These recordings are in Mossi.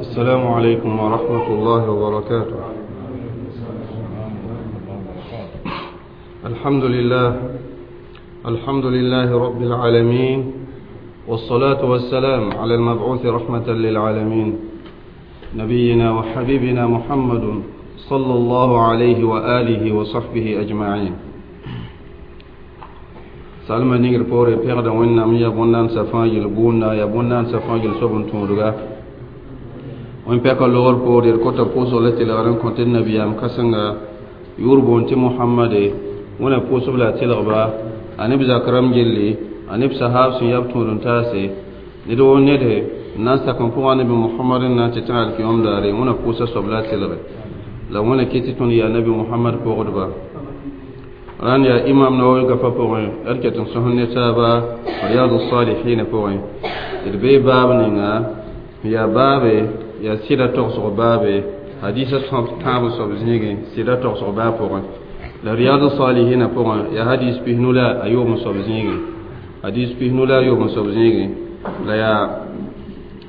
السلام عليكم ورحمة الله وبركاته. الحمد لله، الحمد لله رب العالمين، والصلاة والسلام على المبعوث رحمة للعالمين، نبينا وحبيبنا محمد صلى الله عليه وآله وصحبه أجمعين. Salma ningr poore pẽgda Wẽnnaam ya bõn-naandsã fãa yel gʋʋnda ya bõn-naandsã fãa yel soab n tõodga wẽn pɛka logr poore d kota pʋʋsg la tɩlgr n kõ tɩ nabiyaam kãsenga yʋʋr boon tɩ Mohamade wẽna pʋʋsb la a tɩlgba a neb zak rãmb gilli a neb sahaab sẽn yab tõod n taase ned woo nede n na n sak n pʋgã nabi Mohamad n na n tɩ tã alkiyom daare wẽna pʋʋsa soab la a tɩlge la wẽna kɩ tɩ tõnd yaa nabi Mohamad pʋgdba. Rãnd yaa Imam Nawawi gafa pʋgẽ d ket n sõs ne taaba Riyadu Salihina pʋgẽ d bee baab ninga yaa baabe yaa sɩda togsg baabe hadisa tãab n soab zĩigẽ sɩda togsg baab pʋgẽ la Riyadu Salihina pʋgẽ yaa hadis pisnu la a yoob n soab zĩigẽ hadis pisnu la a yoob n soab zĩigẽ la yaa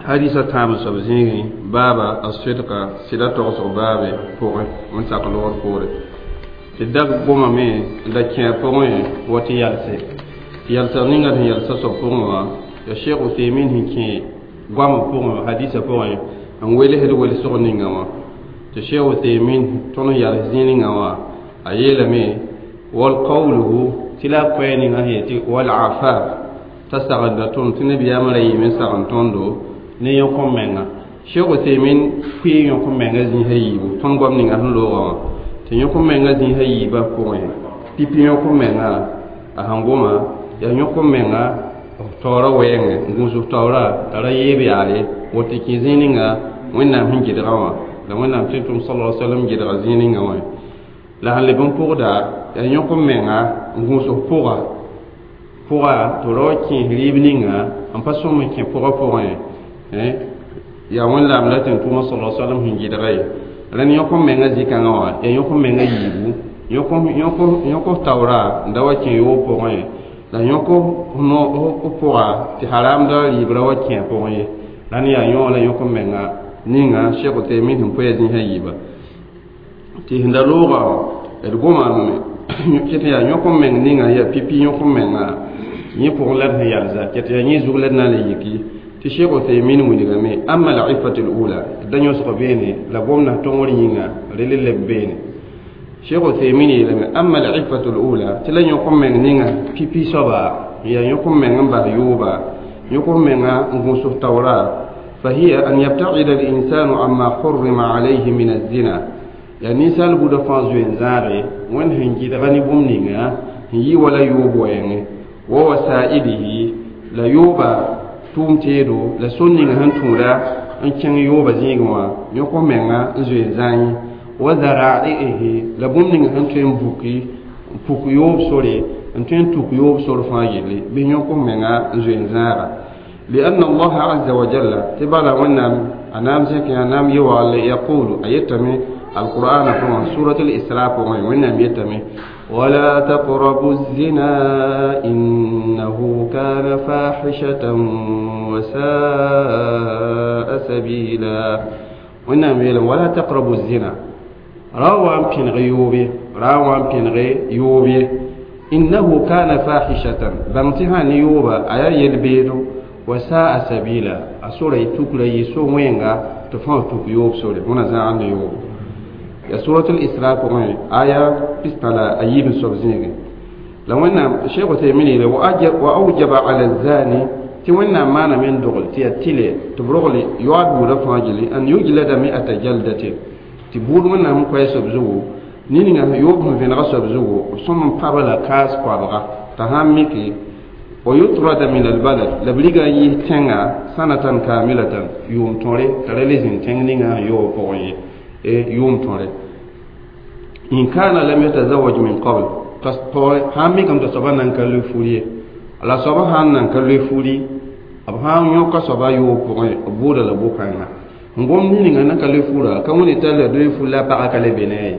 hadisa tãab n soab zĩigẽ baaba a sɩdka sɩda togsg baabe pʋgẽ n sak logr poore tɩ dag gomame n da kẽ a pʋgẽ wa tɩ yalse tɩ yalsg ninga sẽn yalsa soab pʋgẽ wã ya Sheikh Uthaymin sẽn kẽ goamã pʋgẽ hadisa pʋgẽ n welsd welsg ninga wã tɩ Sheikh Uthaymin tõnd n yals zĩig ninga wã a yeelame wal qawluhu tɩ la a koɛɛ ninga sẽn yetɩ wal afaf t'a sagenda tõnd tɩ nabiyaamã ra yɩɩme n sagn tõndo ne yõk-m-menga. Sheikh Uthaymin pʋɩ yõk-m-menga zĩisã yiibu tõnd goam ninga sẽn loogã wã tɩ yõk-m-menga zĩisã yiibã pʋgẽ pipi yõk-m-menga a sẽn goma yaa yõk-m-menga taoora wɛɛngẽ n gũusg taoora t'a ra yeeb yaale woto kẽ zĩig ninga Wẽnnaam sẽn gɩdgã wã la Wẽnnaam tɩ tʋm sala sallam gɩdga zĩig ninga wã la sẽn leb n pʋgda yaa yõk-m-menga n gũusg pʋga pʋga tɩ ra wa kẽes rɩɩb ninga n pa sõm n kẽ pʋgã pʋgẽ yaa Wẽnnaam la tɩ n tʋma sala sallam sẽn gɩdga ye. Rẽnd yõk-m-menga zĩ-kãngã wã yaa yõk-m-menga yiibu yõk taoora n da wa kẽ yoob pʋgẽ la yõk pʋga tɩ haramda rɩɩbra wa kẽ a pʋgẽ ye. Rãnd yaa yõ la yõk-m-menga ninga Sheikh Uthaymin sẽn poa zĩisã yiiba tɩ sẽn da loogã d gomame ket yaa yõk-m-meng ninga yaa pipi yõk-m-menga yẽ pʋgẽ la d sẽn yalsa ket yaa yẽ zug la d na n le yiki tɩ Sheikh Uthaymin wilgame amma al-iffatu al-ula da yõsg beene la gomna tõngr yĩnga rel leb beene. Sheikh Uthaymin yeelame amma al-iffatu al-ula tɩ la yõk-m-meng ninga pipi soaba yaa yõk-m-meng n bas yooba yõk-m-menga n gũusg taoora فهي أن يبتعد الإنسان عما حرم عليه من الزنا yaa ninsaal buda fãa zoe n zãage wẽnd sẽn gɩdga ne bũmb ninga sẽn yɩ wala yoob wɛɛngẽ wa wasaidihi la yooba tʋʋm teedo la sor ninga sẽn tũuda n kẽng yooba zĩigẽ wã yõk-m-menga n zoe n zãe wa zaraihi la bũmb ninga sẽn tõe n buki n puk yoob sore n tõe n tuk yoob sor fãa yelle bɩ yõk-m-menga n zoe n zãaga. لأن الله عز وجل تبالا ونام أنام زكي أنام يوال يقول أيتمي القرآن فما سورة الإسراء فما ونام يتمي ولا تقربوا الزنا إنه كان فاحشة وساء سبيلا ونام يلم ولا تقربوا الزنا روان بين غيوبي روان بين غيوبي إنه كان فاحشة بانتهان يوبا أيا يلبيدو وساء سبيلا أسورة تكلا يسو وينغا تفهم تك يوب سورة هنا زعان يوب يا سورة الإسراء كمان آية بستلا أيب سبزينغ لو أن شيخ تيميني وأوجب على الزاني تمنى ما من دغل تي تبرغلي يعد ورفاجلي أن يجلد 100 جلدة تبور من هم كويس بزو نينغا يوب من فين غصب زو ثم قبل كاس قابغا تهاميكي ويطرد من البلد لبلغا يتنغا سنة كاملة يوم توري ترليزين تنغنيغا يو بوي يوم توري إن كان لم يتزوج من قبل تصطوري هامي كم تصبا نانكالو فولي لا صبا هان نانكالو فولي أبهام يوكا صبا يو بوي بودا لبوكانا ngom ninga nankalo fura kamuni tala do fula pa akale benay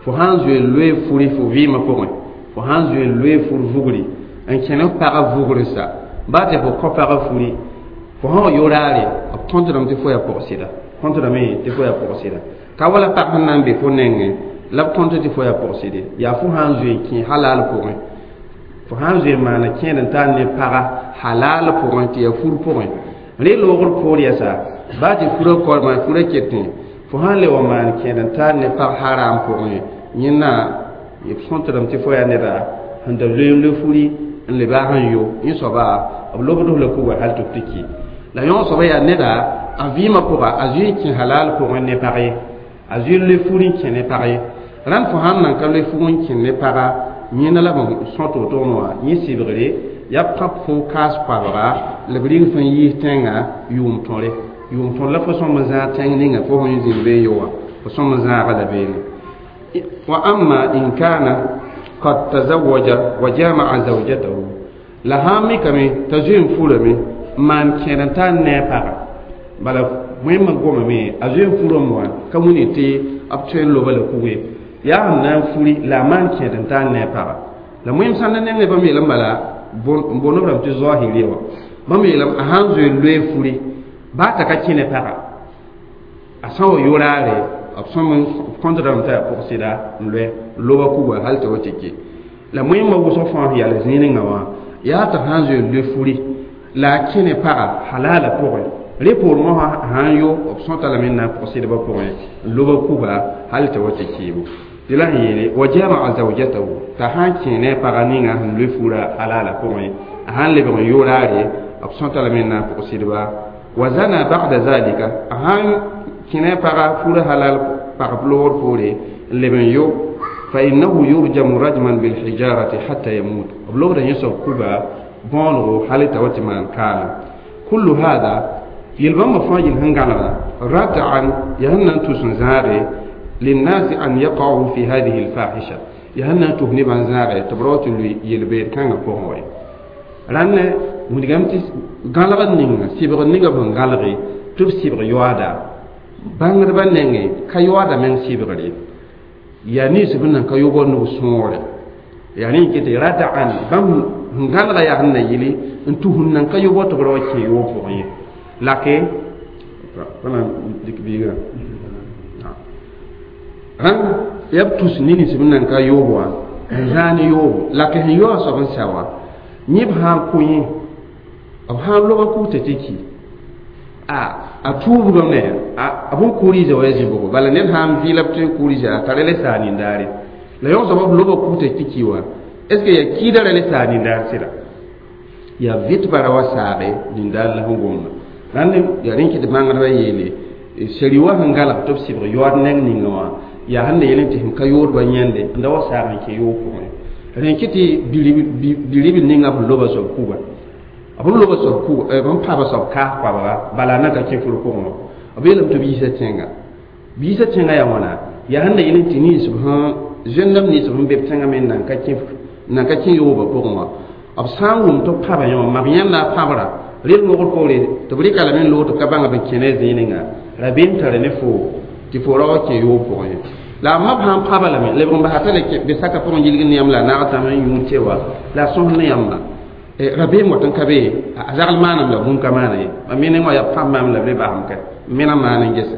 fo hanzu lwe furi fo vima pʋgẽ fo sãn zoe n loe fur vugri n kẽne pagã vugr sa ba tɩ fo kõ pagã furi fo sã wa yo raare b tõntdame tɩ fo yaa pʋg-sɩda Kõtdame tɩ fo yaa pʋgsɩda ka wala pag sẽn na n be fo nengẽ la b kõnt tɩ fo yaa pʋgsɩde yaa fo sã n zoe n kẽ halal pʋgẽ fo sã n zoe n maana kẽed n tar ne paga halal pʋgẽ tɩ yaa fur pʋgẽ rẽ loogr poor yɛsa baa tɩ furã kormã furã ketẽ fo sã n le wa maan kẽed n tar ne pag haram pʋgẽ yẽnna b sõtdame tɩ fo yaa neda sẽn da zoe n le furi n le baag n yo yẽ soaba b lobd la kuga hal tɩ b tɩ ki la yõ soaba yaa neda a vɩɩmã pʋga a zoe n kẽ halal pʋgẽ ne pag ye a zoe n le furi n kẽ ne pag ye rãnd fo sãn nan ka le fug n kẽ ne paga yẽnda la b sõt wotone wã yẽ sɩbgre yaa pãb fo kaas koabga la b ring sẽn yiis tẽngã yʋʋm tõre yʋʋm tõr la fo sõm n zãag tẽng ninga fo sẽn zĩnd be n yo wã fo sõm n zãaga la beene wa amma in kana qad tazawwaja wa jama'a zawjatahu la sãn mikame t'a zoe n furame n maan kẽed n tar ne a paga bala wẽmma gomame a zoe n furame wã ka wilg tɩ b tõe n loba la kuge yaa sẽn na n furi la a maan kẽed n tar ne a paga la wẽm sãn na nengẽ bãmb yeelame bala n boond b rãmb tɩ zoahiriya wã bãmb yeelame a sãn zoe n loe furi baa t'a ka kẽ ne paga a sã n wa yoraare b sõm n kõtdame t'a yaa pʋgsɩda n loe n loba kuga hal tɩ wa tɩ ke la wẽmma wʋsg fãa sẽn yaa zĩig-ninga wã yaa t'a sãn zoe n loe furi la a kẽ ne paga halala pʋgẽ rẽ poor mosã sãn yo b sõta lame n na n pʋgsɩdbã pʋgẽ n loba kuga hal tɩ wa tɩ kɩɩbo tɩ la sẽn yeele wa jamaa zawjatahu t'a sãn kẽ ne a paga ninga sẽn loe fura halala pʋgẽ a sãn lebg n yoraare b sõta lame n na n pʋgsɩdba wa zana ba'da zalika a sãn kẽ ne a paga fura halal pagb loogr poore n leb n yo fa innahu yurjamu rajman bilhijarati hatta yamut b lobda yẽ soab kuga bõonego hal t'a wa tɩ maan kaana kullu hada yel-bãmbã fãa yel sẽn gãlegda rat'an yaa sẽn na n tus n zãage linnasi an yaqa'u fi hadihi alfahisha yaa sẽn na n tus nebã n zãage tɩ b ra wa tɩ lʋɩ yel-beed kãngã pʋgẽ wa ye rãnd wilgame tɩ gãlegd ninga sɩbgr ninga b sẽn gãlge tɩ b sɩbg yoaada bãngdbã nengẽ ka yoaada meng sɩbgr ye yaa nins b nan ka yobg nug sõogre yaa rẽ n ket rada'an bãmb sẽn gãlga yaa sẽn na yɩle n tus n nan ka yobg tɩ b ra wa kẽ yoob pʋgẽ ye lake pa na n dɩk biigrã rãnd yaa b tus ne nins b nan ka yoob wã n zãag ne yoobo lake sẽn yaoa soab n sa wã yẽ b sã n kõ yẽ b sã n loga kugtã tɩ ki a tuubgame a bõn-kuuriisã wa ya zĩ-bʋgo bala ned sã n vɩɩla b tõe n kuuriisã a tara le saa nindaare la yõ soaba b loba kugtã tɩ ki wã est ce que yaa kiida ra le saa nindaar sɩda yaa vɩtba ra wa saage nindaar la sẽn gomda rãnd yaa rẽ kɩ tɩ bãngdbã yeele sari wa sẽn galg tɩ b sɩbg yoaad neng ninga wã yaa sẽn na yel tɩ sẽn ka yoodbã yãnde n da wa saag n kẽ yoog pʋgẽ rẽ kɩ tɩ biribl ninga b loba soab kuga b loba soab kuga b pãaba soab kaas koabga bala a na ka kẽ fur pʋgẽ wã b yeelame tɩ b yiisa tẽnga b yiisa tẽnga yaa wãna yaa sẽn na yel tɩ nins b sẽn zẽndame nins b sẽn be b tẽngã me nan ka kẽ yoobã pʋgẽ wã b sã n wʋm tɩ b pãba yẽ wã mab yãnda a pãbra rel mogr poore tɩ b rɩka lame n loog tɩ b ka bãnga b n kẽ ne zĩig ninga rabeem tara ne fo tɩ fo ra wa kẽ yoob pʋgẽ ye la a mab sã n pãba lame lebg n basa t'a le be saka pʋgẽ yilg ne yãmb la a naag tãm n yũud tɩ wa la a sõs ne yãmba rabeem wat n ka be a zagl maanam la bũmb ka maana ye mam me neng wã yaa pãb maam la b le basem ka m mena maan n gese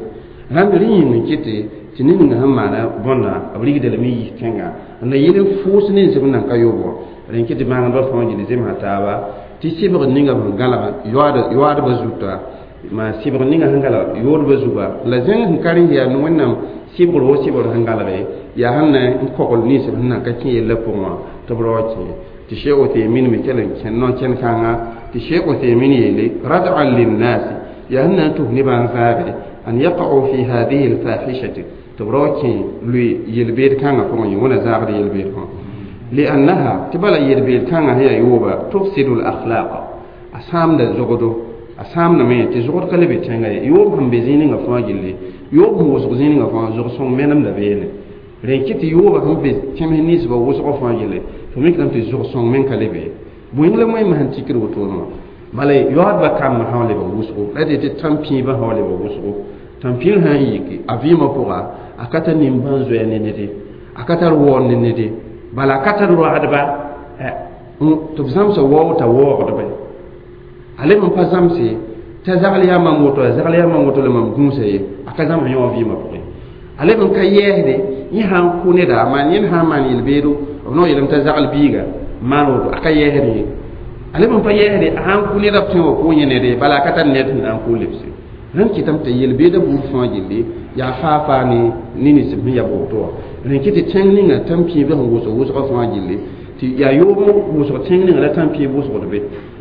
rãnd rẽ yĩng n kɩte tɩ ne ninga sẽn maana bõnda b rigda lame n yis tẽnga n na yel n fʋʋs nins b nan ka yoob wã rẽ n kɩ tɩ bãngdbã fãa gil zemsa taaba tɩ sɩbgr ninga sẽn gãlga yoaadbã zuta maa sɩbgr ninga sẽn gãlga yoodbã zuga la zẽng sẽn ka rẽ yaa Wẽnnaam sɩbgr wo sɩbgr sẽn gãlge yaa sẽn na n kogl nins b sẽn nan ka kẽ yellã pʋgẽ wã tɩ b ra wa kẽ tɩ Sheikh Uthaymin me kell n kẽn no-kẽn-kãnga tɩ Sheikh Uthaymin yeele rad'an linnasi yaa sẽn na n tus nebã n zãage an yaqa'u fi hadihi alfahishati tɩ b ra wa kẽ lʋɩ yel-beed kãngã pʋgẽ ye wẽna zãagd yel-beed pʋgẽ liannaha tɩ bala yel-beed kãngã sẽn yaa yooba tufsidu lakhlaq a sãamda zogdo a sãamdame tɩ zogd ka le be tẽnga ye yoob sẽn be zĩig ninga fãa gilli yoob sẽn wʋsg zĩig ninga fãa zog-sõng menemda beene rẽ kɩ tɩ yooba sẽn be tẽms ninsbã wʋsgã fãa gilli fo mikdame tɩ zog-sõng men ka le be bõe la wẽnnaam sẽn tikd wotone wã bala yoaadbã kambã sã wa lebg wʋsgo la tɩ tãn-pĩibã sã wa lebg wʋsgo tãn-pĩir sã n yiki a vɩɩmã pʋga a ka tar nimbãan-zoɛɛ ne nede a ka tar waoor ne nede bala a ka tar roagdba tɩ b zãmsa wao t'a waoogdba a leb n pa zãmse T'a zagl yaa mam woto, a zagl yaa mam woto la mam gũusa ye, a ka zãms yõ wã vɩɩmã pʋgẽ. A leb n ka yɛɛsde, yẽ sã n kʋ neda, a maan yẽnd sã n maan yel-beedo, b naoor yeelame t'a zagl biiga n maan woto, a ka yɛɛsd ye. A leb n pa yɛɛsde, a sã n kʋ neda b tõe wa kʋ yẽ nede, bala a ka tar ned sẽn na n kʋ lebse. Rẽnd kɩtame tɩ yel-beedã buud fãa gilli yaa faa-faa ne nins sẽn ya woto wã. Rẽnd kɩ tɩ tẽng ninga tãn-pĩibã sẽn wʋsg wʋsgã fãa gilli tɩ yaa yoob wʋsg tẽng ninga la tãn-pĩib wʋsgd be.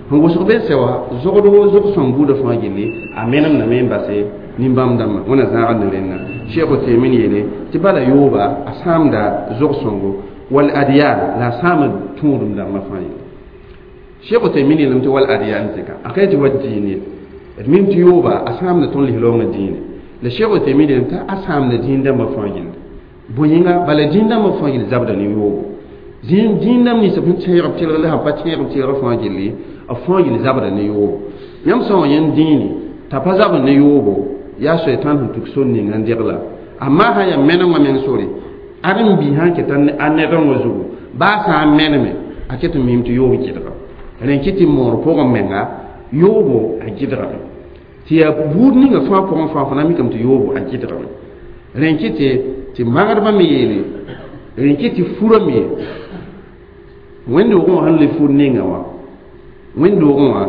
Sẽn wʋsg be sɛ wã zogd wo zog-sõng buudã fãa gilli a menemdame n base nin-bãmb dãmbã. Wẽna zãagd ne rẽnda. Cheikh Uthaymin yeele tɩ bala yooba a sãamda zog-sõngo wal adyan la a sãamd tũudum dãmbã fãa yelle. Cheikh Uthaymin yeelame tɩ wal adyan zɩka a ka tɩ wa diin ye. D mim tɩ yooba a sãamda tõnd lislaoongã dĩine. La Cheikh Uthaymin yeelame tɩ a sãamda dĩin dãmbã fãa gilli. Bõe yĩnga bala dĩin dãmbã fãa gill zabda ne yoobo. Dĩin dãmb nins sẽn tẽeg b tɩlg la sẽn pa tẽeg b tɩlg fãa gilli b fãa gill zabda ne yoobo. Yãmb sã n wa yẽnd dĩine t'a pa zabd ne yoobo yaa soetãn sẽn tuk sor ninga n degla. Amma sã n yaa menengã meng sore ad n bi sã n ket a ned wã zugu baa sã n meneme a ket n mim tɩ yoob gɩdga. Rẽnd kɩ tɩ moor pʋgẽ menga yoobo a gɩdgame. Tɩ yaa buud ninga fãa pʋgẽ fãa fo na mikame tɩ yoobo a gɩdgame. Rẽnd kɩ tɩ magdbã me yeele rẽnd kɩ tɩ furã me wẽnd-doogẽ wã sẽn le fur ninga wã wẽnd-doogẽ wã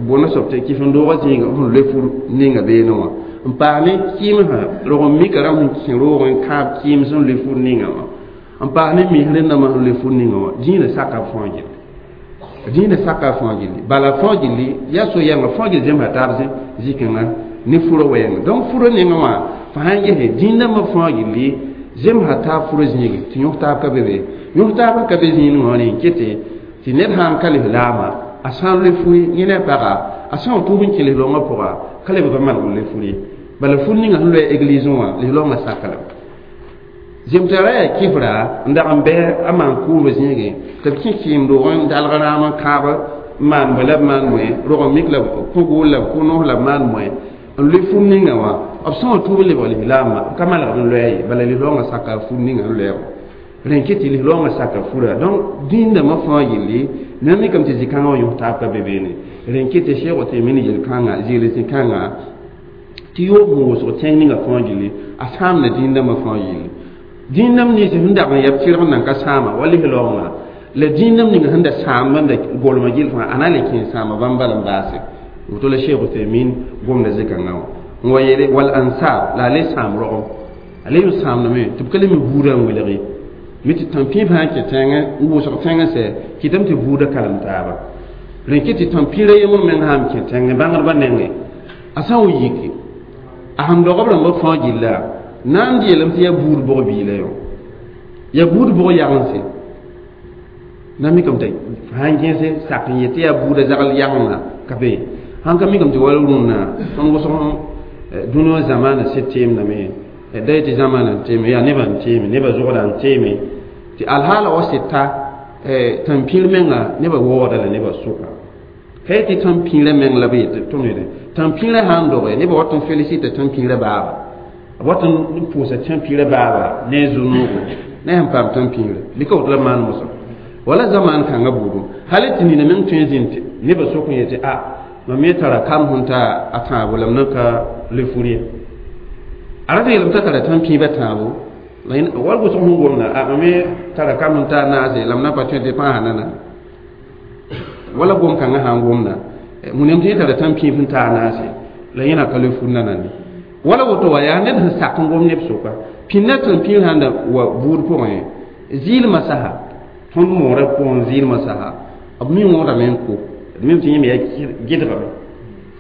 bõna soab tɩ kɩf-n-doogã zĩiga sẽn le fur ninga beene wã n paas ne kɩɩmsã rog n mika rãmb sẽn kẽ roog n kãab kɩɩms sẽn le fur ninga wã n paas ne misr rẽndãmbã sẽn le fur ninga wã dĩinã saka b fãa gilli. Dĩinã saka fãa gilli bala fãa gilli yaa so-yɛngã fãa gill zemsa taab zĩ-kãngã ne furã wɛɛngã. Donc furã nengã wã fo sã n gese dĩin dãmbã fãa gilli zemsa taab furã zĩige tɩ yõs taab ka be be. Yõs taab n ka be zĩig wã rẽ n kete tɩ ned sã n ka lislaama a sã n le furi yẽ ne a paga a sã n tʋʋb n kẽ lislaoongã pʋga ka lebg n maneg n le furi. Bala fur ninga sẽn loe église wã lislaoongã saka lame. Zemtara yaa kɩfra n dag n bɩ a maan kʋʋmb zĩigẽ tɩ b kẽ kɩɩm-doog n dalg raam n kãab n maan bõe la b maan bõe rog n mik la kõ-gool la b kõ-noos la b maan bõe n loe fur ninga wã b sã n tʋʋb n lebg lislaamã b ka manegd n loɛɛ ye bala lislaoongã saka fur ninga n loɛɛgo. Rẽnd kɩ tɩ lislaoongã saka fura. Donc dĩin dãmbã fãa gilli na mikame tɩ zĩ-kãngã wã yõs taab ka be beene. Rẽnd kɩ tɩ Cheikh Uthaymin yel-kãngã zɩɩl zĩ-kãngã tɩ yoob sẽn wʋsg tẽng ninga fãa gilli a sãamda dĩin dãmbã fãa gilli. Dĩin dãmb nins sẽn dag n yɛb tɩrg n nan ka sãama wa lislaoongã la dĩin dãmb ninga sẽn da sãamb n da golmã gill fãa a na n le kẽ sãama bãmb bala n baase. Woto la Cheikh Uthaymin gomda zĩ-kãngã wã n wa yeele wal ansab la a le sãam rogem a le n sãamdame tɩ b ka le mi buudã n welge mi tɩ tãn-pĩib sã n kẽ tẽngẽ n wʋsg tẽngẽ sɛ kɩtame tɩ buudã kalem taaba. Rẽnd kɩ tɩ tãn-pĩirã yembr meng sã n kẽ tẽngẽ bãngdbã nengẽ a sã n wa yiki a sẽn dog b rãmbã fãa gilla na n yeelame tɩ yaa buud bʋg biila yõ yaa buud bʋg yagense na mikame tɩ sã n gẽse sak n yet tɩ yaa buudã zagl yagenga ka be sãn ka mikame tɩ wala rũnnã tõnd wʋsg dũni wã zamaana sɩd teemdame da yetɩ zamaana n teeme yaa nebã n teeme nebã zogda n teeme tɩ alhaala wa sɩd ta tãn-pĩir menga nebã waoogda la nebã sʋka ka yetɩ tãn-pĩirã meng la b yetɩ tõnd yetɩ tãn-pĩirã sã n doge nebã wat n félicita tãn-pĩirã baaba b wat n pʋʋsa tãn-pĩirã baaba ne a zu-noogo ne sẽn paam tãn-pĩirã bɩ ka woto la b maan mosã wala zamaan kãngã buudu hal tɩ nina meng tõe n zĩnd tɩ nebã sʋk n yetɩ a mam me tara kam sẽn ta a tãabo la m na ka le fur ye a rat n yeelame t'a tara tãn-pĩibã tãabo wal wʋsg sẽn gomda a mam me tara kam sẽn ta a naase la m na pa tõe tɩ pãasa nana wala gom kãngã sã n gomda wẽnnaam tɩ yẽ tara tãn-pĩib sẽn ta a naase la yẽna ka le fur nanande wala woto wa yaa ned sẽn sak n gom neb sʋka pĩnda tãn-pĩir sãn da wa buud pʋgẽ zɩɩlmã sasa tõnd moorã pʋgẽ zɩɩlmã sasa b mi wõodame n ko d mim tɩ yẽme yaa gɩdgame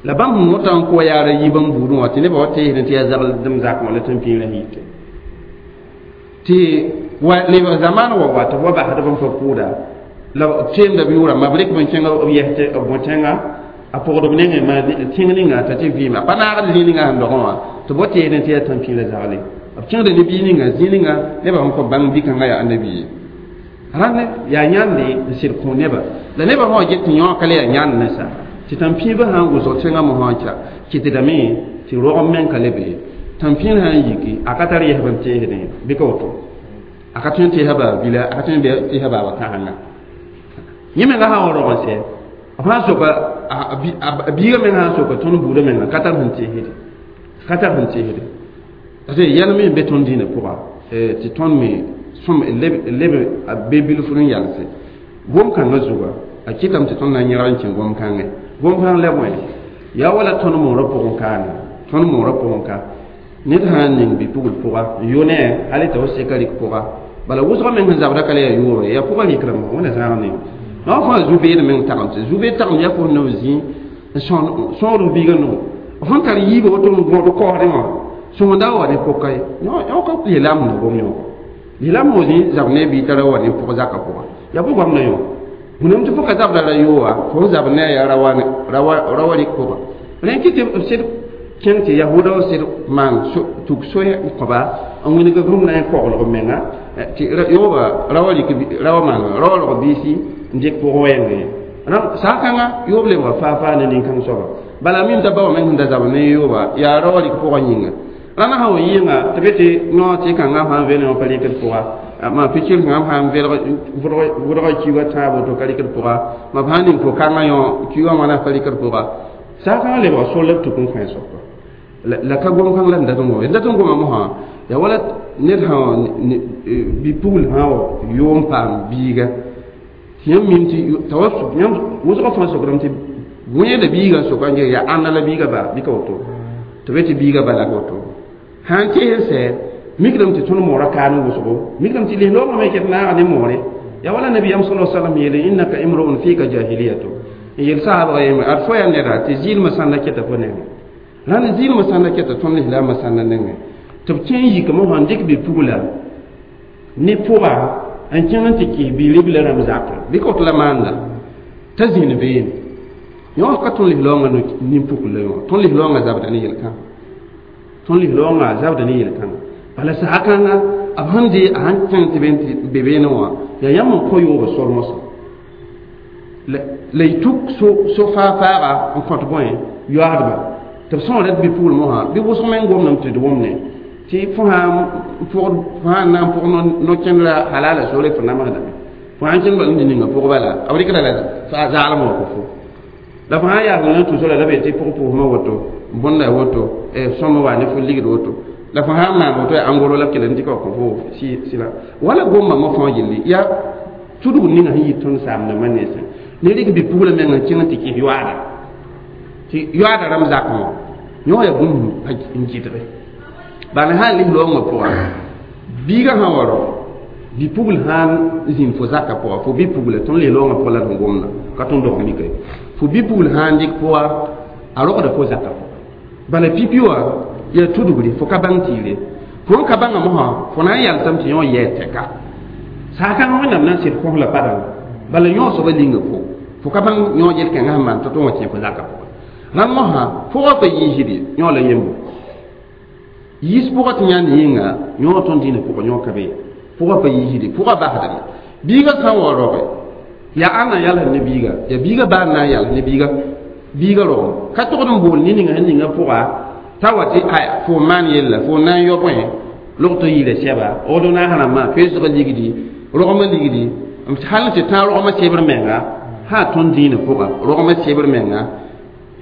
la bãmb sẽn wõta n kʋ yaara yi bãmb buudẽ wã tɩ nebã wa teesdẽ tɩ yaa zagl dẽm zakẽ wã la tãn-pĩirã yite tɩ wa lebg zamaan wa wa tɩ b wa basdb n pa pʋʋda la teemda b yʋʋra ma b rɩk b n kẽng b yɛs tɩ b bõ tẽnga a pʋgd b nengẽ ma tẽng ninga t'a tɩ vɩɩma a pa naagd zĩig ninga sẽn dogẽ wã tɩ b wa teesdẽ tɩ yaa tãn-pĩirã zagle b kẽngda ne bii ninga zĩig ninga nebã sẽn kõ bãng bi-kãngã yaa annabi ye rãnd yaa yãnde n sɩd kõ neba la nebã sã wa get tɩ yõ ka le yaa yãnd ne sa tɩ tãn-pĩibã sã n wʋsg tẽngã mosã n ca kɩtdame tɩ rogem meng ka le be tãn-pĩir sã n yiki a ka tar yɛsb n teesdẽ bɩ ka woto a ka tõe n teesa baa bila a ka tõe n teesa baaba kãsenga yẽ menga sã n wa rog n sɛ b sã n soka a biiga meng sã n soka tõnd buudã menga ka tar sẽn teesde ka tar sẽn teesde parce que yɛl me n be tõnd dĩinã pʋga tɩ tõnd me sõm leb a be bilfr n yalse gom-kãngã zuga a kɩtame tɩ tõnd na n yẽgr n kẽ gom-kãngẽ gom-kãng la bõe yaa wala tõnd moorã pʋgẽ kaana tõnd moorã pʋgẽ ka ned sã n ning bi-pugl pʋga n yʋ ne hali t'a f seka rɩk pʋga bala wʋsgã meng sẽn zabda ka la yaa yʋʋre yaa pʋgã rɩkrame wẽna zãag ne no fãa zu-beed meng tagem tɩ zu-beed tagem yaa fo nao zĩ n sõor biiga no fõn tar yiiba woto n gõod kaoosdẽ wã sõsda wa ne pʋka ye yõ ka lislaam na gom yõ lislaam wã zĩ zab ne bii t'a ra wa ne pʋg zakã pʋga yaa bʋ goamda yõ wẽnnaam tɩ fo ka zabda ra yoowa fo zab ne a yaa rawa rɩk pʋga rẽ kɩ tɩ b sɩd kẽng tɩ yahuda w sɩd maan tuk soe n kõba n wĩng rũm na n koglg menga tɩ yooba rawa rɩk rawa maan rawa rog biisi n dɩk pʋg wɛɛngẽ saa-kãngã yoob lebga faa-faa ne nin-kãng soaba bala mim t'a ba wã meng sẽn da zab ne yooba yaa rawa rɩk pʋgã yĩnga rãna sã wa yɩɩnga tɩ be tɩ no tɩ kãngã sã n vele wã pa rɩkd pʋga ma pikir sã sã n vʋdga kiuga tãab woto ka rɩkd pʋga ma sã n ning fo kãngã yõ kiugã wãna pa rɩkd pʋga saa-kãngã lebga sol la b tuk n kõ soaba la ka gom-kãng la n dat n goma n dat n goma mosã yaa wala ned sã bi-pugl sã wa yʋʋm paam biiga tɩ yãmb mim tɩ t'a wa yãmb wʋsgã fãa sokdame tɩ wẽeda biigã n soka n ges yaa ãnna la biiga ba bɩ ka woto tɩ be tɩ biiga bala ka woto sã n tees n sɛ mikdame tɩ tõnd moorã kaan wʋsgo mikdame tɩ lislaoongã me ket naaga ne moore yaa wala nabiyam sala salam yeele innaka imruun fika jahiliyatu n yel saabga yembre ad fo yaa neda tɩ zɩɩlmã sãnda keta fo nengẽ rãnd zɩɩlmã sãnda keta tõnd lislaamã sãnda nengẽ tɩ b kẽ n yik mosã n dɩk bi-pugla ne pʋga n kẽng n tɩ kɩs bi-ribla rãmb zakẽ bɩ ka woto la maanda t'a zĩnd beene yõ ka tõnd lislaoongã nin-pukl la yõ tõnd lislaoongã zabda ne yel-kãngã tõnd lislaoongã zabda ne yel-kãngã bala sã-kãngã b sẽn dee a sãn kẽng tɩ be beene wã yaa yãmb n kõ yooba sol mosã la y tuk so faa-faaga n kõt bõe yoaadba tɩ b sõora d bi-pugl mosã bɩ wʋsg meng gomdame tɩ d wʋmne tɩ fo sã n na n pʋg no-kẽndra halala sore fo namsdame fo sãn kẽnd bal n ninga pʋg bala b rɩkda la zaalem wã kõ fo la fo sãn yaas n tʋsra la be tɩ pʋg pʋʋsmã woto bõnda woto sõma wa ne fo ligd woto la fo sãn maan woto yaa angoro la b kell n dɩka wa kõ fo sɩla wala gomba mo fãa yelle yaa tudg ninga sẽn yit tõnd saamdãmbã nensẽ ne rɩk bi-pugla meng n kẽng tɩ kɩs yoaada tɩ yoaada rãmb zakẽ wã yõ yaa bũmb n gɩdge bala sã n lislaoongã pʋga biigã sã wa rao bi-pugl sã n zĩnd fo zakã pʋga fo bi-pugla tõnd lislaoongã pʋga la d sẽn gomda ka tõnd dog mika ye fo bi-pugl sã n dɩk pʋga a rogda fo zakã pʋga bala pipi wã yaa tudgre fo ka bãng tɩɩre fo n ka bãnga mosã fo na n yalsame tɩ yõ yɛɛ tɛka saa-kãngã wẽnnaam na n sɩd kõs la padanga bala yõ soabã linga fo fo ka bãng yõ yel-kẽngã sẽn maan tɩ tõnd wa kẽ fo zakã pʋga rãmb mosã pʋgã pa yiisde yõ la yembo yiis pʋgã tɩ yãnd yĩnga yõ tõnd dĩinã pʋgã yõ ka be pʋgã pa yiisde pʋgã basdame biigã sã n wa roge yaa ãnna n yalsd ne biiga yaa biiga baa n na n yals ne biiga biiga rogem ka togd n bool ne ninga sẽn ninga pʋga t'a wa tɩ aya fo n maan yella fo n na n yɔ bõe log tɩ yɩɩla sɛba ordonnance rãmbã peesgã ligdi rogmã ligdi hal n tɩ tãag rogmã sebr menga sã tõnd dĩinã pʋga rogmã sebr menga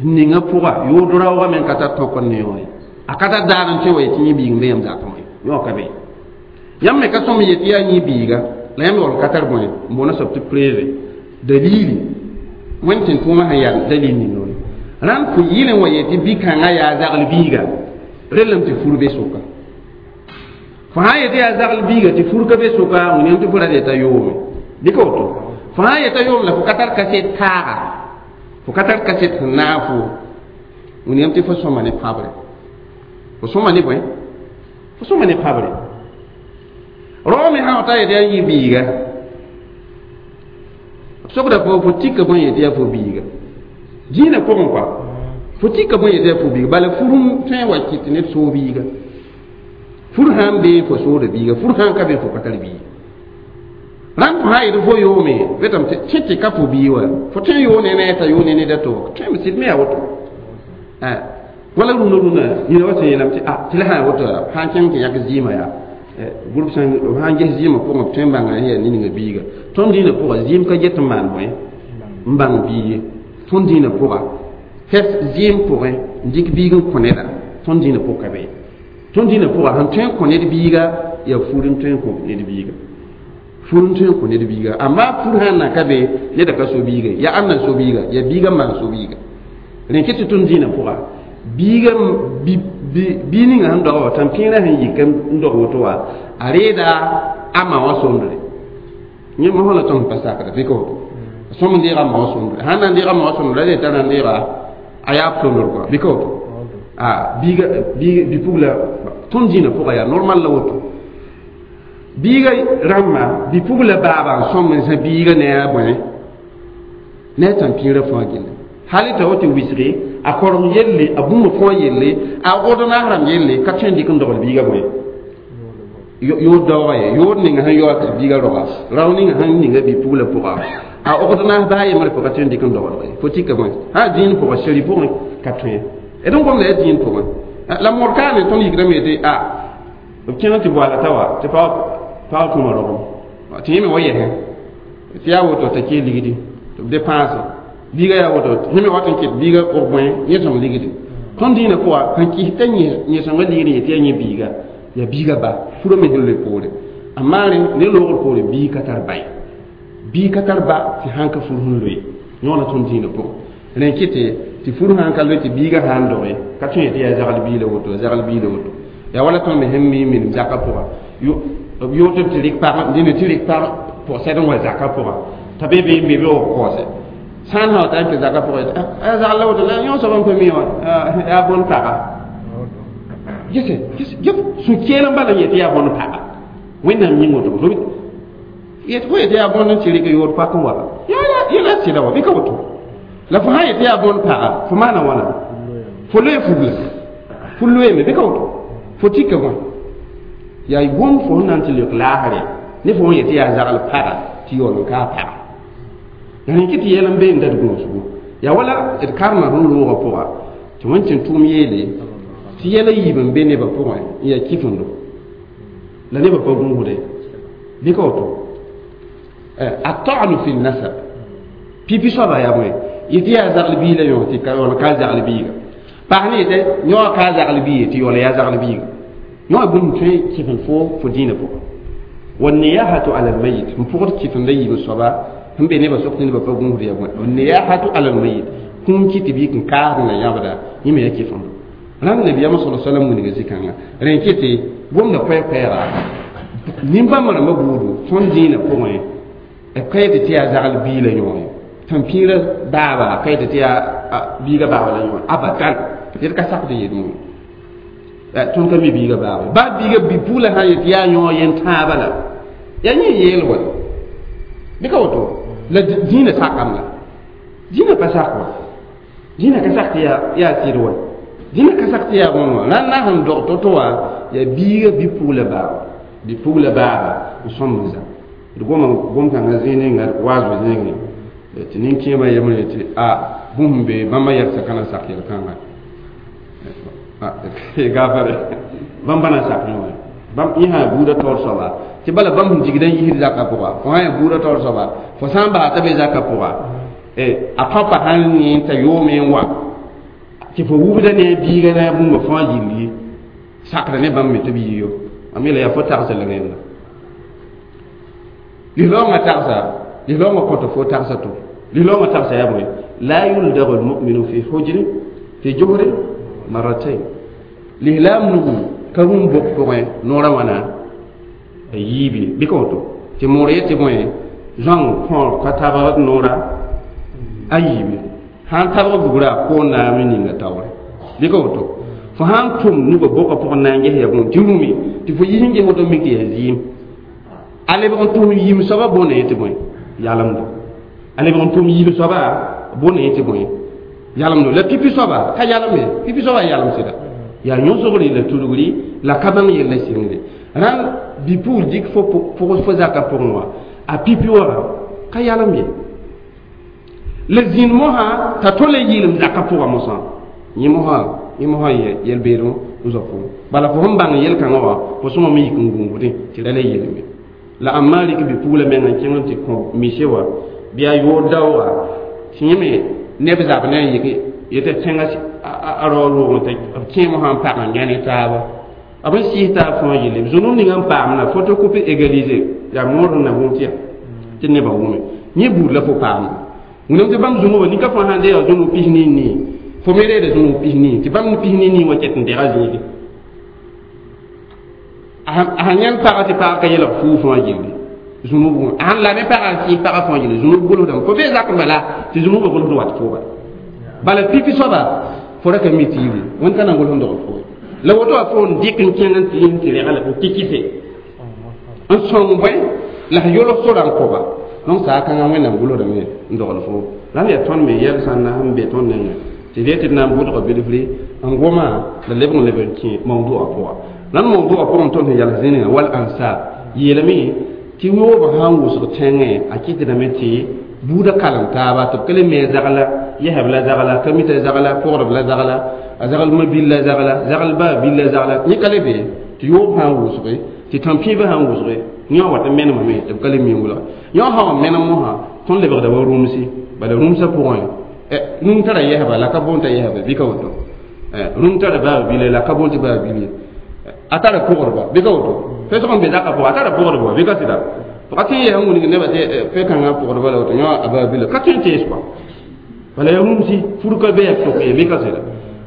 ninga pʋga yʋʋd raoogã meng ka tar tõk n ne yõ ye a ka tar daar n tõe wa yetɩ yẽ biig n be yãmb zakẽ wã yõ ka be yãmb me ka sõm yetɩ yaa yẽ biiga la yãmb yaool ka tar bõe n boona soab tɩ preve dalili wẽnd tɩ tʋʋmã sẽn yaa dalil ning wã rãnd fo yɩl n wa yetɩ bi-kãngã yaa zagl biiga rellame tɩ fur be sʋka fo sã n yetɩ yaa zagl biiga tɩ fur ka be sʋka wẽnnaam tɩ fo ra yeta yoome bɩ ka woto fo sã n yeta yoom la fo ka tar kaset taaga fo ka tar kaset sẽn naag fo wẽnnaam tɩ fo sõma ne pãbre fo sõma ne bõe fo sõma ne pãbre rao me sã wa ta yetɩ yaa yẽ biiga sokda fo tika bõe yetɩ yaa fo biiga dĩinã pʋgẽ kɔa fo tika bõe yetɩ yaa fo biiga bala fur n tõe n wa kɩt tɩ ned soog biiga fur sã n bee fo sooda biiga fur sã n ka be fo ka tar biiga rãmb fo sã n yetɩ fo yoome betame tɩ tɩ ka fo bii wa fo tõe n yoog ne ne t'a yoog ne ned a to tõeme sɩd me yaa woto wala rũnã rũnã yĩna wa sẽn yeelame tɩ tɩ la sã n woto sã n kẽng tɩ yãk zɩɩmã yaa groupe sãn b sã n ges zɩɩmã pʋgẽ b tõe n bãnga yaa ninga biiga tõnd dĩinã pʋga zɩɩm ka get n maan bõe n bãng bii ye Tõnd dĩinã pʋga fɛs zɩɩm pʋgẽ n dɩk biig n kõ neda tõnd dĩinã pʋg ka be tõnd dĩinã pʋga sẽn tõe n kõ ned biiga yaa fur n tõe n kõ ned biiga fur n tõe n kõ ned biiga amma fur sãn na ka be neda ka so biiga yaa ãnna so biiga yaa biiga n maan so biiga rẽn kɩ tɩ tõnd dĩinã pʋga biiga bii ninga sẽn dog wa tãn-pẽerã sẽn yik n dog woto wã a reeda a ma wã sondre yẽ mosã la tõnd pa sakda bɩ ka woto sõm n deega a ma wã sondre sãn na n deega a ma wã sondre la t'a na n deega a yaab sondr kɔa bɩ ka woto a biiga bi-pugla tõnd dĩinã pʋga yaa normal la woto biiga rãmba bi-pugla baaba n sõm n zã biiga ne a bõe ne a tãn-pĩirã fãa gilli hali t'a woto wisge a korem yelle a bũmb fãa yelle a ordonnance rãmb yelle ka tõe n dɩk n dogl biiga bõe yood daooga ye yood ninga sẽn yaoog t'a biiga roga rao ninga sẽn ninga bi-pugla pʋga a ordonnance baa yembre pʋga tõe n dɩk n doglg ye fo tika bõe sã dĩin pʋga seri pʋgẽ ka tõe d n gomda yaa dĩin pʋgẽ la mor kaane tõnd yikdame tɩ a b kẽng tɩ boaala ta wa tɩ pag kũma rogem tɩ yẽ me wa yɛsẽ tɩ yaa woto t'a kee ligdi tɩ b dépensé biiga yaa woto yẽ me wat n kɩt biiga og bõe yẽ-sõng ligdi tõnd dĩinã pʋga sẽn kɩs t'a yẽ-sõnga ligd yetɩ yaa yẽ biiga yaa biiga ba furã me sẽn loe poore a maare ne loogr poore biig ka tar ba ye biig ka tar ba tɩ sãn ka fur sẽn loe yõona tõnd dĩinã pʋgẽ rẽn kɩtɩ tɩ fur sãn ka loe tɩ biiga sãn doge ka tõe yetɩ yaa zagl biila woto zagl biila woto yaa wala tõnd me sẽn mi minim zakã pʋga b yoot tɩ rɩk pag dĩnã tɩ rɩk pag pʋg-sɛd n wa zakã pʋga t'a be be n be be wa kaoose sãn sã wa ta n kẽ zakã pʋgã a zagl la woto la yõ soab n pa mi wã yaa bõn paga gese sũ-keel n bala n yetɩ yaa bõn paga wẽnnaam yĩng woto yet fo yetɩ yaa bõn n tɩ rɩk yood pak n wa yẽla sɩda wa bɩ ka woto la fo sã yetɩ yaa bõn paga fo maana wãna fo loe fugla fo loeeme bɩ ka woto fo tika bõe yaa gom fo sẽn na n tɩ leok laasre ne fo sẽn yetɩ yaa zagl paga tɩ yaool n kaa paga rẽn kɩ tɩ yɛl n bee n dat gũusgo yaa wala d karema sẽn loogã pʋga tɩ wẽn tʋʋm yeele tɩ yɛla yiib n be nebã pʋgẽ n yaa kifendo la nebã pa gũusde bɩ ka woto a ta'nu fi nasab pipi soaba yaa bõe yetɩ yaa zagl biig la yõ tɩ yaool ka zagl biiga paas ne yetɩ yõ ka zagl biig tɩ yaool yaa zagl biiga yõ bũmb tõe kɩfend fo dĩinã pʋgẽ wanniyahatu ala almayit n pʋgd kɩfenda yiib soaba sẽn be nebã sok tɩ nebã pa gũusd yaa bõe wanniyahatu ala almayit kũum kɩ tɩ bɩ n kaasd la yãbda yẽ me yaa kɩfendo rãnd nabiyaamã sala salam wilga zĩ-kãngã rẽn kɩ tɩ gomda koɛɛ-koɛɛga nin-bãmb rãmbã buudu tõnd dĩinã pʋgẽ b ka yetɩ tɩ yaa zagl bii la yõore tãn-pĩirã baaba ka yetɩ tɩ yaa biiga baaba la yõore abadan yet ka sakd n yet moẽ tõnd ka mi biiga baaba baa biiga bi-pugla sã n yetɩ yaa yõ yẽn tãabã la yaa yẽ yeel wa bɩ ka woto la dĩinã sakame la dĩinã pa sak wa dĩinã ka sak tɩ yaa sɩd wa dĩnã ka sak tɩ yaa bõn wã la n na sẽn dog to-to wã yaa biiga bi-pugla baaba bi-pugla baaba n sõmb n zã d goma gom-kãngã zĩig ninga waasb zĩigẽ tɩ nin-kẽemã yembre tɩ a bũmb be bãmba yɛlsa ka na sak yel-kãnga gaafare bãmba na sak yõ bãmb yẽ sã buudã taoor soaba tɩ bala bãmb sẽn digd n yisd zakã pʋga fo sã yaa buudã taoor soaba fo sã n basa t'a be zakã pʋga a pãpa sãn yẽ t'a yoome n wa tɩ fo wubda ne a biiga ne a bũmba fãa yilli sakda ne bãmb me tɩ b yiyo mam yeela yaa fo tagsa la rẽnda lislaoongã tagsa lislaoongã kõta fo tagsa to lislaoongã tagsa yaa bõe la yuldagu lmuminu fi hujri fi juhri marratain lislaam nugu ka rũm bok pʋgẽ noorã wãna a yiibe bɩ ka woto tɩ moor yetɩ bõe zãng kõor ka tabg noora a yiibe sãn tabg bugra koon naam n ninga taoore bɩ ka woto fo sãn tʋm nugã bokã pʋgẽ na n ges yaa bõe tɩ rũme tɩ fo yis n ges woto mik tɩ yaa zɩɩm a lebg n tʋm yim soaba boonda yetɩ bõe yalemdo a lebg n tʋm yim soaba boonda yetɩ bõe yalemdo la pipi soaba ka yalem ye pipi soaba yalem sɩda yaa yõsgre la tudgri la ka bãng yella sɩngre rãnd bi-pugl dɩk fo pʋgs fo zakã pʋgẽ wã a pipi wã ka yalem ye la zĩnd mosã t'a tole yɩɩlem zakã pʋgã mosã yẽ mosã yel-beed n zoa fo bala fo sẽn bãng yel-kãngã wã fo sõma me yik n gũusdẽ tɩ ra la yeelme la ãmb maa rɩk bi-pugla menga n kẽng n tɩ kõ mise wã bɩ a yood daooga tɩ yẽ me Neb zab ne n yik yetɩ tẽngã a rao roogẽ tɩ b kẽem sã n pag n yã ne taaba b n sɩɩs taab fãa yelle b zũnum ning n paamna photocopie égalisé yaa moor sẽn na wʋm tɩ ya tɩ nebã wʋme yẽ buud la fo paamda wẽnnaam tɩ bãmb zũnubã nin-ka fãa sãn deega zũnug pis nii nii fo me reeda zũnug pis nii tɩ bãmb pis nii nii wã ket n dega zĩige a sãn yãnd pagã tɩ pagã ka yelg fuu fãa gilli zũnub wã a sãn la me pagã n sɩɩs pagã fãa gilli zũnub gʋlsdame fo bee zak n bala tɩ zũnubã gʋlsd wat fo bala bala pipi soaba fo ra ka mi tɩ yibl wẽnd ka na n gʋls n dogl fo la woto wa fo n dɩk n kẽng n tɩ n tɩ rega la n kɩkɩse n sõng bõe la sẽn yolg sora n koba donc saa kãngã wẽnnaam gʋlsdame n dogl fo la yaa tõnd me yɛl sãn na sẽn be tõnd nengẽ tɩ d yetɩ d na n bʋdga bilfri n goma la lebg n leb n kẽ mawdua pʋga la mawdua pʋgẽ tõnd sẽn yals zĩnigã wal ansab yeelame tɩ yoobã sã n wʋsg tẽngẽ a kɩtdame tɩ buudã kalem taaba tɩ b ka le me zagla yɛsb la zagla ka mita zagla pʋgdb la zagla a zagl ma-bil la zagla zagl baa bil la zagla yẽ ka le be tɩ yoob sã n wʋsge tɩ tãn-pĩibã sã n wʋsge yẽ wat n menemame tɩ b ka le mi n wʋlga yõ sã wa menem mosã tõnd lebgda wa rũmsi bala rũmsã pʋgẽ rũm tara yɛsba la ka boon t'a yɛsba bɩ ka woto rũm tara baa bile la ka boon tɩ baa bil ye a tara pʋgdba bɩ ka woto fɛsg n be zakã pʋgã a tara pʋgdba bɩ ka sɩda ka tõe n yɛs n wilg nebã tɩ fɛ-kãngã pʋgdba la woto yõ a baa bila ka tõe n tees kɔa bala yaa rũmsi fur ka be yaa sʋk ye bɩ ka sɩda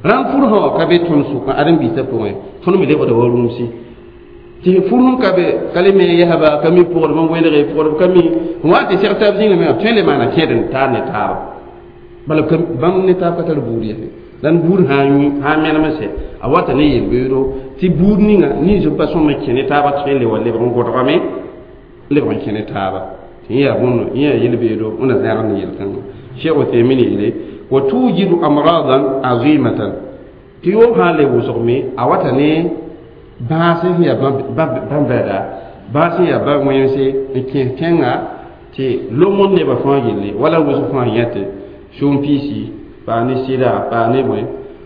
rãmb fur sã wã ka be tõnd sʋkã ãdem-biisã pʋgẽ tõnd me lebgda wa rũmsi tɩ fur sẽn ka be ka le me yɛsba ka mi pʋgdb n welge pʋgdb ka mi n wa tɩ seg taab zĩnga me b tõe n le maana kẽed n taar ne taaba bala bãmb ne taab ka tar buud yɛse la n buud sã n menem n sɛ a wata ne yel-beoodo tɩ buud ninga nins n pa sõm n kẽ ne taabã tõe n le wa lebg n gõdgame lebg n kẽ ne taaba tɩ yẽ yaa bõndo yẽ yaa yel-beoodo wẽna zãag ne yel-kãngã cheikh Uthaymin yeele wa tujidu amradan azimatan tɩ yoob sã n le wʋsgme a wata ne bãas sẽn yaa bãn-bɛda bãas sẽn yaa ba-wẽnse n kẽes tẽngã tɩ lomd nebã fãa gilli wala wʋsg fãa yãte sũm-piisi paa ne sɩda paa ne bõe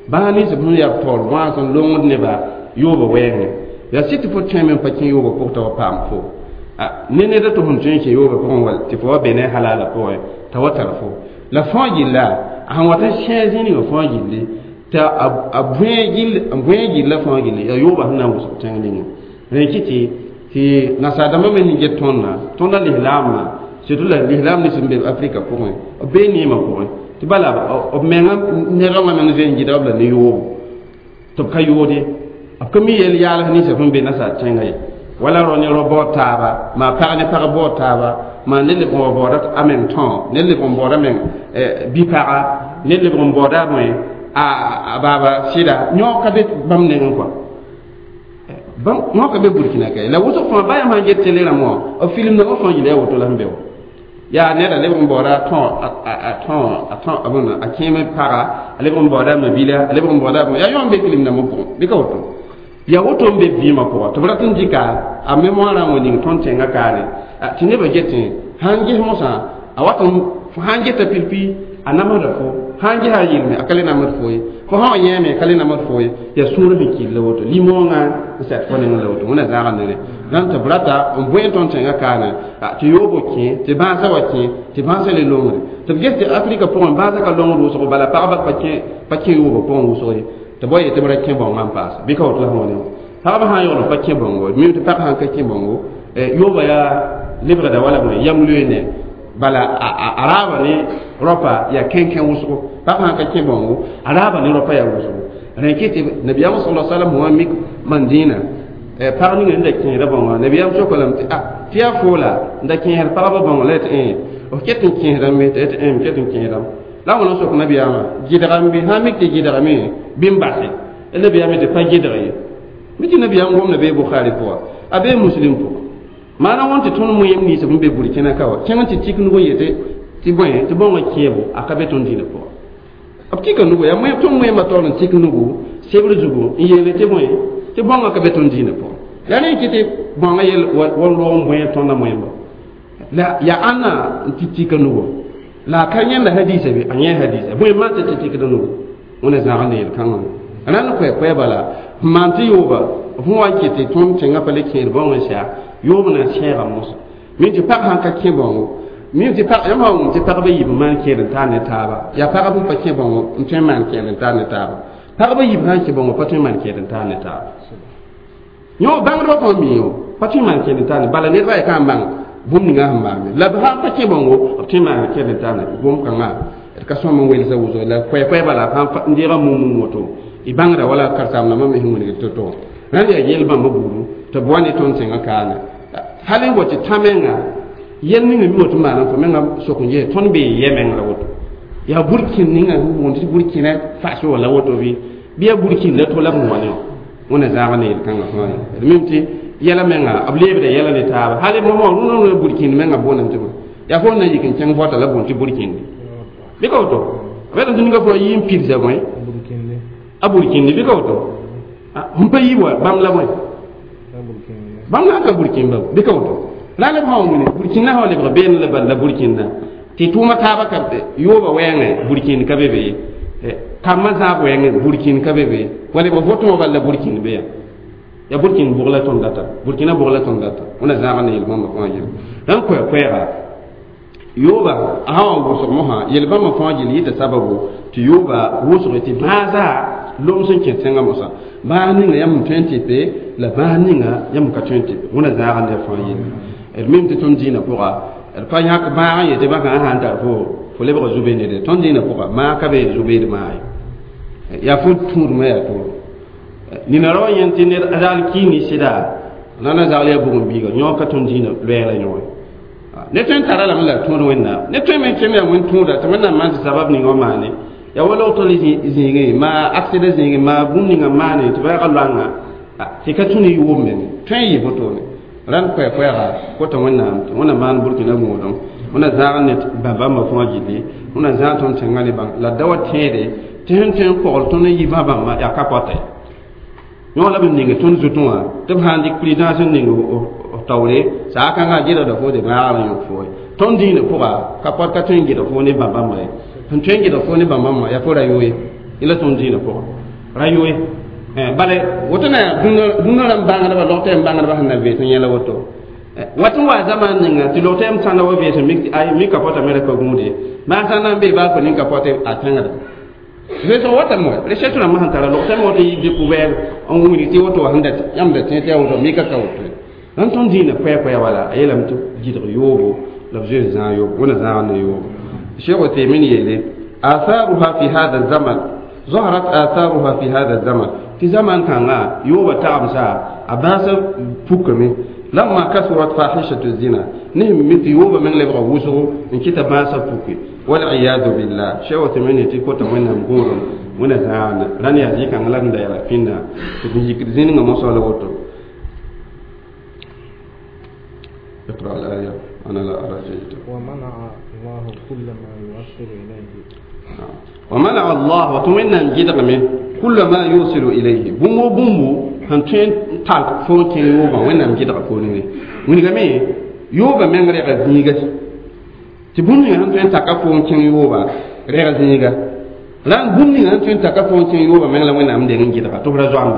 bãas nins b sẽn yaa taoor wãas n longd nebã yoobã wɛɛngẽ yaa sɩd tɩ fo tõeme n pa kẽ yoobã pʋg t'a wa paam fo ne ned tɩ fõn tõe n kẽ yoobã pʋgẽ wa tɩ fo wa be ne halaalã pʋgẽ t'a wa tar fo la fãa gilla a sẽn wat n sẽe zĩnigã fãa gilli tɩ a bõe gilla fãa gilli yaa yoobã sẽn na n wʋsg tẽng ninga rẽ kɩ tɩ tɩ nasaar-dãmbã me sẽn get tõndã tõndã lislaamã surtout la lislaam nins n be afrika pʋgẽ b bee neemã pʋgẽ tɩ bala b menga ned wã meng zoe n gɩdg b la ne yoobo tɩ b ka yoode b ka mi yel yaals ninsã sẽn be nasaar tẽngã ye wala rao ne rao baood taaba maa pag ne pag baood taaba maa ned lebg n wa baooda a meng tão ned lebg n baooda meng bi-paga ned lebg n baooda bõe a baaba sɩda yõ ka be bãmb nengẽ kɔa yõ ka be burkina ka ye la wʋsg fãa baa yãmb sãn get tele rãmb wã b film nambã fãa yɩla yaa woto la sẽn be wã yaa neda lebg n baooda a tão a tão a bõna a kẽeme paga a lebg n baooda a mabila a lebg n baooda yaa yõ n be film nambã pʋgẽ bɩ ka woto yaa woto n be vɩɩmã pʋga tɩ b rat n dɩka a mémoire wã ning tõnd tẽngã kaane tɩ nebã getẽ sãn ges mosã a wat n sãn geta pipi a namsda fo sãn gesa a yɩlme a ka le namsd fo ye fo sã wa yẽeme ka le namsd fo ye yaa sũur sẽn kɩl la woto limõongã n sɛt fo nengẽ la woto wẽna zãaga nere dãn tɩ b rata n bõe tõnd tẽngã kaane tɩ yoobo kẽ tɩ bãasã wa kẽ tɩ bãasã le longre tɩ b ges tɩ afrika pʋgẽ bãasã ka longd wʋsgo bala pagba pa kẽ yoobã pʋgẽ wʋsg ye tɩ bao yetɩ b ra kẽ bãongã n paasa bɩ ka woto la sẽn wa ne pagba sã n yogl pa kẽ bãongo mi tɩ pag sãn ka kẽ bãongo yoobã yaa lebgda wala bõe yam loeene bala a raaba ne rapa yaa kẽnkẽ wʋsgo pag sãn ka kẽ bãongo a raaba ne rapa yaa wʋsgo rẽ kɩ tɩ nabiyaam sala salam wã mik mandĩinã pag ning n da kẽesda bãongã nabiyaam soka lame tɩ a tɩ yaa foola n da kẽesd pagba bãongo la tɩ f ket n kẽesdame tɩ m ket n kẽesdame la wãna sok nabiyaamã gɩdgame bɩ sã n mik tɩ gɩdgame bɩ n base nabiyaam tɩ pa gɩdg ye mi tɩ nabiyaam gomda bee bukhari pʋga a bee muslim pʋga maana wãn tɩ tõnd moẽem nins b n be burkina ka wa kẽng tɩ tik nug n yetɩ tɩ bõe tɩ bãongã kẽebo a ka be tõnd dĩinã pʋga b tika nugu yaa tõnd moẽemã taoor n tik nugu sebr zugu n yeele tɩ bõe tɩ bãongã ka be tõnd dĩinã pʋga yaa rẽ kɩ tɩ bãongã yel wa loog n bõe tõndã moẽmba la yaa ãnna n tɩ tika nugu la a ka yẽnda hadiisa be a yẽ hadiisa bõe maan tɩ tɩ tikda nugu wẽna zãag ne yel-kãngã rãnd koɛ-koɛɛ bala n maan tɩ yooba f wa n kɩ tɩ tõnd tẽngã pa le kẽed bãong n sɛa yoob na n sɛɛga mosa mi tɩ pag sãn ka kẽ bãongo Mi tɩ pag yãmb sã wʋm tɩ pagba yiib n maan kẽed n taar ne taaba yaa pagb n pa kẽ bãngo n tõe n maan kẽed n taar ne taaba pagba yiib sã n kẽ bãngo pa tõe n maan kẽed n taar ne taaba yõ bãngdbã fãa mi yo pa tõe n maan kẽed n taar ne bala nedbã yaa ka n bãng bũmb ninga sẽn maame la b sã n pa kẽ bãngo b tõe n maan kẽed n taar ne bũmb kãngã d ka sõm n welsa wʋsg la koɛɛ-koɛɛ bala n deega mum-mum woto y bãngda wala karen-saam-dãmbã me sẽn wilgd to-to rãnd yaa yel bãmba buudu tɩ b wa ne tõnd tẽngã kaane hal n wa tɩ tã menga yel ninga mi woto maana fo menga sok n ges tõnd bee yɛ meng la woto yaa burkĩn ninga sẽn boond tɩ burkĩna faso wala woto bɩ bɩ yaa burkĩn la to la b wã ne wẽna zãag ne yel-kãngã fãa ye d mim tɩ yɛla menga b leebda yɛla ne taaba hal mosã rũnã burkĩnd menga boondame tɩ yaa fo n na yik n kẽng vɔta la boond tɩ burkĩndi bɩ ka woto b tɩ ninga fo yɩ n pidsa bõe a burkĩndi bɩ ka woto sẽn pa yi wa bãmb la bõe bãmb na n ka burkĩn ba bɩ ka woto la la b sã wĩne burkĩnã sã lebg beene la bal la burkĩnda tɩ tʋʋma taaba ka yooba wɛɛngẽ burkĩnd ka be be ye kambã zãab wɛɛngẽ burkĩnd ka be be wa lebg votẽ bal la burkĩnd be ya yaa burkĩnd bʋg la tõnd data burkĩnã bʋg la tõnd data wẽna zãag ne yel-bãmba fãa yel rãn koɛɛ-koɛɛga yooba a sã wa wʋsg mosã yel-bãmba fãa gill yɩta sababu tɩ yooba wʋsge tɩ bãasa lom sẽn kẽ tẽngã mosã bãas ninga yãmb n tõe n tɩpe la bãas ninga yãmb ka tõe n tɩpe wẽna zãag ne fãa yelle d mim tɩ tõnd dĩinã pʋga d pa yãk bãag n yetɩ bãkã sã n tar fo lebga zu-beed ned tõnd dĩinã pʋga maag ka be zu-beed maag ye yaa fo tũudmã yaa tooro nina rao yẽnd tɩ ned zagl kii ne sɩda la na zagl yaa bugum-biiga yõ ka tõnd dĩinã loɛɛra yõe ne tõe n tara lame la tũud wẽnnaam ne tõe me n kẽm yaa wẽn tũuda tɩ wẽnnaam maan tɩ sabab ninga w maane yaa wa log tol zĩigẽ maa aksida zĩigẽ maa bũmb ninga maane tɩ ba yaga loanga tɩ ka tũ ne yʋʋm menge tõe n yɩ wotone rãnd koɛɛ-koɛɛga kota wẽnnaam tɩ wẽnnaam maan burkina gũudum wẽnna zãag ne bãmba fãa gilli wẽnna zãag tõnd tẽngã ne bãng la da wa tẽede tɩ sẽn tõe n kogl tõnd n yi bã-bãmba yaa ka pɔta ye yõ la b ning tõnd zutẽ wã tɩ b sã n dɩk présidence n ning f taoore saa kãngã gɩdgda fo tɩ bãagr n yõk fo ye tõnd dĩinã pʋga ka pɔt ka tõe n gɩdg fo ne bãmb-bãmba ye sẽn tõe n gɩdg fo ne bãmb-bãmba yaa fo ra yoe la tõnd dĩinã pʋga ra yoe bala woto na dũnã rãmb bãngdba log tɛɛm bãngdba sẽn na vees n yẽla woto wat n wa zaman ninga tɩ log tɛɛm sãnda wa vees mik ay mi ka pɔta me ra pa gũude maan sã na n bee baa fo nin ka pɔte a tẽngda veesg watame wa recherche rãmbã sẽn tara log tɛɛm woto yɩ découvert n wilg tɩ woto wa sẽn da yãmb da tẽ tɩ yaa woto mi ka ka woto rãnd tõnd dĩinã koɛɛ-koɛɛ wala a yeelame tɩ gɩdg yoobo la b zoe zãag yoobo wẽna zãag ne yoobo Cheikh Uthaymin yeele atharuha fi hada zaman ظهرت آثارها في هذا الزمن في زمن كان يوبا تعبسا أباس فكمي لما كثرت فاحشة الزنا نهم مثل يوبا من لبغى وسو إن كتب باس فكي والعياذ بالله شو تمني تكوتا من نقول من زعان لن يزيك أن لن داير فينا تبيك زين ما صار وتو اقرأ الآية أنا لا أرى جيدا ومنع الله كل ما يوصل إليه ومنع الله وتمنى جدغمه كل ما يوصل إليه بومو بومو هنتين تالك فوتين يوبا وين جدغ فوني وين غمي يوبا من ريغ زيغا تبوني هنتين تاكا فوتين يوبا ريغ زيغا لان بوني هنتين تاكا فوتين يوبا من لا وين ام دين جدغ تو را زوام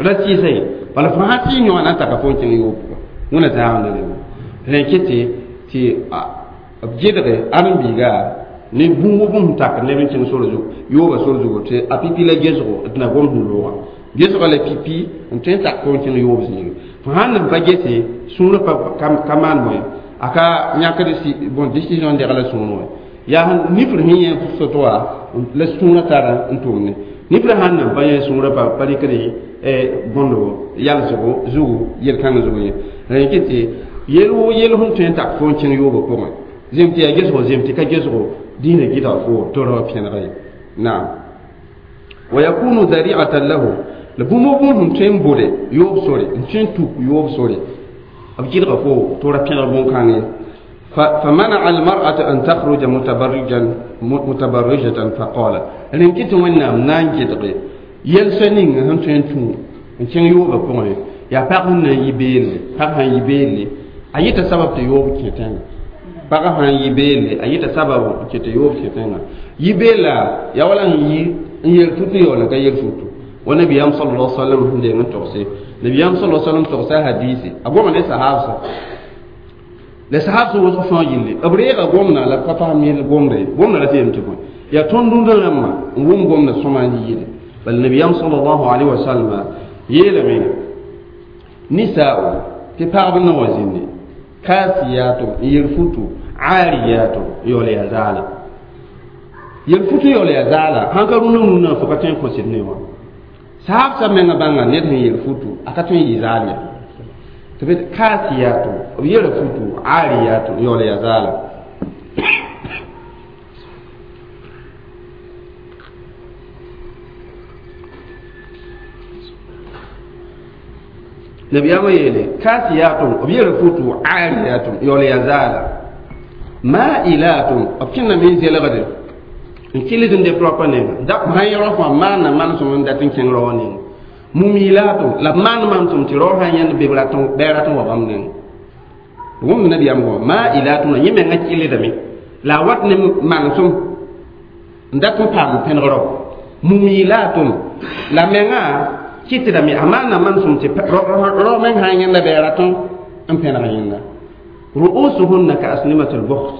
را سي ولا فهاتي نيو انا تاكا فوتين يوبا وين زاون لين كتي تي جدغ ارن بيغا ne bũmb bũmb tak neb n kẽng sor zugu yooba sor zugu tɩ a pipi la gesgo d na gom sẽn loogã gesga la pipi n tõe n tak fo n kẽng yoob zĩige fo sãn nan pa gese sũurã pa ka maan bõe a ka yãkd bon décision degla la sũur wã yaa nifr sẽn yẽ soto wã la sũurã tara n tʋmne nifr sãn nan pa yẽ sũurã pa pa rɩkd bõndo yalsgo zugu yel-kãng zugu ye rẽ kɩ tɩ yel woo yel sẽn tõe n tak fo n kẽng yoobã pʋgẽ zem tɩ yaa gesgo zem tɩ ka gesgo دين جدا فو ترى في غير نعم ويكون ذريعة له لبومو بوم تين بودي يوب سوري تين توك يوب سوري أبجد غفو ترى في غبون كان فمنع المرأة أن تخرج متبرجا متبرجة فقال لأن كنت وين نان جدغي يلسنين هم تين تو تين يوب بوم يا باغن يبيل باغن يبيل أيت سبب يوب كيتين pagã sã n yɩ beelle a yɩta sababu n ket yoob kẽ tẽngã yɩ beella yaa wala n yi n yel futu ya wala ka yel futu wa nabiyam sallallahu alaihi wasallam sẽn deng n togse nabiyam sallallahu alaihi wasallam togsa hadisi a goma ne sahabsa La sahab sẽn wʋsg fãa yelle b reega gomdã la b ka fasem yel gomda ye gomdã ra tɩ yem tɩ bõe yaa tõnd rũndã rãmbã n wʋm gomdã sõma n yɩɩde bala nabiyaam sallallahu alaihi wa sallam yeelame nisaa'u tɩ pagb na wa zĩndi kaasiyatum n yel futu aariyatum yaool yaa zaala yel futu yaool yaa zaala sãn ka rũndã rũndã fo ka tõe n kõsd ne wã sahab sa menga bãnga ned sẽn yel futu a ka tõe n yɩ zaal ya tɩ b kaasiyatum b yela futu aariyatum yaool yaa zaala nabiyaamã yeele kaasiyatum b yela futu aariyatum yaool yaa zaala ma'ilatun b kẽndame n zelgde n kɩld n deb raopa nenga sã yẽ rao fãa maana manesem n dat n kẽng rao wã nenga mumilatun la b maan manesem tɩ rao sã yãnd bɩ bɩ rat n wa bãmb nenga wũmd nabiyaam goma ma'ilatun la yẽ menga kɩldame la a wat ne manesem n dat n paam pẽneg rao mumilatun la menga kɩtdame a maana manesem tɩ rao meng sã n yãnda bɩ a rat n pẽneg yẽnda ru'usuhunna ka asnimatil bukht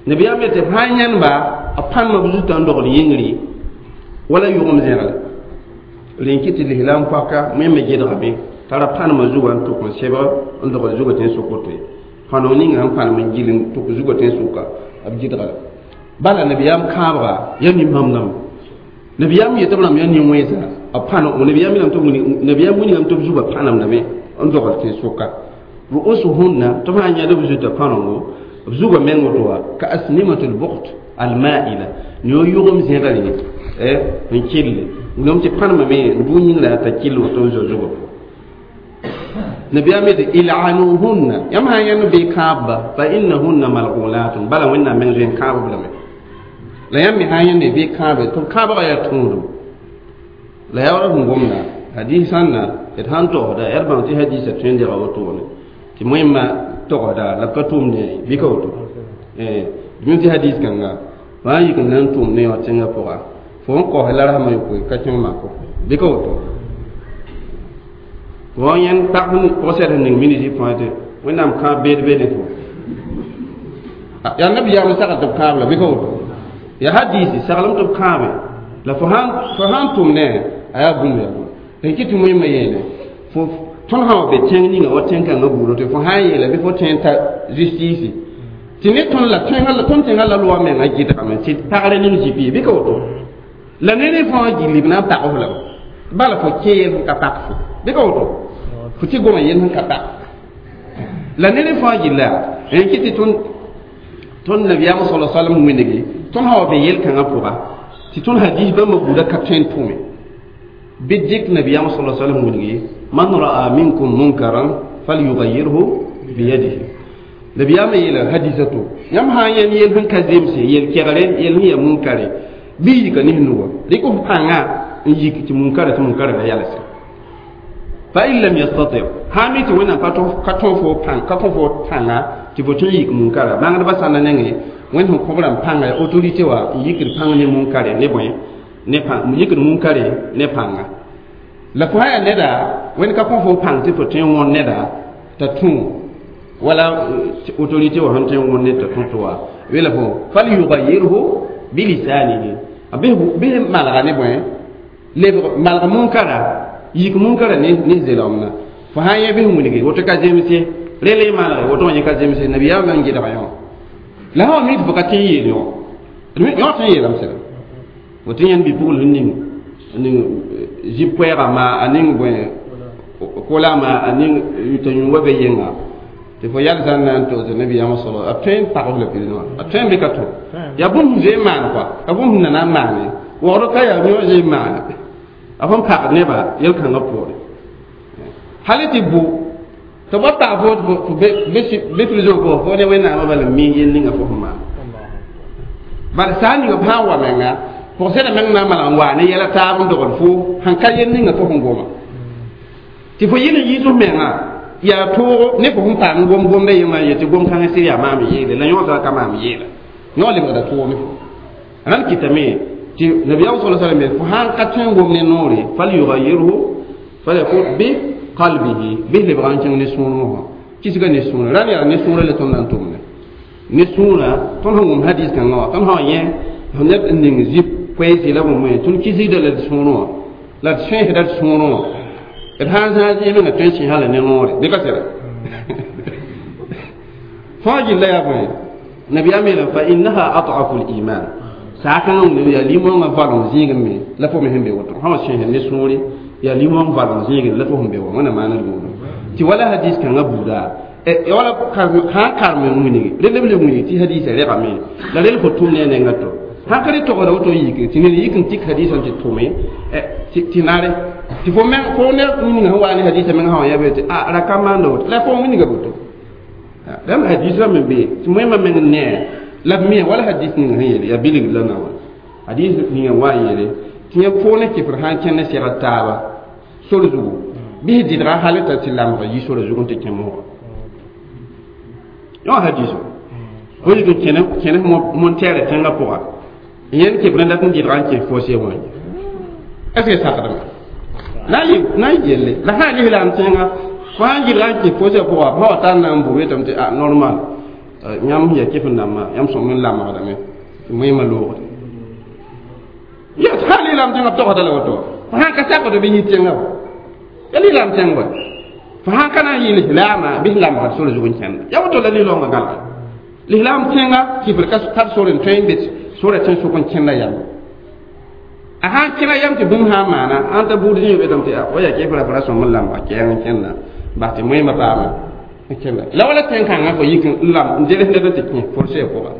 nabiyaam yetɩ b sã n yãndba b pãnema b zutã n dogl yĩngri wala yʋgem zẽgle rẽn kɩ tɩ lislaam paka wẽnme gedgame t'a ra pãnema zugã n tʋk n sebg n dogl zugã tẽn sʋk woto ye pãnog ninga sẽn pãnem n gil n tʋk zugã tẽn sʋka b gɩdga la bala nabiyaam kãabga yaa nin-bãmb dãmba nabiyaam yetɩ b rãmb yaa nin-wẽnsa b pãn nabiyaam wilgame tɩ b zugã pãnemdame n dogl tẽn sʋka ru'usuhunna tɩ b sã n yãd b zutã pãnengo b zugã meng woto wa ka asnimatul bukht alma'ila ne yʋgem zẽgre n kɩlle wilgame tɩ pãnemame n bʋ yĩngrã t'a kɩll woto n zo zugã pʋgẽ nabiyaam yetɩ ilanuhunna yãmb sã n yãnd bɩ kãabba fa innahunna mal'ulatun bala wẽnnaam meng zoe n kãab b lame la yãmb me sã n yãnde bɩ kãabe tɩ b kãabgã yaa tũudum la yaa wala sẽn gomda hadis sãnna d sãn togsda yaa d bãng tɩ hadisa tõe n dega wotone tɩ wẽmma togsda la b ka tʋʋmde bɩ ka woto d tɩ hadis kãnga fãa yik n na n tʋʋm ne wã tẽngã pʋga fo n kaoos la rasmã yopoe ka kẽng mako bɩ ka woto fo yẽnd pag pʋgsɛd sẽn ning minisi fãa tɩ wẽnnaam kãab beed be ne fo yaa nabiyaam sagl tɩ b kãab la bɩ ka woto yaa hadisi saglem tɩ b kãabe la fo sãn tʋm ne a yaa bũmb yaa bũmb n kɩ tɩ wẽmma yeele fo tõnd sã wa be tẽng ninga wa tẽn-kãngã buudã tɩ fo sã n yeela bɩ fo tõe n ta justice tɩ ne tõnd la tõnd tẽngã la loa menga gɩdgame tɩ pagre ning zɩ bɩ ka woto la ne ne fãa gilli b na n pag f lame bala fo kẽ yel sẽn ka pak fo bɩ ka woto fo tɩ goma yel sẽn ka pak la ne ne fãa gilla n kɩ tɩ tõnd nabiyaam sala salam wĩnigi tõnd sã wa be yel-kãngã pʋga tɩ tõnd hadis bãmba buudã ka tõe n tʋme bɩ dɩk nabiyaam sala salam wĩnigi man ra'a minkum munkaran falyughayyirhu biyadihi nabiyaam yeela hadisa to yãmb sã n yãnd yel sẽn ka zemse yel-kegre yel sẽn yaa munkare bɩ yika ne nuga rɩk f pãnga n yik tɩ munkara tɩ munkara la yalse fa in lam yastati sã mi tɩ wẽnnaam ka tõe fo ka kõ fo pãnga tɩ fo tõe n yik munkara bãngdbã sãnda nengẽ wẽnd sẽn kõ b rãmb pãnga yaa autorité wã n yikd pãng ne munkare ne bõe ne pãng yikd munkare ne pãnga la fo sã yaa neda wẽnd ka kõ fo pãng tɩ fo tõe n wõn neda t'a tũ wala autorité wã sẽn tõe n wõn ned t'a tũ tɩ wa wela fo falyughayyirhu bilisanihi bɩ malga ne bõe lebg malg munkara yik munkara ne zelgemna fo sã n yẽ bɩ wilgi woto ka zemse rel y malge woto wã yẽ ka zemse nabiyaam n gɩdga yõ la sã wa mi tɩ fo ka tẽ n yeel yõ yõ tõe n yeelame sẽda woto yãnd bi-pugl sẽn ning zib koɛɛga ma a ning bõe kolama a ning yʋta yũ wa be yenga tɩ fo yalsã n na n togs nabiyaamã sala a tõe n pag f la pid wã a tõe n bɩ ka to yaa bũmb sẽn zoe n maan kɔa a bũmb sẽn na na n maane waoogd ka yaa yõ zoe n maane a fõn pagd nebã yel-kãngã poore hal tɩ bʋ tɩ b wa pag fo bɩ prison pʋgã fo ne wẽnnaamã bala n mi yel ninga fo sẽn maan bala saa ninga b sã n wa menga pʋgsɛda meng na n malg n waa ne yɛla taab n dogl fo sẽn ka yel ninga fo sẽn goma tɩ fo yel n yiis f menga yaa toogo ne fo sẽn paam gom gomda yẽngã n yetɩ gom-kãngã sɩd yaa maam yeele la yõosã ka maam yeela yõ lebgda toog ne fo rãnd kɩtame tɩ nabiyaam sala salam fo sãn ka tõe n gom ne noore falyughayyirhu falyakun bi qalbihi bɩ lebga n kẽng ne sũurẽ wã Kisga ne sũurã rãmb yaa ne sũurã la tõnd na n tʋmne ne sũurã tõnd sẽn wʋm hadis kãngã wã tõnd sã n yẽ neb n ning zip koeese la bũmb tõnd kisgda la d sũurẽ wã la d sõesda d sũurẽ wã d sã n zãag zĩig menga tõe n sẽsã la ne noore bɩ ka sɩda fãa gilla yaa bõe nabiyaam yeelame fa innaha ad'afu liman saakãngã wʋm yaa limõngã valem zĩigẽ me la fo me sẽn be woto sã wa sẽsd ne sũure yaa limõng valem zĩigẽ la fo sẽn be wa wẽna maana d buuda tɩ wala hadis kãngã buuda wala sã n karem n wilgi rel b le wilg tɩ hadisã regame la rel fo tʋm ne a nengã to sãn ka re togda woto n yik tɩ ned yik n tik hadisã tɩ tʋme tɩ nare tɩ fo meng fo ne ninga sẽn wa ne hadisã meng sã wa yaa be tɩ a ra ka maanda woto la fo wilga woto dãmb hadis rãmb n be tɩ moẽmã meng n nee la b me wala hadis ninga sẽn yeele yaa bilgd la na wã hadis ninga n wa n yeele tɩ yẽ fo ne kɩfr sã n kẽnd ne segd taaba sor zugu bɩ s dɩdga hal t'a tɩ lamg yi sora zug n tɩ kẽ moogã yõ hadiso fo yik n kẽnes montɛɛrɛ tẽngã pʋga yẽnd kɩfr n dat n dɩdga n kẽ fose wã est ce que sakdame na n yelle la sã n lislaam tẽnga fo sã n gɩdga n kẽ fose pʋga fa wa tar na n bur yetame tɩ a normal yãmb sẽn yaa kɩf n dãmbã yãmb sõm n lamgdame tɩ moẽmã loogde ya sã n lislaam tẽngã b togsda la woto fo sã n ka sakd bɩ yĩ tẽngã wa ya lislaam tẽng wa fo sã n ka na n yɩ lislaamã bɩ s lamgd sor zug n kẽnda ya woto la lislaoongã gãlga lislaam tẽnga kɩfr ka tar sor n tõe n be sora tẽn sʋk n kẽnda yam a sã n kẽna yam tɩ bũmb sã n maana ãn t'a buud zĩ betame tɩ wa yaa kɩfra fo ra sõm n lamga kɛɛng n kẽnda bas tɩ moẽmã paama n kẽnda la wala tẽn-kãngã fo yik n lam n zeles ned n tɩ kẽ forse pʋga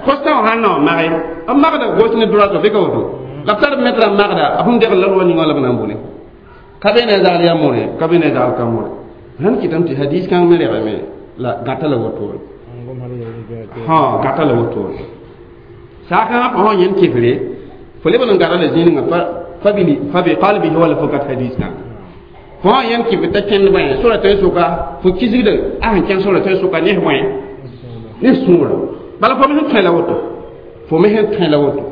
kostã wã sãn na n mage n magda gos ne droite bɩ ka woto la b tar metra n magda a sẽn degl la rʋwa ninga la b na n bʋne ka be ne zagl yaa more ka be ne zagl ka more sãn kɩtame tɩ hadis kãng me regame la gata la wotore ha gata la wotore saakãngã fo sã yẽnd kɩfre fo leb n gata la zĩningã fa bi qalbihi wala fo gat hadis kãngã fo sã yẽnd kɩfr t'a kẽnd bõe sora tõe sʋka fo kisgda a sẽn kẽn sora tõe sʋka ne bõe ne sũurã bala fo me sẽn tõe la woto fo me sẽn tõe la woto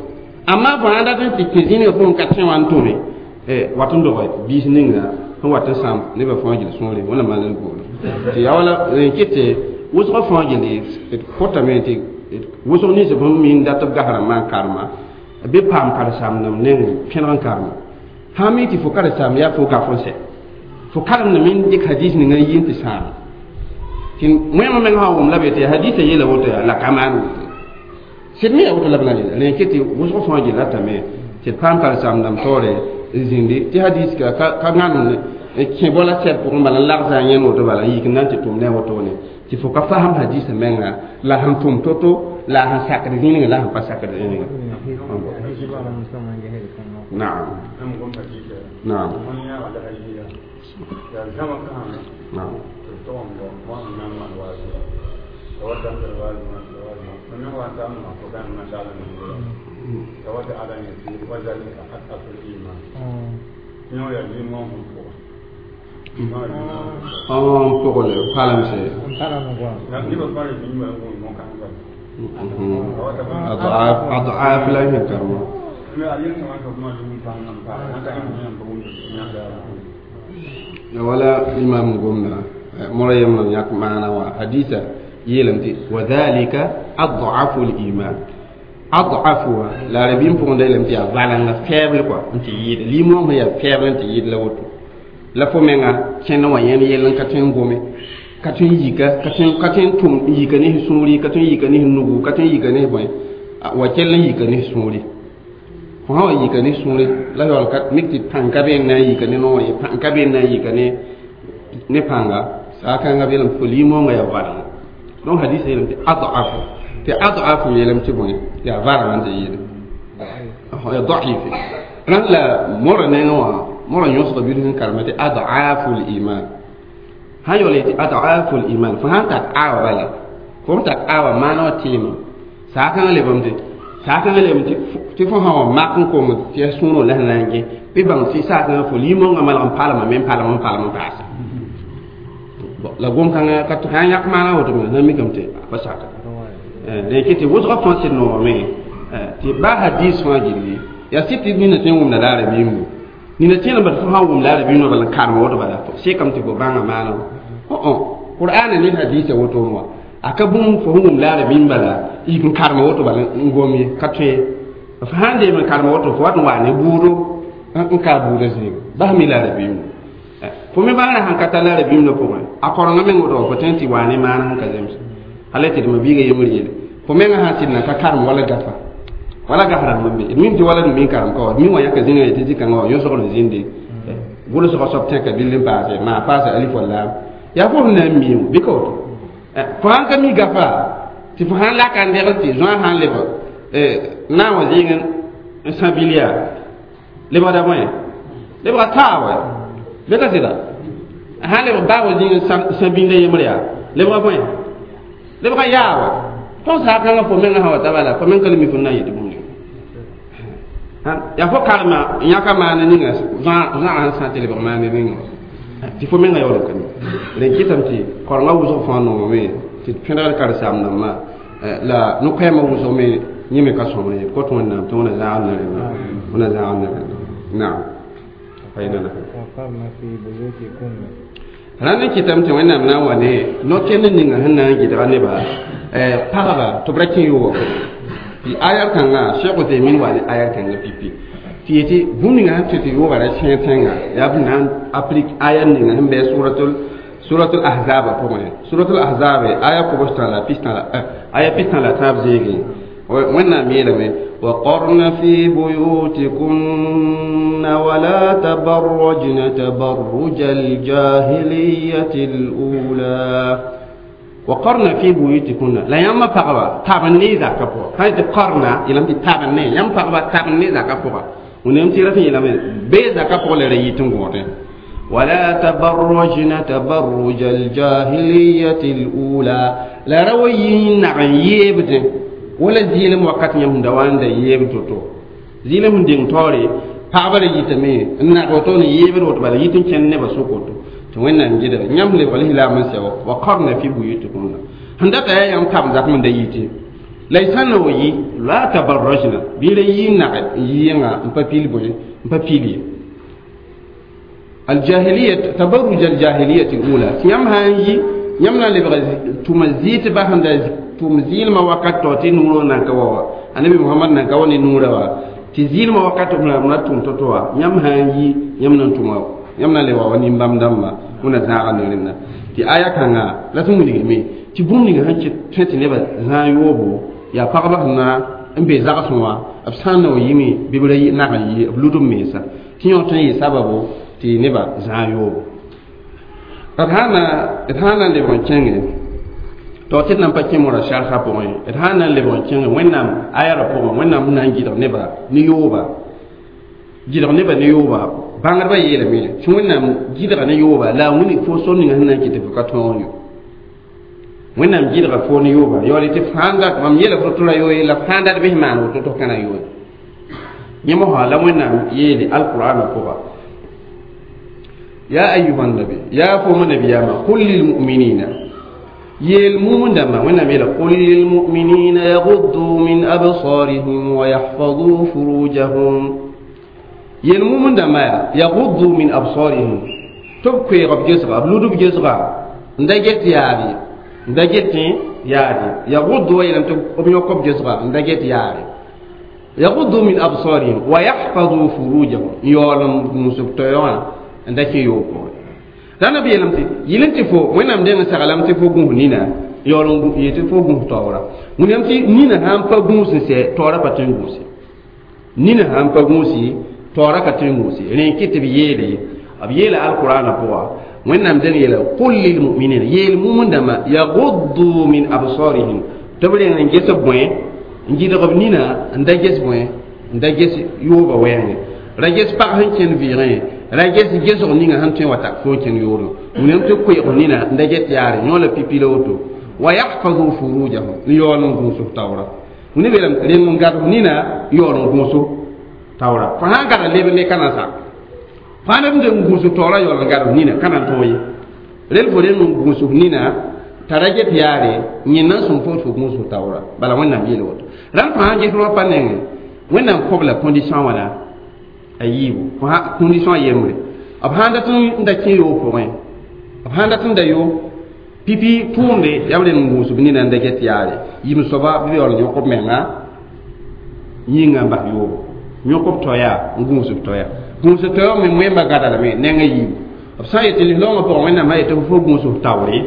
amma fo sãn dat n tɩ kẽ zĩnigã fo n ka tẽ wã n tʋme wat n dog biis ninga sẽn wat n sãam nebã fãa gil sũure wẽna maan d goore tɩ yaa wala n kɩt tɩ wʋsgã fãa gilli d kotame tɩ wʋsg nins bũmb mi n dat b gasrã maan karema bɩ paam karen-saamdãmb neng pẽneg n karema sã n mi tɩ fo karen-saam yaa fo gaf n sɛ fo karemdame n dɩk hadis ninga n yi n tɩ sãam tɩ wẽmã meng sã n wʋm la be tɩ hadisã yeela woto yaa la ka maan woto sɩd me yaa woto la b na n yeela rẽ kɩ tɩ wʋsg fãa gilla tame tɩ d paam karen-saamdãmb taoore n zĩndi tɩ hadis ka ka gãnem kẽ bola sɛb pʋgẽ bala n lagsa a yẽnd woto bala n yik n na n tɩ tʋm ne a wotone tɩ fo ka fasem hadisã menga la sẽn tʋm to-to la sẽn sakd zĩnigã la sẽn pa sakd zĩnigã naam naam naam n pʋgl palemse ad'af la sẽn karema wala imam gomna mora yemna yãk maana wã hadisa yeelame tɩ wadhalika ad'afu liman ad'afu wã la rabim pʋgẽ da yeelame tɩ yaa valengã faible kɔa n tɩ yɩɩda limong sẽn yaa faible n tɩ yɩɩd la woto la fo menga kẽnd wã yẽnd yell n ka tõe n gome ka tõe n yika ka tõe n tʋm n yika ne sũuri ka tõe n yika ne nugu ka tõe n yika ne bõe wa kell n yika ne sũuri fo sã wa yika ne sũuri la yaool mik tɩ pãng ka be n na n yika ne noor ye pãng ka be n na n yika ne pãnga saakãngã beelame fo limongã yaa valenga donc hadisa yeelame tɩ adafu tɩ adafu yeelame tɩ bõe yaa valengã n tɩ yɩɩda yaa daif rãnd la mora nengã wã mora yõsga bilf n karema tɩ adafu liman sã yaool yetɩ adafu liman fo sãn tar awa bala fo n tar awa maana wã tɩɩmã saakãngã lebame tɩ saakãngã lebame tɩ fo sã wa mak n kong tɩ ya sũurẽ la sẽn na n gẽ bɩ bãng tɩ saakãngã fo limongã malg n palma me n palm n palm n paasa la gom-kãngã ka sã n yãk maana woto me na mikame tɩ pa saka rẽ kɩ tɩ wʋsgã fãa sɩd noogame tɩ baa hadis fãa gilli yaa sɩd tɩ nina tõe n wʋmda la a rabiimbu nina tẽedã bad fo sã n wʋm la a rabiimdã bala n karem woto bala sekame tɩ fo bãnga maana wã Qur'an ni hadisa woto mo aka bũmb fo wʋm la rabĩm bala yik n karem woto bala n gom ye ka tõe f sãn deem n karem woto fo wat n wa ne buudo n ka buudã zĩiga bas mi la rabĩm fo me bãngrã sãn ka tar la rabĩmdã pʋgẽ a korengã meng woto fo tõe tɩ wa ne maana sẽn ka zems hal tɩ d ma-biigã yembr yeele fo mengã sãn sɩd na ka karem wala gafa wala gaf rãmb n be d mim tɩ wala d mi karem ka wa d mi wã yãka zĩnga yetɩ zĩ-kãngã wã yõsgr n zĩnde gʋlsgã soab tẽka bill n paase maa paasa alif wa lam yaa fo sẽn na n mi bɩ ka woto fo sãn ka mi gafa tɩ fo sãn laka n degl tɩ zoã sãn leb naam wã zɩɩg n sã bil yaa lebgda bõe lebga taa wa bɩ ka sɩda sãn lebg baa wã zĩig n sã bĩnda yembr yaa lebga bõe lebga yaa wa tõnd saa kãngã fo mengã sã wa ta bala fo meng ka le mi fo na n yetɩ bũmb ninga yaa fo karema yãka maana ninga zãag sẽn sã tɩ lebg maana ninga tɩ fo mengã yaool n ka mi rẽn kɩtame tɩ korengã wʋsg fãa noomame tɩ pẽdgd karen-saam-dãmbã la no-koɛɛmã wʋsg me yẽ me ka sõmr ye kot wẽnnaam tɩ wẽna zãag ne rẽnna wẽna zãag ne rẽnna naam paynana وقرن في بيوتكن rãnd n kɩtame tɩ wẽnnaam na n wa ne no-kend ninga sẽn na n gɩdga nebã pagba tɩ b ra kẽ yoogã pʋgẽ tɩ ayar kãngã Cheikh Uthaymin wa ne ayar kãngã pipi tɩ yetɩ bũmb ninga sẽn tɩ tɩ yoogã ra sẽeg tẽnga yaa b na n aplik ayar ninga sẽn bɩ suratul ahzaba pʋgẽ suratul ahzab aya kobs-tã la pistã la aya pistã la tãab zĩigẽ wẽnnaam yeelame وقرن في بيوتكن ولا تبرجن تبرج الجاهلية الأولى وقرن في بيوتكن لا يما فقبا تابن ذاك بو هاي قرنا يلم تابن يم فقبا تابن ذاك بو ونم تيرا يلم بي ذاك بو لريتن غوتن ولا تبرجن تبرج الجاهلية الأولى لا روي نعن يبد ولا زيلم وقت يم دوان دا يب توتو زيلم دين توري pagba yitame n nag woto ne yeebd woto bala yit n kẽnd nebã sʋk woto tɩ wẽnnaam gɩdga yãmb lebg lislaam n sɛ wa qarna fi buyutikunna sẽn data yaa yãmb tab zakm n da yite la y sã n wa yi la tabarrajna bɩ ra yi n nag n yi yẽnga n pa pil bõe n pa pil ye aljahiliya tabarruj aljahiliyati alula tɩ yãmb sã n yi yãmb na n lebg tʋma zɩɩt ba sẽn da tʋm zɩɩlmã wakat tao tɩ nuurã nan ka wa wa annabi muhammad nan ka wa ne nuurã wa tɩ zɩɩlmã wakat b na tʋm to-to wa yãmb sã n yi yãmb na n tʋma yãmb na n le wa wa nin-bãmb dãmba wẽna zãaga ne rẽnda tɩ aya kãnga la tɩ wilgame tɩ bũmb ninga sẽn tõe tɩ nebã zãag yoobo yaa pagba sẽn na n be zagsẽ wã b sã n na wa yime bɩ b ra nag n yi b lud b mensa tɩ yõ tõe n yɩ sababo tɩ nebã zãag yoobo d sã na n lebg n kẽnge to tɩ d na n pa kẽ morã sarsa pʋgẽ d sã n na n lebg n kẽnge wẽnnaam ayarã pʋgẽ wẽnnaam sẽn na n gɩdg nebã ne yooba gɩdg nebã ne yooba bãngdbã yeelame tɩ wẽnnaam gɩdga ne yooba la a wilg fo sor ninga sẽn na n kɩt tɩ fo ka tõog yo wẽnnaam gɩdga fo ne yooba yaool tɩ fãa dat mam yeela fo tɩ ra yooye la fãa dat bɩ maan woto tɩ kãna yooye yẽ mosã la wẽnnaam yeele alqur'ana pʋga يا أيها النبي يا فوم النبي قل للمؤمنين يلمون دما ونبي قل للمؤمنين يغضوا من أبصارهم ويحفظوا فروجهم يلمون دما يغضوا من أبصارهم تبكي رب جسرا بلودو بجسرا ندجت ياري ندجت ياري يغضوا يلم تبكي جسرا ندجت ياري يغضوا من أبصارهم ويحفظوا فروجهم يولم مسبتيون n da kẽ yoog pʋgẽ la na yeelame tɩ yɩl n tɩ fo wẽnnaam deng n saglame tɩ fo gũus nina yaool n yetɩ tɩ fo gũus taoora wẽnnaam tɩ nina sã n pa gũus n sɛ taoora pa tõe n gũuse nina sã n pa gũusi taoora ka tõe n gũuse rẽ n kɩ tɩ b yeele b yeela alqurana pʋga wẽnnaam deng yeela qul lilmuminina yeel mumundãmba yaguddu min absarihim tɩ b reng n ges b bõe n gɩdg b nina n da ges bõe n da ges yooba wɛɛngẽ ra ges pag sẽn kẽnd vɩɩgẽ ra ges gesg ninga sẽn tõe n wa tak fo n kẽnd yoore wẽnnaam tɩ koeeg nina n da get yaare yõ la pipi la woto wa yahfazu furujahum n yaool n gũus f taoora wẽnd beelame reng n gad nina yaool n gũus taoora fo sã n gad leb ne ka na sak fãa neb n deng gũus taoora yaool n gad nina ka na n tõog ye rel fo reng n gũus nina t'a ra get yaare yẽ na n sõm fo fo gũus taoora bala wẽnnaam yeel woto rãmb fãa ges rã pa nengẽ wẽnnaam kõb la condition wãna a yiibu condition yembre b sãn dat n da kẽ yoog pʋgẽ b sãn dat n da yo Pipi tʋʋmde yaa b rẽnd n gũusb nina n da get yaare yim soaba bɩ yaool n yõk b menga yĩnga n bas yoobo yõk b toaya n gũusb toaya gũusb toaya me wẽmba gada lame neng a yiibu b sã n yetɩ lislaoongã pʋgẽ wẽnnaamã yetɩ fo gũusb taoore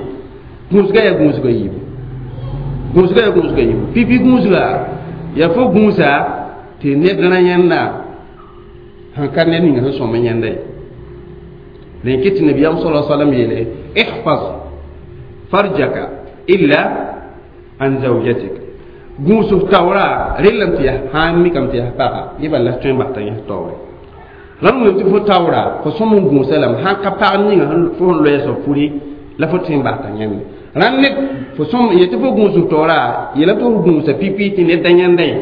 gũusga yaa gũusga yiibu gũusga yaa gũusga yiibu pipi gũusga yaa fo gũusa tɩ ned rã yẽnda sẽn ka ned ninga sẽn sõm n yẽnda ye rẽn kɩ tɩ nabiyaam sala salam yeele ihfaz farjaka illa an zawjatik gũusb taoora rellame tɩ yaa sã n mikame tɩ yaa paga yẽ bala la tõe n bas t'a yẽs taoore rãmb wilg tɩ fo taoora fo sõm n gũusa lame sãn ka pag ninga fo sẽn loɛɛsã furi la fo tõe n bas t'a yẽnde rãnd ned fo sõm yetɩ fo gũusb taoora yeelame tɩ fo gũusa pipi tɩ ned da yẽnda ye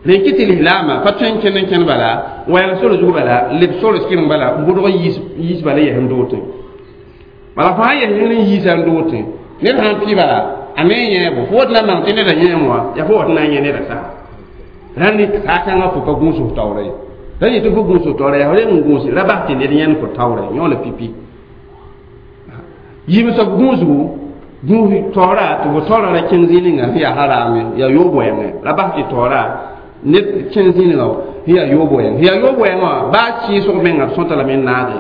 rẽn kɩ tɩ lislaamã pa tõe n kẽnd n kẽnd bala wɛɛg sor zug bala leb sor sɩreng bala n bʋdg yiis bala yɛs n dootẽ bala fo sã n yɛs yẽr n yiisa n dootẽ ned sãn pɩ bala a me n yẽebo fo wat na n mang tɩ neda yẽem wã yaa fo wat na n yẽ neda saa rãnd saa-kãngã fo pa gũusf taoora ye ra yetɩ fo gũusf taoora yaa reng n gũus ra bas tɩ ned yẽnd fo taoora ye yõ la pipi yim soab gũusgu gũus taoora tɩ fo taoora ra kẽng zĩig ninga sẽn yaa haraame yaa yoob wɛɛngẽ ra bas tɩ taoora ned kẽng zĩig ninga sẽn yaa yoob wɛɛng sẽn yaa yoob wɛɛngã wã baa sɩɩsg menga b sõta lame n naage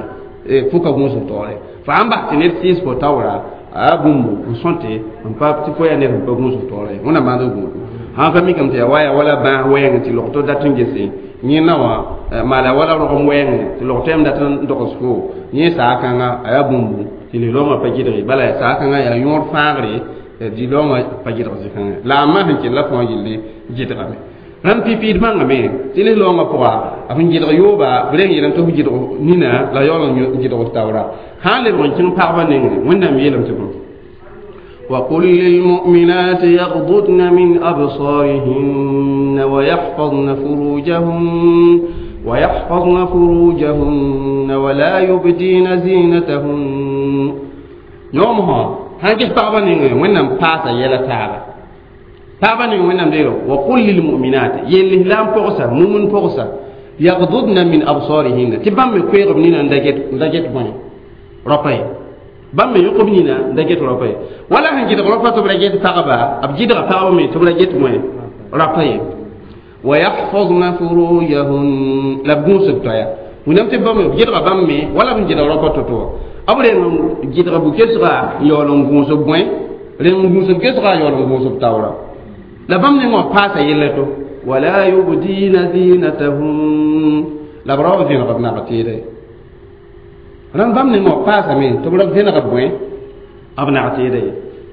fo ka gũusf taoore fo sãn bas tɩ ned sɩɩs fo taoora a bũmb n sõte n pa tɩ fo yaa ned sẽn pa gũusf taoora ye wẽnnaam maand gũudu sãn ka mikame tɩ yaa wa yaa wala bãas wɛɛngẽ tɩ logto dat n gese yẽnna wã maala wala rogem wɛɛngẽ tɩ log tɛm dat n dogs fo yẽ saa-kãnga a yaa bũmbu tɩ lislaoongã pa gɩdge bala yaa saa-kãngã yaa yõod fãagre lislaoongã pa gɩdg zĩ-kãngã la a ma sẽn kell la fãa yelle gɩdgame rãmb pipiid bãngame tɩ lislaoongã pʋga b sẽn gɩdg yooba b reng yeelame tɩ f gɩdg nina la yaool n gɩdg taoora sã n lebg n kẽng pagba nengẽ wẽnnaam yeelame tɩ bõe وقل للمؤمنات يغضضن من أبصارهن ويحفظن فروجهن ولا يبدين زينتهن يومها هنجح طابا وينم باسا يلا تابا طابا وينم ديرو وقل للمؤمنات يلي لام بوغسا مؤمن بوغسا يغضضن من أبصارهن تبام كويغ بنينا ندجت بني ربي bãmb me yõkb nina n da get rapa ye wala sẽn gɩdg rapa tɩ b ra get pagba b gɩdga pagba me tɩ b ra get wẽ rapa ye wa yahfazna furujahun la b gũusb toaya wẽnnaam tɩ bãmb b gɩdga bãmb me wala b sẽn gɩdg rapa to-to wã b reng n gɩdga bu-kesga n yaool n gũusb bõe reng n gũusb kesga n yaool n gũusb taoora la bãmb neng wã paasa yella to wala yubdina zinatahum la b ra wa vẽneg b nag tɩɩda ye rãmb bãmb neng wã paasame tɩ b ra vẽneg b bõe b nag tɩɩda ye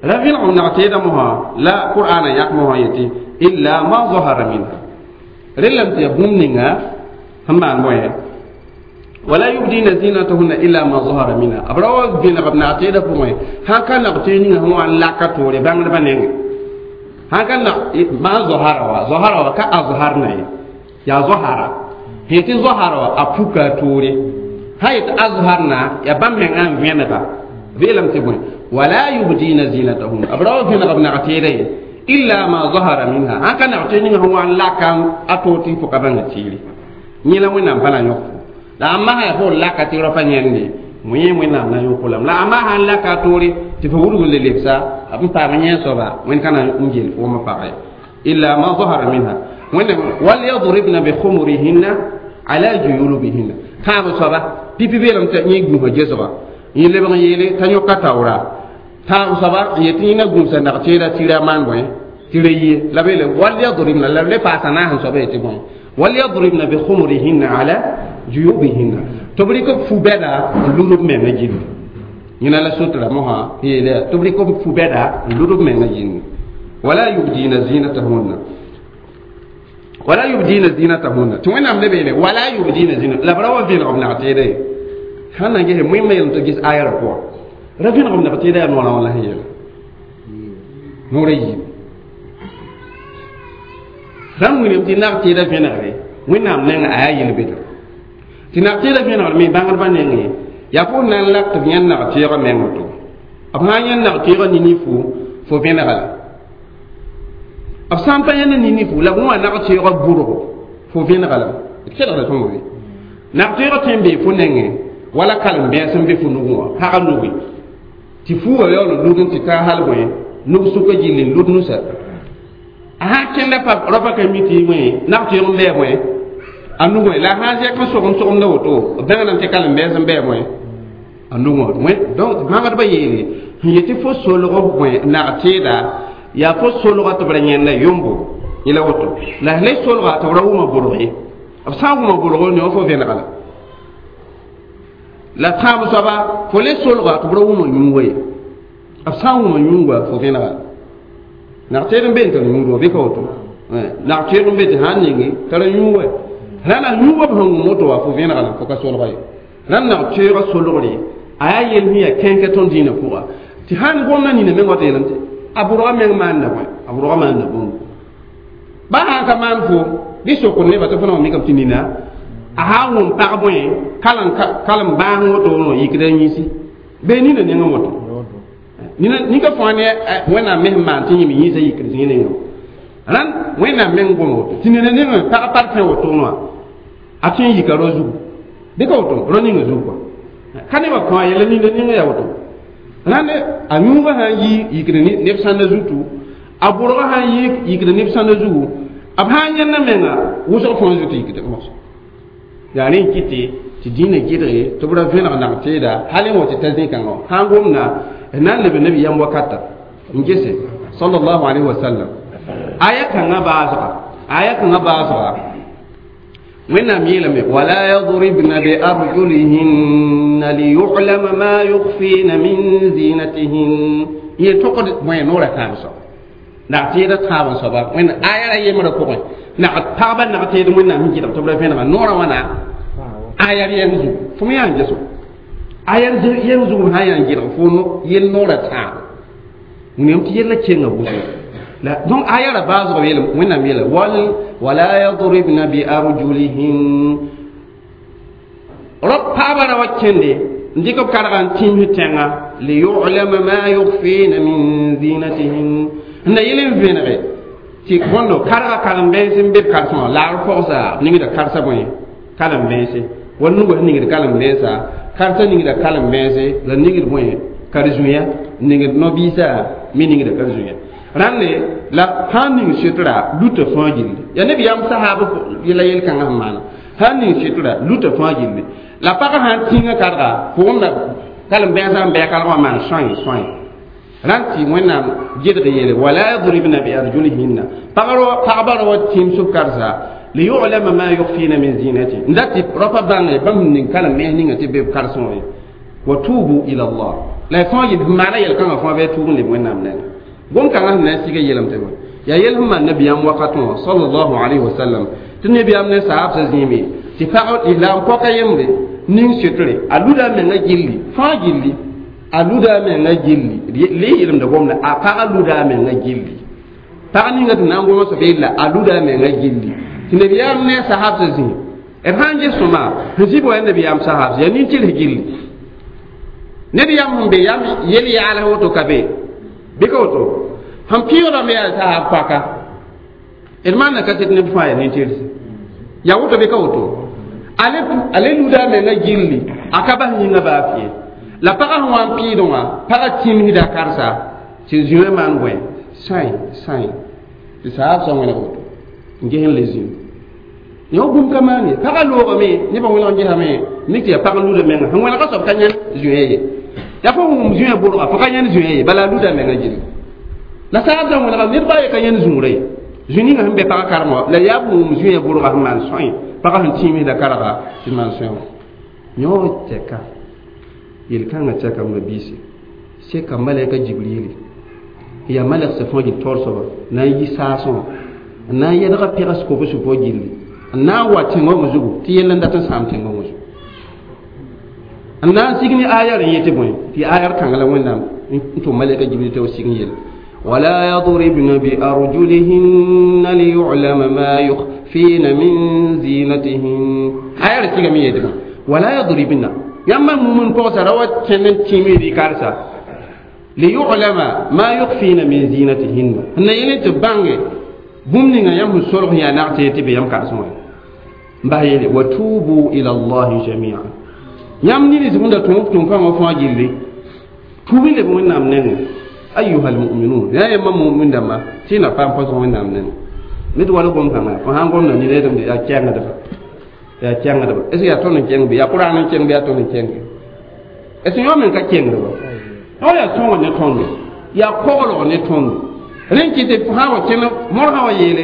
ra vẽneg b nag tɩɩda mosã la qur'ana yãk mosã yetɩ illa ma zahara minha rellame tɩ yaa bũmb ninga sẽn maan bõe wala yubdina zinatahunna illa ma zahara minha b ra wa vẽneg b nag tɩɩda pʋgẽ sãn ka nag tɩɩd ninga sẽn wa n laka toore bãngdbã nengẽ sãn ka nag ma zahara wa zahara wa ka azharna ye yaa zahara sẽn tɩ zahara wa a puka a toore sã yetɩ azharna yaa bãmb mengã n vẽnega veelame tɩ bõe wala yubdina zinatahun b ra wa vẽneg b nag tɩɩda ye illa ma zahara minha sãn ka nag tɩɩd ninga sẽn wa n laka a toor tɩ fo ka bãnga tɩɩre yẽ la wẽnnaam pa na yõk fo la a masã yaa fo laka tɩ rapa yẽnde yẽ wẽnnaam na yõk lame la a masã n laka a toore tɩ fo wudg n le lebsa b n paam yẽ soaba wẽnd ka na n gel foomã pagã ye illa ma zahara minha wẽnnaam walyadribna bikhumurihinna ala juyubihinna tãab soaba pipi beelame tɩ yẽ gũusã gesga yẽ lebg n yeele t'a yõka taoora tãab soaba n yetɩ yẽ na gũusa nag tɩɩra tɩ ra maan bõe tɩ ra yie la beele walyadribna la b le paasa naas n soaba yetɩ bõe walyadribna bikhumurihinna ala juyubihinna tɩ b rɩk b fu-bɛda n lud b menga gilli yẽna la sotra mosã yeele tɩ b rɩk b fu-bɛda n lud b menga gilli wala yubdina zinatahunna wala yubdina zinatahunna tɩ wẽnnaam le beele wala yubdina zina la b ra wa vẽneg b nag tɩɩda ye sãn na ges wẽmma yeelame tɩ ges ayara pʋga ra vẽneg b nag tɩɩda yaa noorã wã la sẽn yeela noorã yiib rãmb wilame tɩ nag tɩɩda vẽnegre wẽnnaam nengã a yaa yel-bedr tɩ nag tɩɩda vẽnegr me bãngdbã nengẽ yaa fo na n lak tɩ b yãnd nag tɩɩgã meng woto b sã n yãnd nag tɩɩgã nini fo vẽnega la b sã n pa yãnd nini fo la b wã nag tɩɩgã bʋrgo fo vẽnega la d kelgda tõnd be nag tɩɩgã tõe n bee fo nengẽ wala kalem-bɛɛs n be fo nugẽ wã pagã nugi Tɩ fuugã yaool n lud n tɩ taa hal bõe nug sʋka gilli n lud nusa a sã n kẽnda pa rapa ka mi tɩ bõe nag-tɩɩg n bɩ bõe a nugẽ la a sã n zɛk n sogem sogemda woto b bẽngdame tɩ kalem-bɛɛs n bɩ bõe a nugẽ wã donc bãgdbã yeele sẽn yetɩ fo solg bõe nag-tɩɩda yaa fo solga tɩ b ra yẽnda yombo yẽla woto la le solga tɩ b ra wʋma bʋrg ye b sã n wʋma bʋrg ne fo vẽnega la la tãab soaba fo le solga tɩ b ra wʋma yũuga ye b sã n wʋma yũuga fo vẽnega nag-tɩɩd n be n tar yũud wã bɩ ka woto nag-tɩɩd n be tɩ sã n ninge tara yũuga rãna yũuga b sẽn wʋm woto wã fo vẽnega la fo ka solga ye rãnd nag-tɩɩgã solgre a yaa yel sẽn yaa kẽnkɛ tõnd dĩinã pʋga tɩ sãn gomdã nina meng wa tɩ yeelame tɩ a bʋrga meng maanda bõe a bʋrga maanda bũmb ba sãn ka maan fo bɩ sokd nebã tɩ fo na wa mikame tɩ nina a sã n wʋm pag bõe kalem bãas woto wã yikda yĩsi bee nina nengẽ woto ninka fãa ne wẽnnaam me sẽn maan tɩ yẽme yĩsã yikd zĩig nengẽ rãnd wẽnnaam meng gom woto tɩ nina nengẽ pag parfẽ woto wã a tõe n yika rao zugu bɩ ka woto rao ninga zugu kɔa ka nebã kõ a yɛla ninda nengẽ yaa woto rãnd a yũugã sã n yi yikd neb sãnda zutu a bʋrgã sã n yi yikd neb sãnda zugu b sã n yẽnda menga wʋsg fãa zutu yikd moso yaa rẽ n kɩtɩ tɩ dĩinã gɩdge tɩ b ra vẽneg nag-tɩɩda hal n wa tɩ ta zĩ-kãngã sã n gomda d na n leb nabiyaam wakata n gese sallallahu alaihi wasallam aya kãngã baasga aya kãngã baasga wẽnnaam yeelame wala yadribna biarjulihinna liyulama ma yukfina min zinatihin yel tokd bõe noora tãab soaba nag-tɩɩda tãab n soaba wẽnd aya ra yembrã pʋgẽ nag pagba nag-tɩɩd wẽnnaam sẽn gɩdg tɩ b ra vẽnega noorã wãna aya yɛng zugu fo me yaa n geso aya yɛng zugu sã n yaa n gɩdg fo yel noorã tãab wẽnnaam tɩ yella kenga wʋsgo la donc aya ra baasg yeelame wẽnnaam yeela wala yadribna biarjulihin rab paaba ra wa kẽnde n dɩk b karga n tĩms tẽnga liyulama ma yukfina min zinatihin n na yel n vẽnege tɩ bõndo karga kalem-bẽns n be b karsẽ laar pɔgsa ningda karsa bõe kalem-bẽnse wa nugã sẽn ningd kalem-bẽnsa karsa ningda kalem-bẽnse la ningd bõe kar-zũya ningd no-biisa me ningda kar-zũya rãnde la sã n ning sɩtra luta fãa gilli yaa nabiyaam sahaab yɛla yel-kãngã sẽn maana sã n ning sɩtra luta fãa gilli la pagã sã n tĩngã karga pʋgẽ kalem-bẽnsã n bɩ a karg wã maan sõe sõe rãnd tɩ wẽnnaam gɩdg yeele wala yadribna biarjulihinna pagba ra wa tĩms b karsa liyulama ma yukfina min zinati n dat tɩ rapa bãnge bãmb sẽn ning kalem-bẽns ninga tɩ be b karsẽ wã ye wa tubu ila allah la y fãa yel maana yel-kãngã fãa bɩ a tuub n leb wẽnnaam nengẽ gom-kãngã sẽn na n siga yeelame tɩ yaa yel sẽn maan nabiyaam wakatẽ wã sallallahu alayhi wa sallam tɩ nabiyaam ne saabsã zĩime tɩ pag islam pɔka yembre ning sɩtre a luda a menga gilli fãa gilli a luda a menga gilli le yelemda gomda a pagã luda a menga gilli pag ninga tɩ na n goma soab yella a luda a menga gilli tɩ nabiyaam ne sahabsã zĩ d sã n ges sõma sẽn zɩ wa nabiyaam sahabs yaa nin-tɩrs gilli nabiyaam sẽn be yam yel yaals woto ka be bɩ ka woto sẽn pɩʋʋdame yaa sahab paka d maanda kaset neb fãa yaa nin-tɩrs yaa woto bɩ ka woto ale luda a menga gilli a ka bas yĩngã baa fɩ la pagã sẽn wa n pɩɩdẽ wã pagã tĩmsda karsa tɩ zũã maan bõe sãe sãe tɩ saabsã wẽneg woto n ges n le zĩu ne wa bũmb ka maan ye pagã loogame nebã wẽneg n gesame mik tɩ yaa pag luda menga sẽn wẽnega soab ka yãnd zũã ye yaa fo wʋm zũã bʋrga fo ka yãnd zũã ye bala a luda menga gilli la saabsã wẽnega ned baa ye ka yãnd zũurã ye zũ ninga sẽn be pagã karem wã la yaa wʋm zũã bʋrga sẽn maan sõe pagã sẽn tĩmsda karga tɩ maan sõe wã yõ tɛka yel-kãngã tɛka m biisi seka malɛka jibrili yaa malɛgsã fãa gil taoor soaba na n yi saasẽ wã n na n yɛdga pɛgs kobs fo gilli n na n wa tẽngõng zugu tɩ yell n dat n sãam tẽngõng zugu n na n sig ne ayar n yetɩ bõe tɩ ayar kãng la wẽnnaam n tʋm malɛka jibril tɩ b sig n yel ولا يضربن بأرجلهن ليعلم ما يخفين من زينتهن ayar sigame yetɩ ولا يضربن yãmba mumn pɔgsa ra wa kẽnd n tĩm rɩ karsa liyulama ma yukfina min zinatihinna n na yel tɩ bãnge bũmb ninga yãmb sẽn solg sẽn yaa nag-tɩ tɩ be yãmb karsẽ wã n bas yeele wa tubu ila allahi jamia yãmb nins sẽn da tõog tʋm-kãngã fãa gilli Tuub leb Wẽnnaam nengẽ. Ayuha almuminun, yaa yãmba mumin dãmba, tɩ na paam põsg Wẽnnaam nengẽ. Ned wala gom-kãngã fo sãn gomda ned yaa kɛngdba, yaa kɛngdba. Est ce que yaa tõnd n kẽng bɩ yaa Kʋraan n kẽng bɩ yaa tõnd n kẽnge? Est ce que yõ meng ka kẽngdba? Yõ yaa sõngr ne tõndo, yaa koglg ne tõndo. Rẽn kɩ tɩ sã n wa kẽnd mor sã wa yeele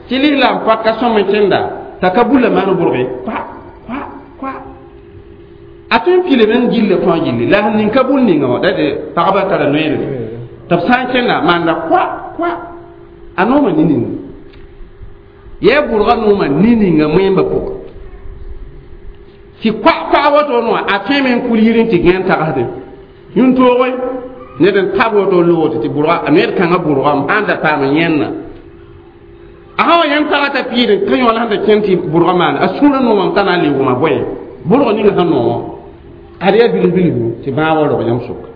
tɩ lislaam pak ka sõm n kẽnda t'a ka bulla maan bʋrge kwa kwa kwa a tõe n pile meng gilla fãa gilli la sẽn ning ka bul ninga wã da tɩ pagba tara noeere tɩ b sã n kẽnda maanda kwa kwa a nooma ni-ninga yaa bʋrga nooma ni-ninga wẽmba pʋgã tɩ kwa kwa woto wã a tõeme n kul yir n tɩ gãen tagsdẽ yũn-tooge ned n tab woto loogd tɩ bʋrga a ned kãngã bʋrgame sãn da paam yẽnna a sã wa yãmb taga t'a piid ka yõ la sẽn da kẽnd tɩ bʋrga maana a sũurã noomame t'a na n le wʋma bõe bʋrg ninga sẽn noomã ad yaa bilf bilfu tɩ bãag wa rog yãmb sʋka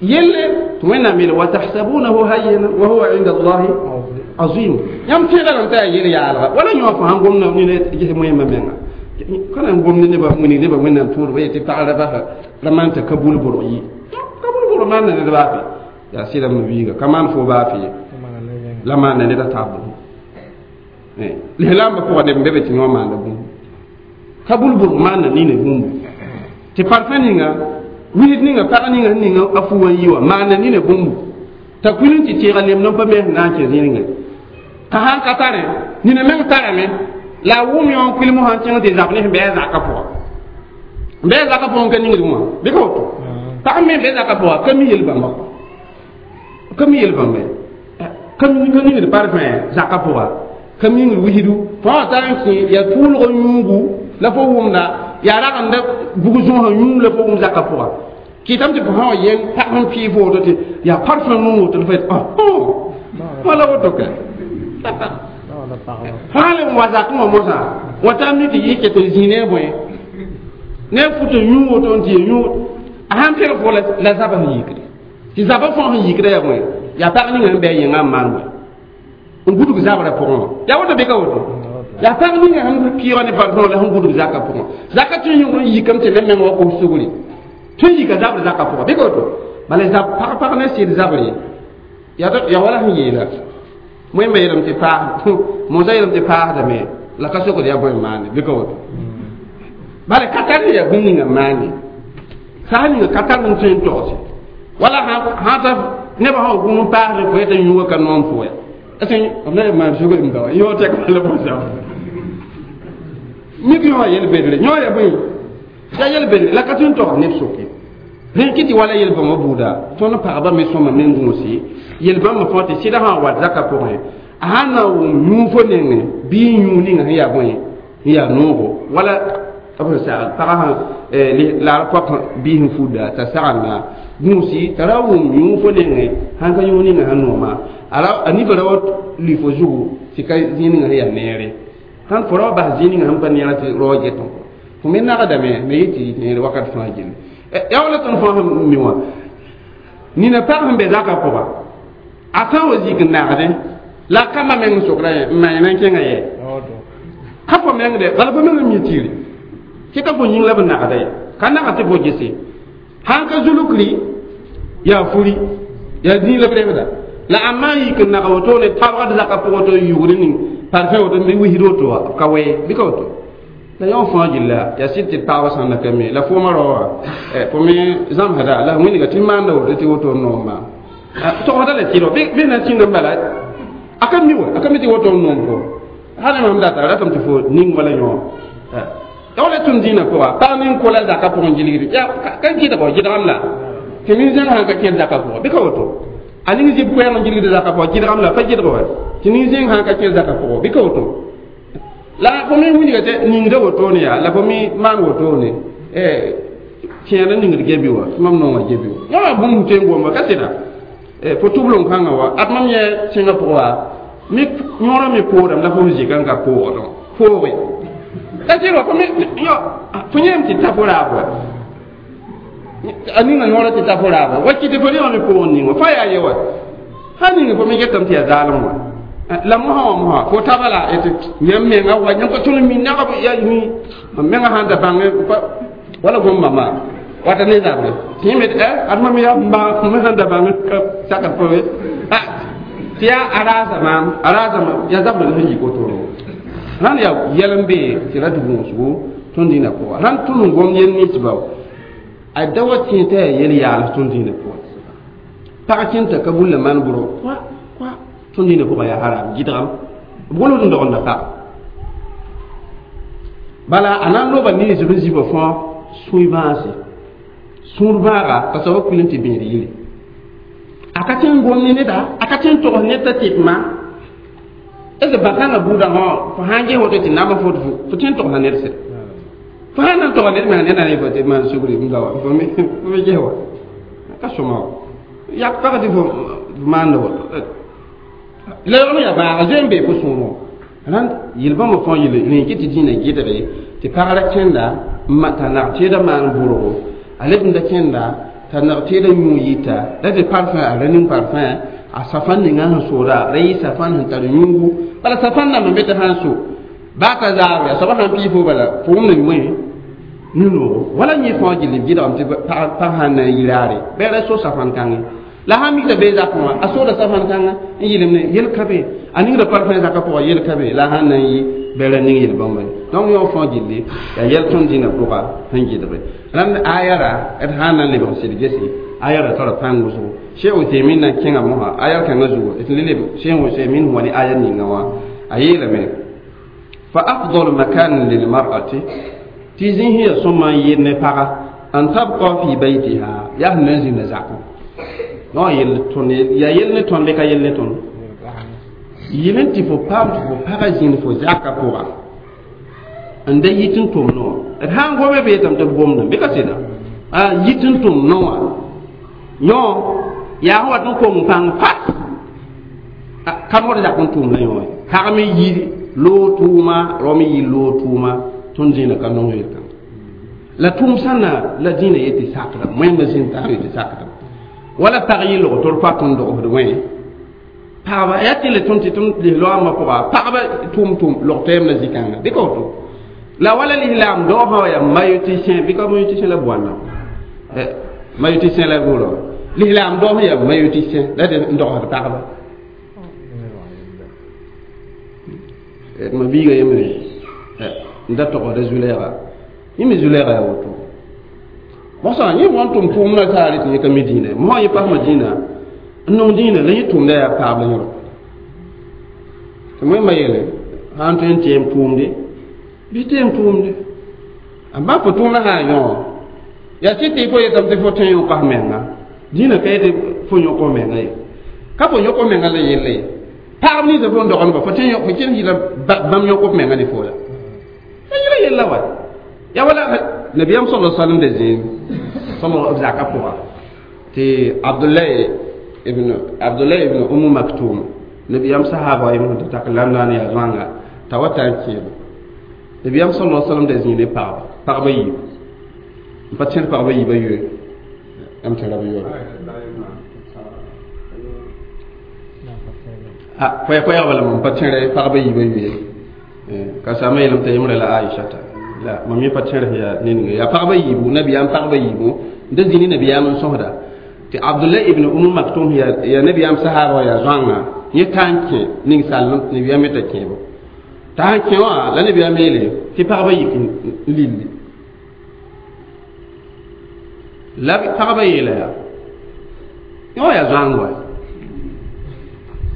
yelle tɩ Wẽnnaam yeele wa tahsabunahu hayyinan wa huwa inda Allahi azim. Yãmb tẽedame t'a yaa yel yaalga wala yõ fo sãn gomda ned ges moẽmba menga ka na n gomd nebã wilg nebã Wẽnnaam tũudba yetɩ pagra basa ra maan t'a ka bul bʋrg yi ka bul bʋrg maanda ned baa fe yaa sɩdame biiga ka maan fo baa fe la maanda ned a taab bũmb lislaambã pʋga neb n be be tɩ yõ maanda bũmb ka bul bʋrg maanda nina bũmbu tɩ parfã ninga wilg ninga pag ninga sẽn ninga a fu wã n yi wã maanda nina bũmbu t'a kuil n tɩ tẽega lemd n pa me sẽn na n kẽ zĩrngẽ t'a sãn ka tare nina meng tarame la a wʋm yõ n kuil mosã n kẽng tɩ zab ne sẽn bɩ a zaka pʋga n bɩ a zaka pʋgẽ ka ningd wã bɩ ka woto pag me bɩ zaka pʋga ka mi yel-bãmba ka mi yel-bãmba ka ningd parfum zaka pʋga ka mingd wisdu fõ wã tar n kẽ yaa tʋʋlg yũugu la fo wʋmda yaa ragenda bug zõosã yũum la fo wʋm zaka pʋga kɩtame tɩ fo sã wa yẽng pag sẽn pɩɩ fo woto tɩ yaa parfum nuu woto la fo yet wala woto ka fãa le n wa zakẽ wã mosã wa tar mi tɩ yɩ ket n zĩ ne a bõe ne a fut n yũ woto n tɩ ya yũ a sãn pẽg fo la zabã sẽn yikde tɩ zabã fãa sẽn yikda yaa bõe yaa pag ninga sẽn bɩ a yẽngã n maan bõe n gudg zabrã pʋgẽ wã yaa woto bɩ ka woto yaa pag ninga sẽn pɩɩga ne parfum la sẽn gudg zakã pʋgẽ zaka tõe n yõg n yikame tɩ neb meng wa kos sugri tõe n yika zabr zakã pʋgã bɩ ka woto bala zab pag pag ne sɩd zabre yaa wala sẽn yeela wẽmba yeelame tɩ paas mosã yeelame tɩ paasdame la ka sokd yaa bõe n maande bɩ ka woto bala ka tar yaa bũmb ninga n maande sã ninga ka tar n tõe n togse wala sã ta nebã sã wa gũm n paasd fo yetã yũuga ka noom fo ya b la maan sugr n dawa yõ tɛk bala bõsã mik yõ yel bedre yõ ya bõe yaa yel bedre la ka tõe n togs neb soke rẽn kɩ tɩ wala yel-bãmbã buuda tõnd pagba me sõma me n gũusi yel-bãmbã fãa tɩ sɩda sã n wat zakã pʋgẽ a sãn na wʋm yũufo nengẽ bɩ n yũu ninga sẽn yaa bõe n yaa noogo wala b sẽn sagl pagã sẽn la r poak biis n fudda t'a sagenda gũusi t'a ra wʋm yũufo nengẽ sãn ka yũu ninga sẽn nooma a nifa ra wa lʋɩ fo zugu tɩ ka zĩig ninga sẽn yaa neere sãn fo ra wa bas zĩig ninga sẽn pa neerã tɩ raoog getẽ fo me nagdame me yɩ tɩ neere wakat fãa gilli yaa wala tõnd fãa sẽn mi wã nina pag sẽn be zakã pʋga a sã n wa zik n nagdẽ la kambã meng n sokda yẽ n maan n kẽngã yɛ ka fo meng de bala fo meng n mi tiiri tɩ ka fo yĩng la b nagda ye ka nagd tɩ fo gese sãn ka zulukri yaa furi yaa zĩig la b rebda la ãmba n yik n nag woto ne tabgd zakã pʋgã woto n yugd ning parfum woto n wisd woto wã b ka wee bɩ ka woto la yõ fãa gilla yaa sɩd tɩ pagbã sãn na ka me la foomã rao wã fo me zãmsda la wĩnga tɩ maanda woto tɩ woto n noom maam togsda la tɩrg bɩ na sĩnd n bala a ka mi wa a ka mi tɩ woto n noom fo hal mam data ratame tɩ fo ning wala yõ ya wala tʋm dĩinã pʋga pag ning kola zakã pʋgẽ gilgd ya ka gɩdgo gɩdgam la tɩ nin-zẽng sãn ka kẽed zakã pʋgã bɩ ka woto a ning zib koɛɛg n gilgd zakã pʋgã gɩdgam la pa gɩdg wa tɩ nin-zẽng sãn ka kẽed zakã pʋgã bɩ ka woto la fo me wilga tɩ ningda wotone yaa la fo me maan wotone tẽed n ningd gebi wa tɩ mam nonga gebi wa yã bũmb tõe n goma ka sɩda fo tʋblem kãngã wa ad mam yẽ sẽngã pʋgã wa mi yõorã me poorame la fo zika n ka poogdẽ pooge ka sɩd wa fo me fo yẽem tɩ ta fo raab wa a ninga yõorã tɩ ta fo raab wa wa kɩ tɩ fo rẽgã me poog ning wa fa yaa ye wa sã ning fo me getame tɩ yaa zaalem wa la mosã wã mosã fo taba la yãmb menga wa yãmb ka tõnd mi nagb ya mi mam menga sãn da bãng wala gom mama Wata ne zabre tɩ me ad mam yaa ma sẽn da bãng sakd fo tɩ yaa a raasa maam a raasa yaa zabre sẽn yik wotoro rãnd yaa yɛl n bee tɩ ra tɩ gũusgo tõnd dĩinã pʋga rãnd tõnd n gom yel ninsba a da wa tẽ t'a yaa yel yaals tõnd dĩinã pʋga pag kẽnta ka bulla maan bʋrg kɔa kɔa tõnd dĩinã pʋga yaa haram gɩdgam b golgd n dogenda pag bala a na n loba ninsb n zibã fãa sũy bãase sũur bãaga t'a soaba kuil n tɩ bẽed yiri a ka tẽ n gom ne neda a ka tẽ n togs ned t'a tɩpma est ce bãkãngã buudã fõ fo sã n ges woto tɩ namba fo fo tẽ n togsã ned sɩda fo sã n na n togs ned me ned na ne fo tɩ maan sugri n gawa fo me ges wa ka sõma wa yak pag tɩ fo maanda woto la yogm yaa bãaga zoe n bee fo sũurẽ rãnd yel-bãmba fãa yel rẽ kɩ tɩ dĩinã gɩdge tɩ pagra kẽnda t'a nag tẽedã maan bʋrgo a leb n da kẽnda t'a nag tẽedã yũ yita la tɩ parfum a ra ning parfum a safan ninga sẽn sooda ra yɩ safan sẽn tar yũugu bala safan nambã me tɩ sãn so baa ka zaabre a soaba sãn pii fo bala fo wʋmda wẽ nu-noogo wala yẽ fãa gill b gɩdgame tɩ pag sãn na n yi raare bɩ ra so safan kãngẽ la sãn mikda bee zakẽ wã a sooda safan kãngã n yɩlemne yel ka be a ningda parfum zakã pʋga yel ka be la sãn na n yi bɩ ra ning yel-bãmba ye donc yõ fãa gilli yaa yɛl tõnd dĩinã pʋga sẽn gɩdge rãnd aya ra d sãn na n lebg sɩd gese aya ra tara pãng wʋsgo Cheikh Uthaymin na kẽnga mosã aya kãngã zugu d le leb Cheikh Uthaymin wa ne aya ninga wã a yeelame fa afdal makan lilmar'ati tɩ zĩis ya sõma n yɩ ne paga an tabqa fi baytiha yaa sẽn na n zĩnda zakẽ non yel tõnd yaa yel ne tõnd bɩ ka yel ne tõnd yel n tɩ fo paam tɩ fo paga zĩnd fo zaka pʋga n da yit n tʋm noa d sã n gome bee tame tɩ b gomdã bɩ ka sɩda a yit n tʋm noa yõ yaa sẽn wat n kong pãng fas ka mod zak n tʋʋm la yõ pag me yi loog tʋʋma rao me yi loog tʋʋma tõnd zĩnã ka nong yel-kãng la tʋʋm sãnna la dĩinã yetɩ sakdame wẽnda zĩnd taab yetɩ sakdame wala pag yɩ log tɩ d pa tõnd dogsd wẽ pagba yaa tɩ le tõnd tɩ tõnd lislaambã pʋga pagba tʋʋm log tɛɛm la zĩ-kãnga bɩ ka woto la wala lislaam dao sã wa yaa mayoticien bɩ ka mayoticien la boanda mayoticien la bʋʋra lislaam dao sã yaa mayoticien la d n dogsd pagba ma biiga yembre n da togsda zulɛɛga yẽ me zulɛɛga yaa woto mosã yẽ wã n tʋm tʋʋmdã saare tɩ yẽ ka mi dĩinã mosã yẽ pasma dĩinã n nong dĩinã la yẽ tʋʋmda yaa paab la yõro tɩ wẽmba yeele sã n tõe n tẽem tʋʋmde bɩ tẽem tʋʋmde a ba fo tʋʋmdã sã n yõ yaa sɩ tɩ fo yetame tɩ fo tõe n yõk f menga dĩinã ka yetɩ fo yõk f menga ye ka fo yõk f menga la yelle ye pagb ninsã fo n dogendba fo tẽ fo kẽnd yɩla bãmb yõk f menga ne fo la la yẽla yella wa yaa wala nabiyam sallallahu alaihi wasallam da zĩig sallallahu zaka pʋga tɩ Abdullah ibn Umm Maktum nabiyam sahaba ibn tɩ tak lamdaan yaa zoãnga t'a wa tar n kẽeba nabiyam sallallahu alaihi wasallam da zĩig ne pagba yiib n pa tẽd pagba yiibã yoe am tẽra b yoore koɛɛg bala mam pa tẽre pagba yiibã yoe ka sama yeelame t'a yembre la Aishata la mam yẽ pa tẽrs yaa ne ninga yaa pagba yiibu nabiyaam pagba yiibu n da zĩ ne nabiyaam n sõsda tɩ Abdullah ibn Umm Maktum yaa nabiyaam sahaba wã yaa zoãnga yẽ ka n kẽ ning-sall nabiyaam me t'a kẽebo t'a sãn kẽ wã la nabiyaam yeele tɩ pagba yik n lilli la pagba yeela yaa yẽ wã yaa zoãng wa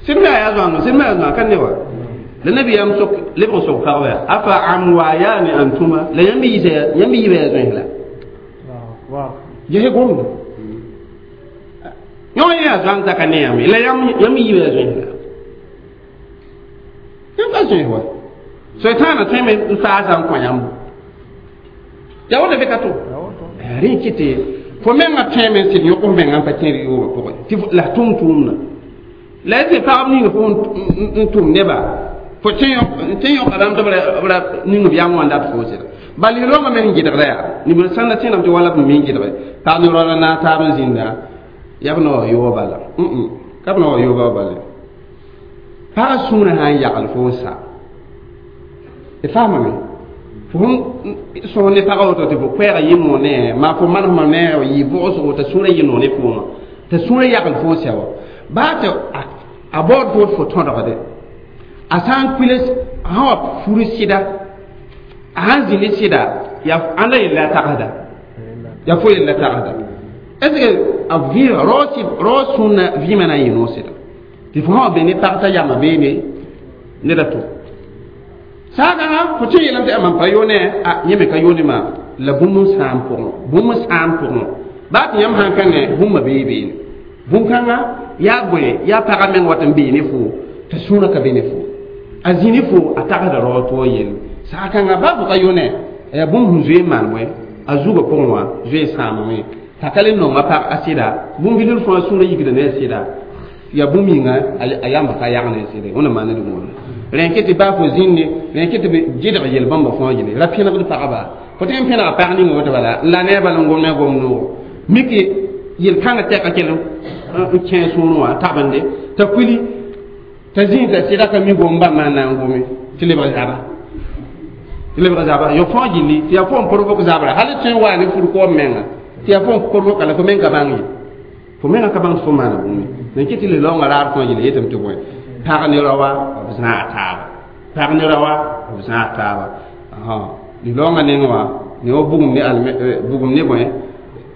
sɩd me yaa zoãng sɩd me yaa zoãng ka ne wa la nabiyaam sok leb n sok pagba yaa afa amwayani antuma la yãmb yiibã yaa zoẽs la ges gomda yõ yaa zoãng zaka ne yãmb la yãmb yiibã yaa zoẽs la yãmb ka zoẽs wa soetãanã tõeme n saasa n kõ yãmb yaa woto bɩ ka to rẽ kɩ tɩ fo mengã tõeme n sɩd yõk f mengã n pa kẽer yoobã pʋgẽ tɩ la tʋm tʋʋmdã la y tɩ pagb ning fo n tʋm neba fo tẽ yõka rãmb tɩ b ra ning b yam wã n dat fo sɩda bal rõmbã me sẽn gɩdgda yaa nib sãn da tẽedame tɩ wala b me n gɩdge pag ne raoã naag taab n zĩnda yaa b na wa yooba bala ka b na wa yooba bala pagã sũurã sã n yagl fo n sa d faamame Fo sõs ne pagã woto tɩ fo koɛɛga yɩ noor ne maa fo manesmã ne yɩ vʋʋsgo t'a sũurã yɩ noor ne fooma t'a sũurã yagl fo sɛ wa baa tɩ a baood foot fo tõdgde a sã n kuils sã wa fur sɩda a sãn zĩ ne sɩda yaa ãnda yella a tagsda yaa fo yella tagsda est ce que a vɩɩga rao sũnna vɩɩmã na n yɩ noor sɩda tɩ fo sã wa be ne pag t'a yama beene ned a to saagã fo tɩ yeelame tɩ mam pa yoone a yẽ me ka yoone maam la bũmb n sãam pʋgẽ bũmb n sãam pʋgẽ baa tɩ yãmb sãn ka ne bũmba bee beene bũn-kãngã yaa bõe yaa pagã meng wat n bee ne fo t'a sũurã ka be ne fo a zĩ ne fo a tagsda raoog tɩ wa yelle saag-kãngã baa fo ka yoone yaa bũmb sẽn zoe n maan bõe a zugã pʋgẽ wã zoe sãamame t'a ka le nonga pag a sɩda bũmb bilf fãa sũurã yikda ne a sɩda yaa bũmb yĩnga a yamba ka yag ne a sɩda wẽnna maan d gũuda rẽn tɩ baa fo zĩnne rẽn tɩ gɩdg yel-bãmba fãa yele ra pẽnegd pagba fo tɩ n pẽnega pag ning woto bala n la ne a bala n gom ne a gom noogo miki yel-kãngã tɛka kell n kẽ sũurẽ wã tabende t'a kuili t'a zĩig t'a sɩda ka mi gom bãmb maan na n gome tɩ lebg zaba tɩ lebg zaba yo fãa gilli tɩ yaa fo n provoke zabra hal tõe n waa ne fur koom menga tɩ yaa fo n provoka la fo meng ka bãng ye fo menga ka bãng tɩ fo maana bũmb ye rẽn kɩ tɩ le-laoongã raar fãa gilli yetame tɩ bõe pag ne raoa b zãag taaba pag ne raoa b zãag taaba li-laoongã neng wã ne wa bugum ne alme bugum ne bõe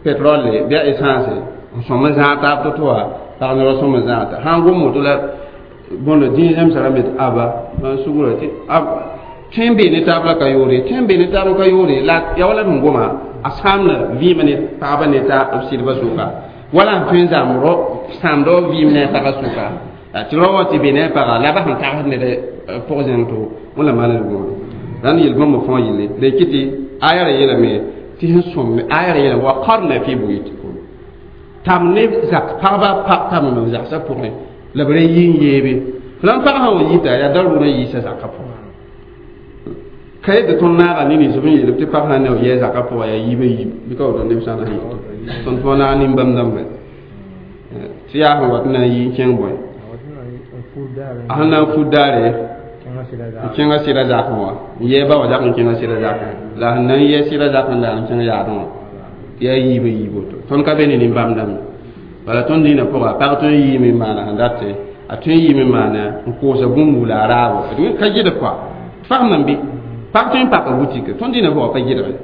pétrole bɩ a essence n sõm n zãag taab to-to wã pag ne rao sõm n zãag ta sã n gom woto la bõndo dĩig zẽmsã rãmbe tɩ aba n sugra tɩ tõe n bee ne taab la ka yoore tõe n bee ne taab n ka yoore la yaa wala sẽn goma a sãamda vɩɩmã ne pagba ne ta b sɩdbã sʋka wala sẽn tõe n zãam ro sãamda wa vɩɩm ne a pagã sʋka tɩ rao wã tɩ be ne a paga la ba sẽn tagsd ned pʋg zẽng to wẽnna maan d gũuda rãnd yel-bãmba fãa yelle rẽ kɩ tɩ aya ra yeelame tɩ sẽn sõm aya ra yeelame wa qarna fi buyutikum tam ne zak pagba tam n zagsã pʋgẽ la b ra yi n yeebe la n pag sã wa yita yaa darʋʋrã yiisa zakã pʋgã ka yetɩ tõnd naaga ne nins b n yeelb tɩ pag sã ne b yɛɛ zakã pʋgã yaa yiibã yiib bɩ ka woto neb sã na yɩ tõnd fo naag nin-bãmb dãmba tɩ yaa sẽn wat n na n yi n kẽng bõe a sẽn na n fut daare n kẽnga sɩda zakẽ wã n yɛɛ ba wã zak n kẽnga sɩda zakẽ la sẽn na n yɛɛ sɩda zakẽ n daal n kẽng yaadẽ wã tɩ yaa yiibã yiib woto tõnd ka be ne nin-bãmb dãmbe bala tõnd dĩinã pʋga pag tõe n yiime n maana sẽn date a tõe n yiime n maana n koosa bũmb wula a raabo ka gɩdg kɔa fasem n bɩ pag tõe n paka butike tõnd dĩinã pʋga pa gɩdge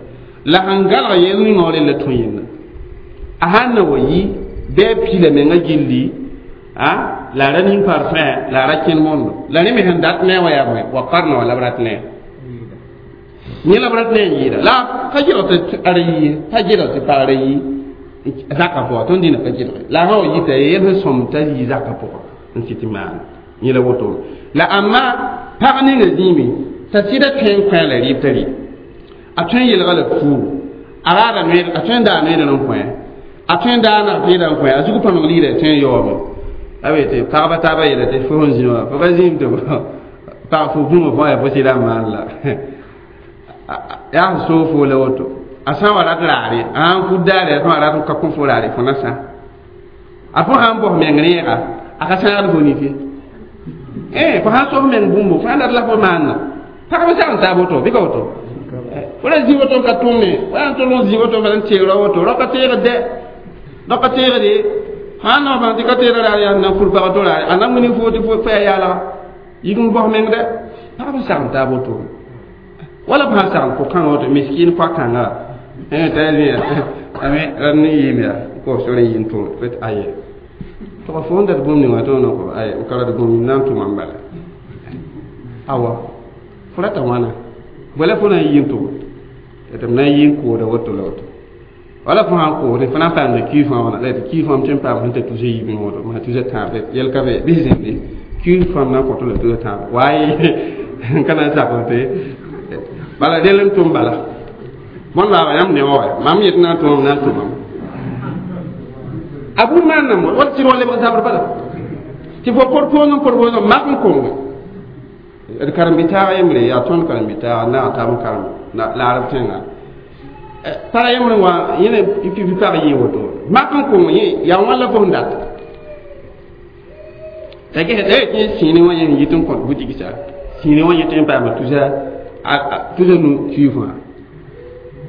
la sẽn galg yel ninga rella tõe yẽnda a sãn na wa yi bɩ a pila menga gilli a la ra ning parfum la ra kẽnd mondo la rẽ me sẽn dat ne wa yaa bõe wa qarna wa la b rat ne yẽ la b rat ne n yɩɩda la ka gɩlg tɩ ara yi pa gɩlg tɩ pag ra yi zakã pʋga tõnd dĩnã ka gɩlge la sã wa yita yel sẽn sõm t'a yi zakã pʋga n sɩ tɩ maan yẽ la woto la amma pag ninga zĩime t'a sɩda tõe n kõ la rɩɩb t'a rɩ a tõe n yelga la fuugu a raada noeed a tõe n daa noeed n kõ a tõe n daa nag peeda n kõ a zug pãmg liida tõe n yaoome a be tɩ pagba taaba yeela tɩ fo sẽn zĩ wã fo ka zĩim tɩ pag fo bũmba fãa yaa fo sɩda n maan la yaa sẽn soog fo la woto a sã n wa rat raare a sãn fut daare a tõa rat n ka kõ fo raare fo na sã a fo sãn bos meng rẽega a ka sãagd fo nif ye fo sãn sos meng bũmbo fo sãn dat la fo maanna pagba sagn taab woto bɩ ka woto fo ra zĩ woto n ka tʋme wa n tol n zĩ woto n teeg ra woto rao ka teegd dɛ rao ka teegde sãn na bãng tɩ ka teega raar yaa na fur pag to raare a na wini fo tɩ fo yaa yaalaga yik n bos meng dɛ pagb sagn taab woto wala b sãn sagn ko-kãngã woto miskin koa-kãnga t'a zĩ ame rad ne yɩɩm yaa ko sore yɩ n tʋm fet aye tɩg fo n dat bũmb ninga tõog na ko aye n ka rat bũmb na n tʋma n bala awa fo rata wãna bala fo na n yɩ n tʋm tɩ m na n yɩ n kooda woto la woto wala fo sãn koosd fo na n paamda kiif fãa wãna la tɩ kiif fãa m tõe n paam sẽn t'a tusa yiib n woto maa tusa tãab yɛl ka be bɩ zẽmde kiif fãa m na n kõt la tusa tãab waaye n ka na n sak tɩ bala del n tʋm bala bõn laaba yãmb ne wa mam yet na n tʋmam na n tʋmam a bũmb maan na wala sɩd wa lebg zabr bala tɩ fo porpoos n porpoos n mak n konge d karen-bi-taaga yembre yaa tõnd karen-bi-taaga naag taab n karem la arab tẽnga pag yembre wã yẽne pipi pag yɩ woto mak n kong yẽ yaa wãn la fo sẽn dat t'a ges tɩ sĩine wã yẽ yit n kõt butik sa sĩine wã yẽ tõe n paama tusa tʋsa nu kiif wã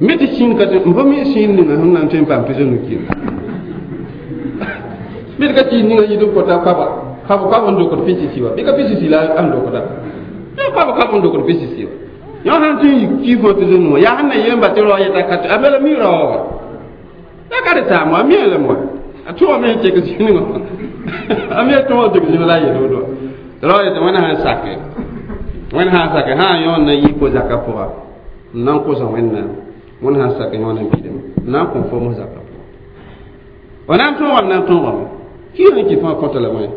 me tɩ sĩin ka tɩ fo me sĩin ninga sẽn na n tõe n paam tʋsa nu kiif me tɩ ka sĩin ninga yit n kota kaba kab kab n dokd pɩsisi wa bɩ ka pɩsisi la n dokda kab kab n dokd pɩsisi wa yõ sãn tõe n yik kiif wã tʋsa nu wã yaa sẽn na yem-ba tɩ rao yeta ka tɩ a bela mi rao wa ya ka d taam wa a mi lame wa a tʋgame sẽn tek zĩnigã a me tõog tek zĩnig la a yel woto rao yetɩ wẽnd sãn sake wẽnd sãn sake sã n yõod na yi ko-zakã pʋga n na n kosa wẽnnaam wẽnd sãn sak yõod n pidame n na n kõ fo mos zakã pʋga wa na n tõogame na n tõogame kɩɩg n kɩ fãa kõta la wẽ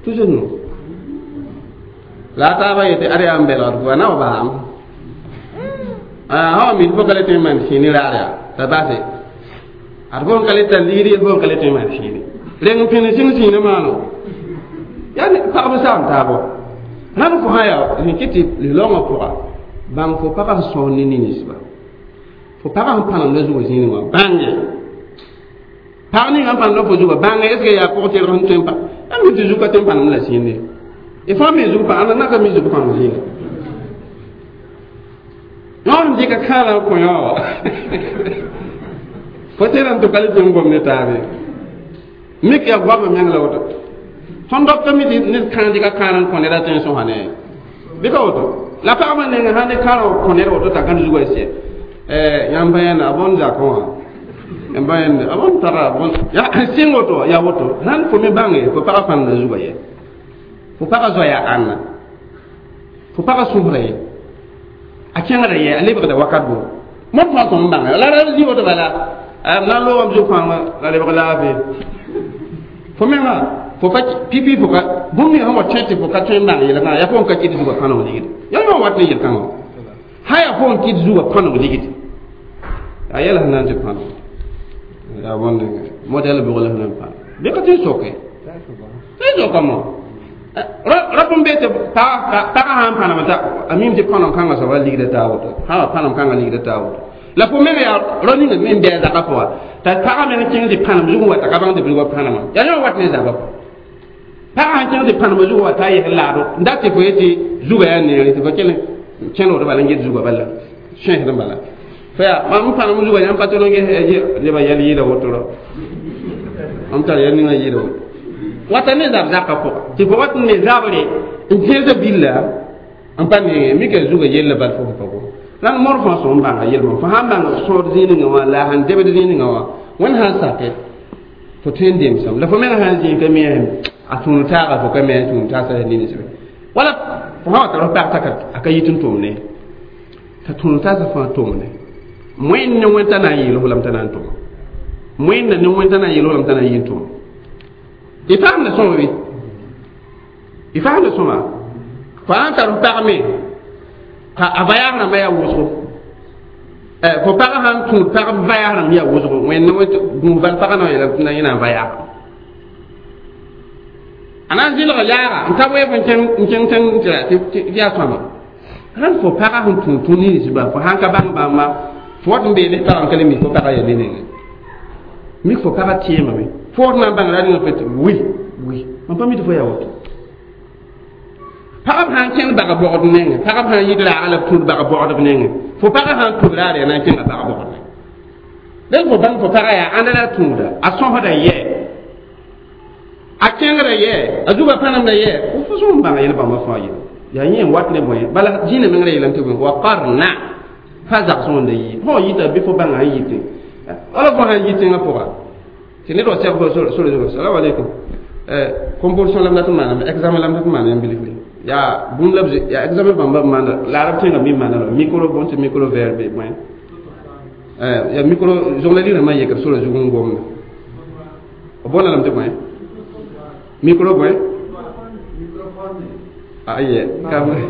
tʋs nu la a taabã yetɩ ad yaa n belgd fo a na wa baam sã wa mi tɩ fo ka le tõe n maan sĩini raar yaa la base ad fo n ka le tar ligd yel fo n ka le tõe n maan sĩini reng n pẽnd sĩng sĩinã maano yaa pagb saam taabo rãmb fo sã yaa sẽn kɩ tɩ lislaoongã pʋga bãng fo pagã sẽn sõs ne ninsba fo pagã sẽn pãnemda zugã zĩig wã bãnge pag ninga n pãnemda fo zugã bãnge est ce que yaa pʋg-tɩrg sẽn tõe n pa a mi tɩ zug ka tõe n pãnemd la sĩinde y fãa mi zug pã ãnda naka mi zug pãnem zĩiga yõod n dɩka kãala n kõ yã wa fo tẽeda n tʋ ka le tɩ n gom ne taabe mik yaa goamã meng la woto tõnd dɔka mi tɩ ned kãa dɩka kãar n kõ ned a tõe n sõsa ne bɩ ka woto la pagba neng sã ne kãar n kõ ned woto t'a gãnd zugã sɛ yãmb pa yẽnda a bõn zakẽ wã yãmb pa yẽnda a bõn tara bõn ya sɩng woto yaa woto sãn fo me bãnge fo pagã pãnda zugã ye fo pagã zoaya ãnna fo pagã sõsra ye a kẽngda ye a lebgda wakat bo mõd fãa tõm n bãnge la ra zĩ woto bala m na n loogame zu-kãngã la lebg laafɩ fo menga fo pa pipi fo ka bũmb ninga sẽn wa tõe tɩ fo ka tõe n bãng yel-kãngã yaa fo n ka kɩt zugã kãneng ligd yaa yõ wat ne yel-kãngã sã yaa fo n kɩt zugã kãneng ligd a yɛla sẽn na n tɩ pãneg yaa bõnd modɛl bʋg la sẽn na n pãneg bɩ ka tɩ n soke tɩ n sokame rap n be tɩ pagã sã n pãnem t'a a mim tɩ pãnem kãngã soaba ligda taa woto sã wa pãnem kãngã ligda taa woto la fo meng yaa rao ninga me n bɩ a zakã pʋga t'a pagã meng kẽng tɩ pãnem zug n wa t'a ka bãng tɩ bilgã pãnemã yaa yõ wat ne zabã pagã sãn kẽng tɩ pãnemã zug wa t'a yes laado n dat tɩ fo yetɩ zugã yaa neere tɩ fo kell kẽnegd bala n get zugã bala sõesd n bala fo yaa mam n pãnem zugã yãmb pa tol n ges nebã yɛl yɩɩda woto ra mam tar yɛl ninga yɩɩda woto wata ne zab zakã pʋga tɩ fo wat n ne zabre n kẽesã billa n pa nenge mika zugã yella bal fo pa gom la mor fãa sõm bãnga yelmã fo sãn bãng sõod zĩigã wã la a sãn debd zĩigã wã wẽnd sãn sake fo tõe n demsame la fo meng sãn zĩig ka me a tũud taaga fo ka me a tũud taasa ninsbe wala fo sã wa tar f pag t'a a ka yit n tʋmne t'a tũud taasã fãa tʋmne wẽnd ne wẽnd t'a na n yeel fo lame t'a na n tʋm wẽnda ne wẽnd t'a na n yeel fo lame t'a na n yɩ n tʋm y faamda sõma bɩ y faamda sõma fo sãn tar f pag me ka a vayaag rãmbã yaa wʋsgo fo pagã sãn tũud pagb vayaag rãmb yaa wʋsgo wẽnd gũus bal pagã na yeela na yẽ na n vayaag a na n zɩlg yaaga n ta weeb n kẽng tẽng tɩ yaa sõama sãn fo pagã sẽn tũud tũ ninsba fo sãn ka bãng bãmba fo wat n bee ne pagã n ka le mi fo pagã yaa ne nengẽ mik fo pagã tẽemame fo wat na n bãng ra ninga fo tɩ wi wi mam pa mi tɩ fo yaa woto pagb sãn kẽnd bag bogd nengẽ pagb sãn yit raaga la b tũud bag bogdb nengẽ fo pagã sãn tũud raar yaa na n kẽnga bag bogd nengẽ dẽn fo bãng fo pagã yaa ãnda la tũuda a sõsda yɛ a kẽngrã yɛ a zugã pãnemda yɛ fo sõm bãnga yel bãmba fãa yel yaa yẽ n wat ne bõe bala zĩnã mengrã yeelame tɩ bõe wa qarna pa zagsẽ wẽnda yɩ fõ yita bɩ fo bãnga sẽn yitẽ wala fo sãn yɩ tẽngã pʋga tɩ ned wa sɛb fo sore zugu salam alaikum composition la m dat n maana examen la m dat n maana yãmb bilfre yaa bũmb la yaa examen bãmba b maana la arab tẽngã mi maana la micro bõn tɩ micro vert be bõe yaa micro zonglã rãmbã yekd sora zug n gomda b boonda lame tɩ bõe micro bõe aye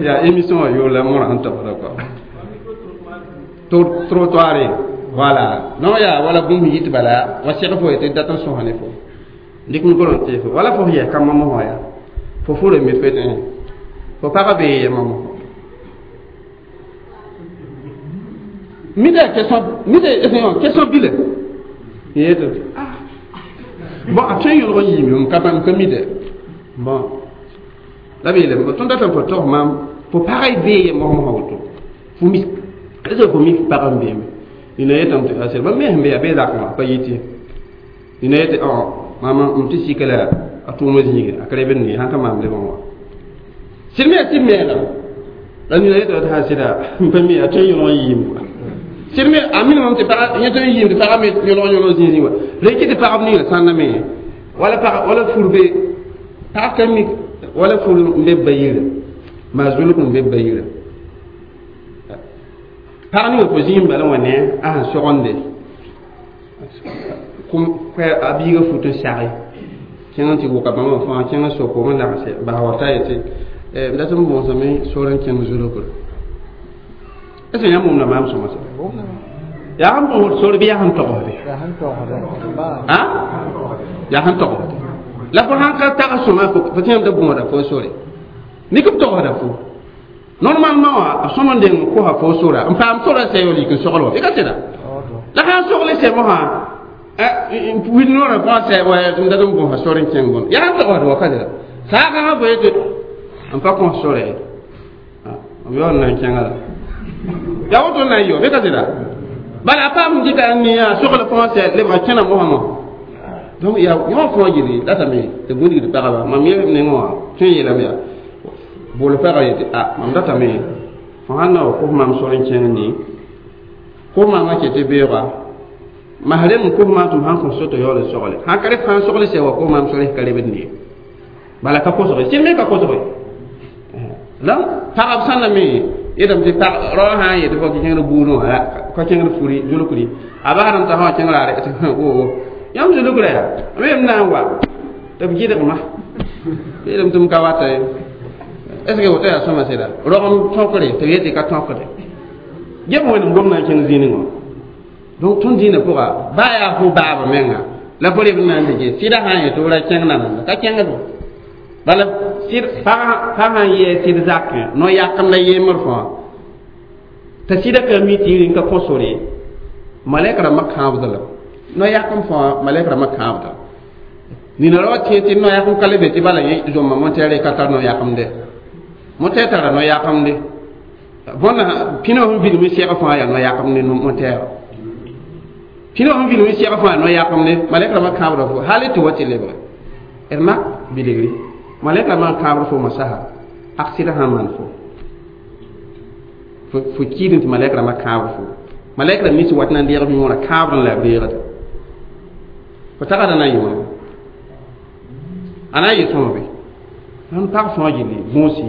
yaa émission wã yoor la mõra sẽn tagsda kɔa trottoir voilà non yaa wala bũmb yit bala wa seg fo yetɩ dat n sõsa ne fo dɩk micro n tee fo wala fo yɛs kambã mosã yaa fo fure mit fo yetɩ fo pagã bee yɛmã mosã mida question mida question bile yetɩ ah bon a tõe n yõlg n yiime m ka bãmb ka mi dɛ bon la b yeelame tõnd datame fo togs maam Fo pagã bee mosmosã woto fo mis est fo mi pag n beeme nina yetame tɩ a sed bãmb me sẽn be yaa bee zakẽ pa yɩ tɩ nina yetɩ mam m tɩ sika la a tʋʋmã zĩige a ka lebd ne sãn ka maam lebg n wa sɩd me yaa tɩ meelem la nina yetɩ tɩ sã sɩda n pa mi a tõe n yõlg n yiim sɩd me a minimum tɩ pag yẽ tõe n yiim tɩ pagã me yõlg zĩig wã la kɩ tɩ pagb ninga sãnda me wala pag wala fur be pag ka mik wala fur n be ba yire maa zulg n be ba yire pag ninga fo zĩig bala wã ne a sẽn sogendde a biiga fut n sage kẽng tɩ wʋka bãmba fãa kẽng soko n lagse bas wata yetɩ m dat n bõosame sor n kẽng zulgre est ce que yãmb wʋmda maam sõma sã yaa sẽn bõosd sor bɩ yaa sẽn togsde yaa sẽn togsde la fo sãn ka tags sõma fo tẽem tɩ bõoda fo sore mik b togsda fo normalement wã a sõm n deng kosa fo sora n paam sora sɛ yol yik n sogl wã bɩ ka sɩda la sãn sogl sɛ mosã wil noorã fãa sɛ wa m dat n bõosa sor n kẽng bõn yaa sẽn togsd wa ka sɩda saagã fo yetɩ n pa kõs sore m yaool na n kẽnga la yaa woto na n yɔ bɩ ka sɩda bala a paam n dɩka n nia sogl fãa sɛ lebga kẽna mosã mosã donc yaa yõ fãa yel datame tɩ gũudgd pagba mam yel nengẽ wã tõe n yeelame yaa bool pagã yetɩ a mam datame fo sãn na wa kos maam sor n kẽng ne kos maamã ket tɩ beooga mas rem n kos maam tɩ m sãn kõ soto yaool n sogle sãn ka rɩ sãn sogl sɛ wa kos maam sor ka lebd ne bala ka kosge sɩd me ka kosge la pagb sãn na me yetame tɩ pag rao sã n yetɩ fo kẽngd buudẽ wã ka kẽngd furi zulkri a basdame t'a sã wa kẽng raare tɩ o yãmb zulkra yaa me m na n wa tɩ b gɩdgma yeelame tɩ m ka wata ye est ce que woto yaa sõma sɩda rogem tõkre tɩ b yetɩ ka tõkde gem wẽnem gom na n kẽng zĩnig wã donc tõnd dĩinã pʋga baa yaa fo baaba menga la fo reb n na n dɩke sɩda sã n yetɩ f ra kẽng nananda ka kẽngdo bala sɩd pag sã n yɛɛ sɩd zakẽ no-yakem la yembr fãa t'a sɩda ka mi tɩ yiri n ka kõ sore malɛk rãmbã kãabda la no-yakem fãa malɛk rãmbã kãabda nina ra wa tẽ tɩ no-yakem ka le be tɩ bala yẽ zomma montɛɛre ka tar no-yakemde montɛɛr tara no-yakemde bõnda pĩnã sẽn vilem sɛg fãa yaa no-yakemde montɛɛrã pĩnã sẽn vilem sɛg fãa no-yakemde malɛk rãmbã kãabda fo hal tɩ wa tɩ lebge d mak bilgri malɛk rãmbã n kãabd fo masaha aksɩda sãn maan fo fo kiidẽ tɩ malɛk rãmbã kãabd fo malɛk rãmb nis wat na n deegb yõorã kãabd n la b reegda fo tagada na n yɩ wãna a na n yɩ sõma be ãn pag fãa gilli bõosi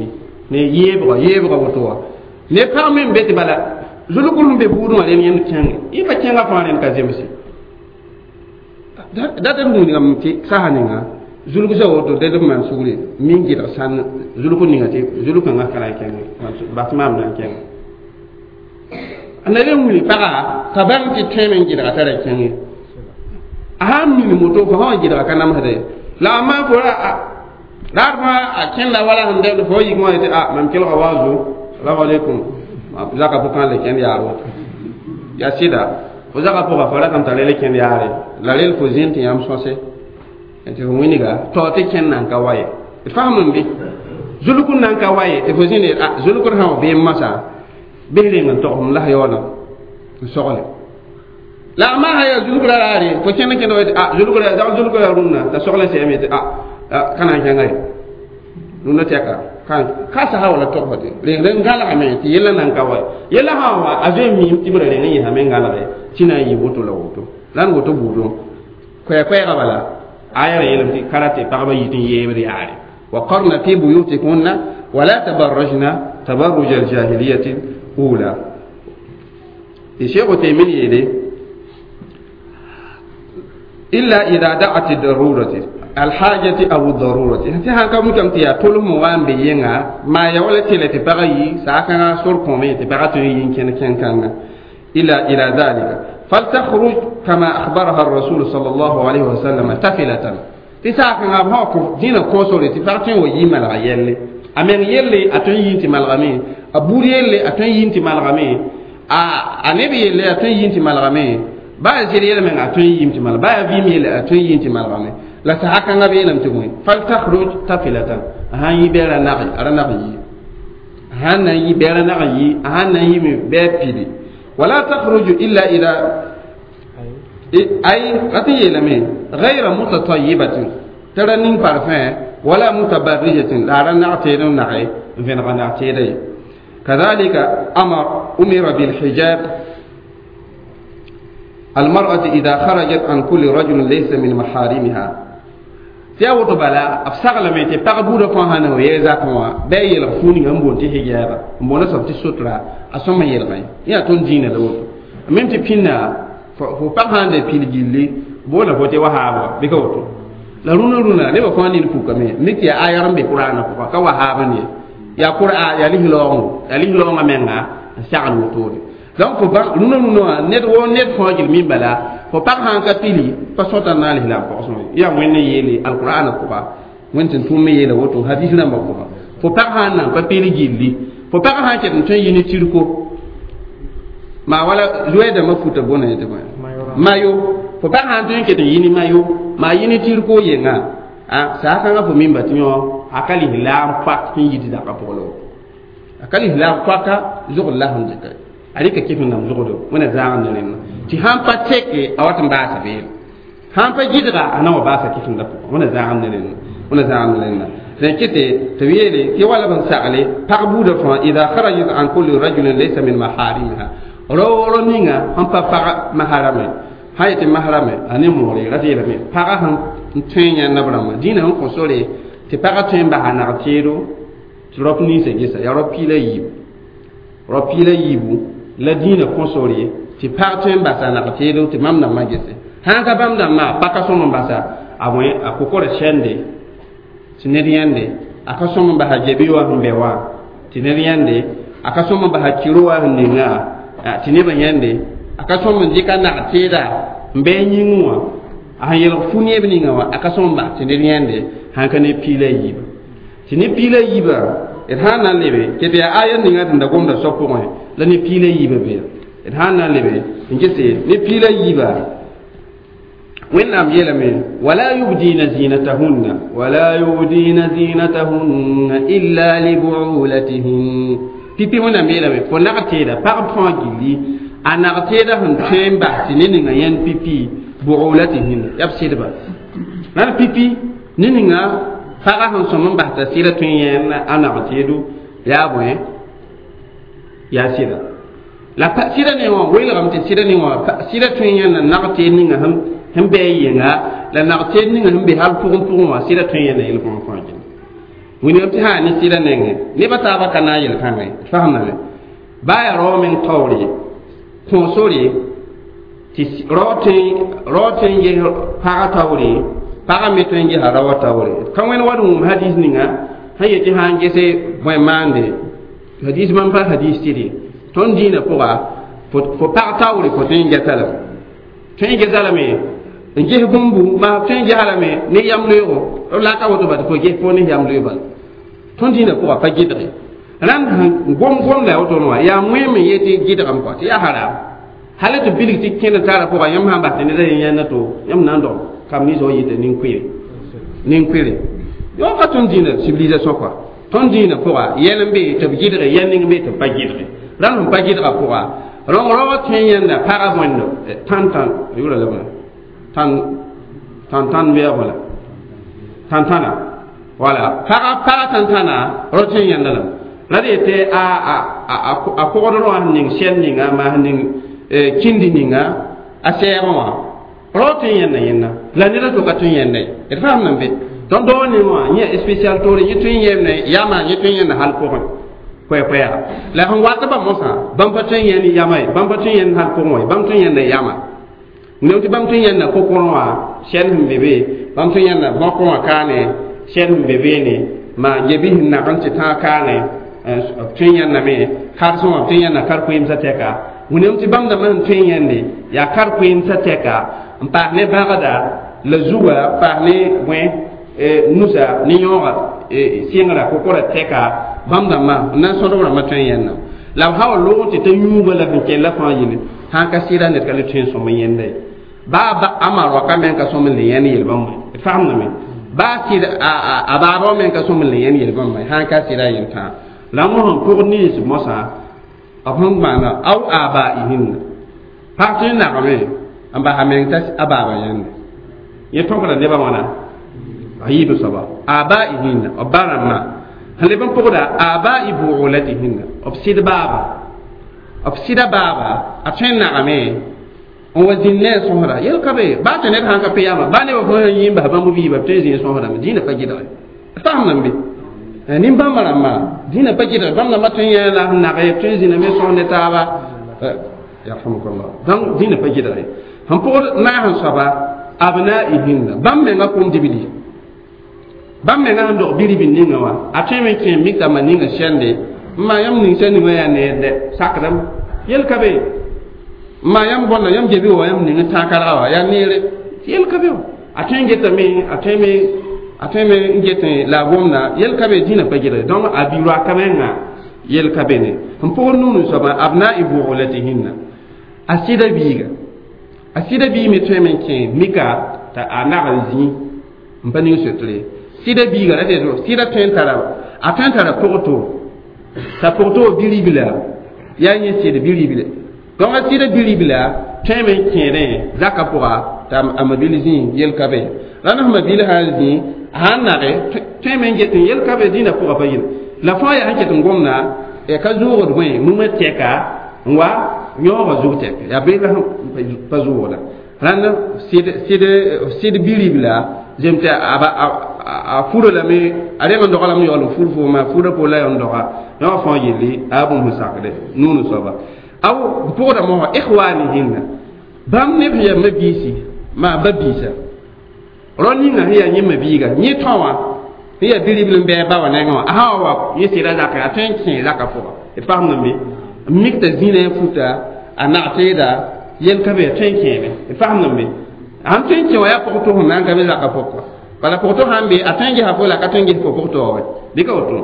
ne yeebga yeebga woto wã ne pag me n be tɩ bala zulgr sẽn be buudẽ wã rẽnd yẽnd kẽnge yẽ pa kẽnga fãa rẽnd ka zemse dat d wĩnigame tɩ sasa ninga zulg sa woto ded b maan sugre min gɩdg sãn zulg ninga tɩ zulg kãngã ka na n kẽnge bas maam na n kẽnge a na le wĩni paga t'a bãng tɩ tõeme n gɩdga t'a ra kẽnge a sãn min moto fo sã wã gɩdga ka namsda ye la a maan fo ra raad fãa a kẽnda wala sẽn dɛbd fo yik wã yetɩ a mam kelga waazo salamu alaikum zaka pʋgã le kẽnd yaar woto yaa sɩda fo zaka pʋga fo ratame t'a le kẽnd yaare la rel fo zĩnd tɩ yãmb sõse tɩ fo wĩnga tao tɩ kẽnd nan ka wa ye d fasem n be zulkr nan ka wa ye tɩ fo zĩnd a zulkr sã wa beem masã bɩs reng n togsem la yaoolã n sogle la a maa yaa zulkra raare fo kẽnd kẽnd wa a zulkra zag zulkra rũnnã t'a sogle sɛame tɩ a ka na n kẽnga ye rũnnã tɛka ka sasa wala togsã tɩ reng n gãlgame tɩ yella nan ka wa yella sã wa a zoe miim tɩ b ra reng n yɩsame n gãlge tɩ na n yɩ woto la woto la n woto buudẽ koɛɛ-koɛɛgã bala aya ra yeelame tɩ ka ra tɩ pagba yit n yeebd yaare وقرن في بيوتكن ولا تبرجن تبرج الجاهلية الأولى الشيخ تيمين يلي إلا إذا دعت الضرورة الحاجة أو الضرورة تي هان كم كم تيا تولم وان بيينغا ما يولا تيلا تبغي ساكنا سور كومي تبغي تيين كن كن كان إلا إلى ذلك فلتخرج كما أخبرها الرسول صلى الله عليه وسلم تفلة تساكنا بهاكو دينا كوسوري تفرتين ويما الغيالي أمين يلي أتون ينتي مالغامي أبور يلي أتون ينتي مالغامي النبي يلي أتون ينتي مالغامي ba zir yɛlɛ meng a tõe n yɩɩm tɩ malg ba yaa vɩɩm yelle a tõe n yɩɩm tɩ malgame la sasa kãngã be yeelame tɩ bõe faltakhruj tafilatan a sãn yɩ bɩ a ra nag a ra nag n yi a sãn na n yi bɛɛra nag n yi a sãn na n yime bɩ a pili wala takhruju illa ila ay rat n yeelame gayra mutatayibatin t'a ra ning parfum wala mutabarrijatin la a ra nag teed n nage n vẽnega nag teeda ye kadhalika amar umira bilhijab المرأة إذا خرجت عن كل رجل ليس من محارمها tɩ yaa woto bala b saglame tɩ pag buudã fãa sã na wa yɛɛ zakẽ wã bɩ a yelg fuu ninga n boond tɩ hijaaba n boonda soab tɩ sotra a sõm n yelgẽ yã tõnd dĩinã la woto mem tɩ pĩnda fo pag sã n da pil gilli boonda fo tɩ wahaab wa bɩ ka woto la rũnã rũnã nebã fãa nin pukame mik tɩ yaa ayar n be kʋraanã pʋga ka wahaab n ye yaa kʋra yaa lislaoongo yaa lislaoongã menga n sagl wotode donc fo bãng rũnã rũnã wã ned woo ned fãa gil min bala fo pag sãn ka pili pa sõta n na n lislaam pɔgsẽ yaa wẽnd n yeele alqur'ana pʋga wẽnd tɩ tʋʋm me yeela woto hadis rãmbã pʋga fo pag sãn nan pa pili gilli fo pag sãn ket n tõe n yi ne tirko maa wala zoɛɛdãmbã futa bõna tɩ bõe mayo fo pag sãn tõe n ket n yi ne mayo maa yi ne tirko yenga a saa kãngã fo mimba tɩ yõ a ka lislaam poak sẽn yit zakã pʋgã la woto a ka lislaam poaka zogd la sẽn dɩka a rɩka kɩf n nam zogdo wẽna zãag ne rẽnna tɩ sãn pa teke a wat n baasa beele sãn pa gɩdga a na wa baasa kɩfẽnda pʋgã wẽna zãag ne rẽnna wẽna zãag ne rẽnna dẽn kɩte tɩ b yeele tɩ wala b n sagle pag buudã fãa ida kharajat an kulli rajulin laysa min maharimiha raooro ninga sẽn pa pag maharame sã yetɩ maharame a ne moore ra tɩ yeelame pagã sẽn n tõe yãnda b rãmbã dĩinã sẽn kõ sore tɩ pagã tõe n basa nag teedo tɩ rap ninsã gesa yaa rap piila yiibu rap piila yiibu la dĩinã kõ sore tɩ pag tõe n basa nag teedo tɩ mam dãmbã gese sãn ka bãmb dãmbã pa ka sõm n basa a bõe a kokora sɛnde tɩ ned yãnde a ka sõm n basa gebi wã sẽn bɛ wã tɩ ned yãnde a ka sõm n basa kiro wã sẽn ninga tɩ nebã yãnde a ka sõm n dɩka nag teeda n bɩ a yĩngẽ wã a sẽn yelg fu neeb ninga wã a ka sõm n bas tɩ ned yãnde sãn ka ne piila yiiba tɩ ne piila yiiba d sãn na n lebe tɩ tɩ yaa aya ninga tɩ da gomda soab pʋgẽ la ne piila yiiba bee d sãn na n lebe n gese ne piila yiiba wẽnnaam yeelame wala yubdina zinatahunna wala yubdina zinatahunna illa libuulatihin pipi wẽnnaam yeelame fo nag teeda pagb fãa gilli a nag teeda sẽn tõe n bas tɩ ne ninga yãnd pipi buulatihin yaa b sɩdba la pipi ne ninga pagã sẽn sõm n bas t'a sɩda tõe n yẽnd a nag teedo yaa bõe yaa sɩda la sɩda ne wã weelgame tɩ sɩda ne wã sɩda tõe n yẽnda nag teed ninga sẽn bɩ a yenga la nag teed ninga sẽn be hal pʋgẽ pʋgẽ wã sɩda tõe n yẽnda yel-bõn fãa gilli wĩnigame tɩ sã ne sɩda nengẽ nebã taabã ka na n yel-kãngã ye d fasemdame baa yaa rao meng taoore kõ sore tɩ rao tõe n ges pagã taoore pagã me tõe n gesa raoã taoore ka wẽnd wat n wʋm hadis ninga sẽn yetɩ sã n gese bõe maande hadis bãmb pa hadis tɩd tõnd dĩinã pʋga fo pag taoore fo tõe n gesa lame tõe n gesa lame n ges bũmbu maa tõe n gesa lame ne yam loeego b la ka woto ba tɩ fo ges fo ne yam loee bala tõnd dĩinã pʋga pa gɩdge rãnd sẽn gom gomda ya wotone wã yaa wẽem n yetɩ gɩdgame kɔa tɩ yaa haram hal tɩ bilg tɩ kẽnd tara pʋga yãmb sãn bas tɩ ned yẽ yãnda to yãmb na n dog kam ninsã wa yɩta nin-koeere yo ka tõnd dĩinã civilisation kɔa tõnd dĩinã pʋga yɛl n be tɩ b gɩdge yɛl ning be tɩ b pa gɩdge rãnd sẽn pa gɩdga pʋga rõng raoã tõe n yãnda pagã bõendo tãn-tãn yʋra la bõe tãn tãn-tãn bɩ yaa bõe la tãn-tãna wala paga paga tãn-tãna rao tõe n yãnda lame la d yetɩ a kogd rõa sẽn ning sɛl ninga maa sẽn ning kĩndi ninga a sɛɛgẽ wã rao tõe n yẽnda yẽnda la ned a to ka tõe n yẽnda ye d faamdame be tõnd dao ne wã yẽ spécial toore yẽ tõe n yɛɛmne yama yẽ tõe n yẽnda hal pʋgẽ koɛ-koɛɛga la sẽn wat ba mosã bãmb pa tõe n yẽnd yama ye bãmb pa tõe n yẽnd hal pʋgẽ wã ye bãmb tõe n yẽnda yama nem tɩ bãmb tõe n yẽnda kokõr wã sɛl sẽn be be bãmb tõe n yẽnda bõkõ wã kaane sɛl sẽn be beene maa gebi sẽn nag n tɩ tãag kaane b tõe n yẽndame karsẽ wã b tõe n yẽnda kar-koeemsã tɛka wĩnam tɩ bãmb dãmbã sẽn tõe n yẽnde yaa kar-koeemsã tɛka n paas ne bãgda la zuga paas ne bõe nusa ne yõoga sɩngra kokora tɛka bãmb dãmbã n na n sõdb rãmbã tõe n yẽnda la b sã wa loog tɩ t'a yũuga la sẽn kell la fãa yelle sãn ka sɩda ned ka le tõe n sõm n yẽnda ye baa a maroaka meng ka sõm n le yẽnd yel-bãmb d fasemdame baa sɩd a baaba wã meng ka sõm n le yẽnd yel-bãmba sãn ka sɩda yel-tãa La mo sẽn pʋg nins mosã b sẽn maana aw abaihinna pag tõe n nagame n basa meng t'a a baaba yẽnde yẽ tõkda nebã wãna a yiib soaba abaihinna b ba rãmbã sẽn leb n pʋgda abai buulatihinna b sɩd baaba b sɩda baaba a tõe n nagame n wa zĩnd ne a sõsda yel ka be baa tɩ ned sãn ka pe yaama baa nebã fõ sẽn yĩ n bas bãmb biiba b tõe n zĩ n sõsdame dĩinã pa gɩdge faamdame be nin-bãmba rãmbã dĩinã pa gɩdge bãmb rãmbã tõe n yã la n nage tõe n zĩname sõs ne taaba yarhamukallah donc dĩinã pa gɩdge sẽn pʋgd naas n soaba abnaihinna bãmb menga kom dibli bãmb menga sẽn dog biribin ninga wã a tõe me kẽ mikã ma ninga sɛnde n maa yãmb ning sẽn ninga yaa neerde sakdame yel ka be ma yãmb bõnda yãmb gebi wa yãmb ning n tãag karga wa yaa neere yel ka be a tõe n getame a tõe me n getẽ la a gomda yel ka be dĩnã pa gɩdge donc a bi-roaka menga yel ka be ne n pʋgd nuun soaba abnai buulatihinna a sɩda biiga a sɩda biig me tõe me n kẽ mika t'a a nag n zĩ n pa ning sotre sɩda biiga ra tɩ sɩda tõe n tara a tõe n tara pʋgto t'a pʋgto biribla yaa yẽ sɩd biribla donc a sɩda biribla tõe me n kẽedẽ zakã pʋga t'a a mabil zĩ yel ka be la naf mabil sã n zĩ a sãn nage tõe me n get n yel ka be dĩnã pʋga pa yel la fãa yaa sẽn ket n gomda ka zʋʋgd bõe mumã tɛka n wa yõoga zug tɛk yaa beela sẽn pa zʋʋgda rãnd sɩd biribla zem tɩ a fura lame a reng n doga lame yaool n fur fooma fura po la n doga yõ fãa yelle a bũmb sẽn sakde nuun soaba aw n pʋgda mosã ikhwanihinna bãmb neb sẽn yaa mabiisi maa ba biisa rao ninga sẽn yaa yẽ mabiiga yẽ tõ wã sẽn yaa biribl n bɩ a ba wã nengẽ wã a sã wa wa yẽ sɩda zakẽ a tõe n kẽ zakã pʋga d faamdame be n mik t'a zĩna a futa a nag teeda yel ka be a tõe n kẽeme d faamdame be sãn tõe n kẽ wã yaa pʋg tʋsem na n ka be zakã pʋgka bala pʋg to sãn be a tõe n gesa fo la ka tõe n ges fo pʋg taoore bɩ ka woto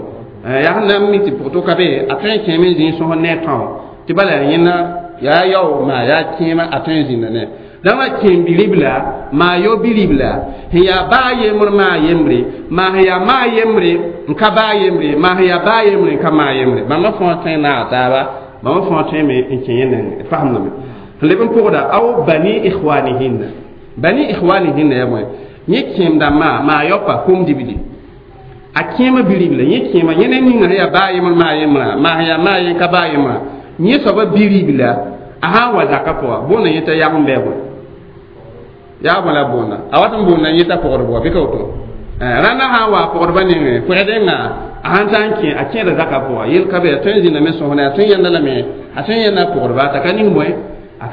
yaa sẽn na n mi tɩ pʋg to ka be a tõe n kẽeme n zĩ sõs ne a tão tɩ bala yaa yẽnda yaa yao maa yaa kẽema a tõe n zĩnda ne dãmb a kẽem biribla maa yao biribla sẽn yaa baa yembr maa yembre maa sẽn yaa maa yembre n ka baa yembre maa sẽn yaa baa yembre n ka maa yembre bãmba fãa tõe n naag taaba bãmba fãa tõe me n kẽ yẽ neng faamdame sẽn leb n pʋgda aw bani ikhwanihinna bani ikhwanihinna yaa bõe yẽ kẽem dãmbã maa yaopa kom dibli a kẽema biribla yẽ kẽema yẽ ne ninga sẽn yaa baa yembr maa yembrã maa sẽn yaa maa yem ka baa yembrã yẽ soaba biribla a sã n wa zakã pʋga boonda yẽ t'a yag n bɩ bõe yaa bõe la boonda a wat n boonda yẽ t'a pɔgdb wa bɩ ka woto rãndã sã n wa a pɔgdbã nengẽ pʋgdẽnga a sãn taa n kẽ a kẽeda zakã pʋga yel ka be a tõe n zĩndame sõsne a tõe n yẽnda lame a tõe n yẽnda a pɔgdba t'a ka ning bõe a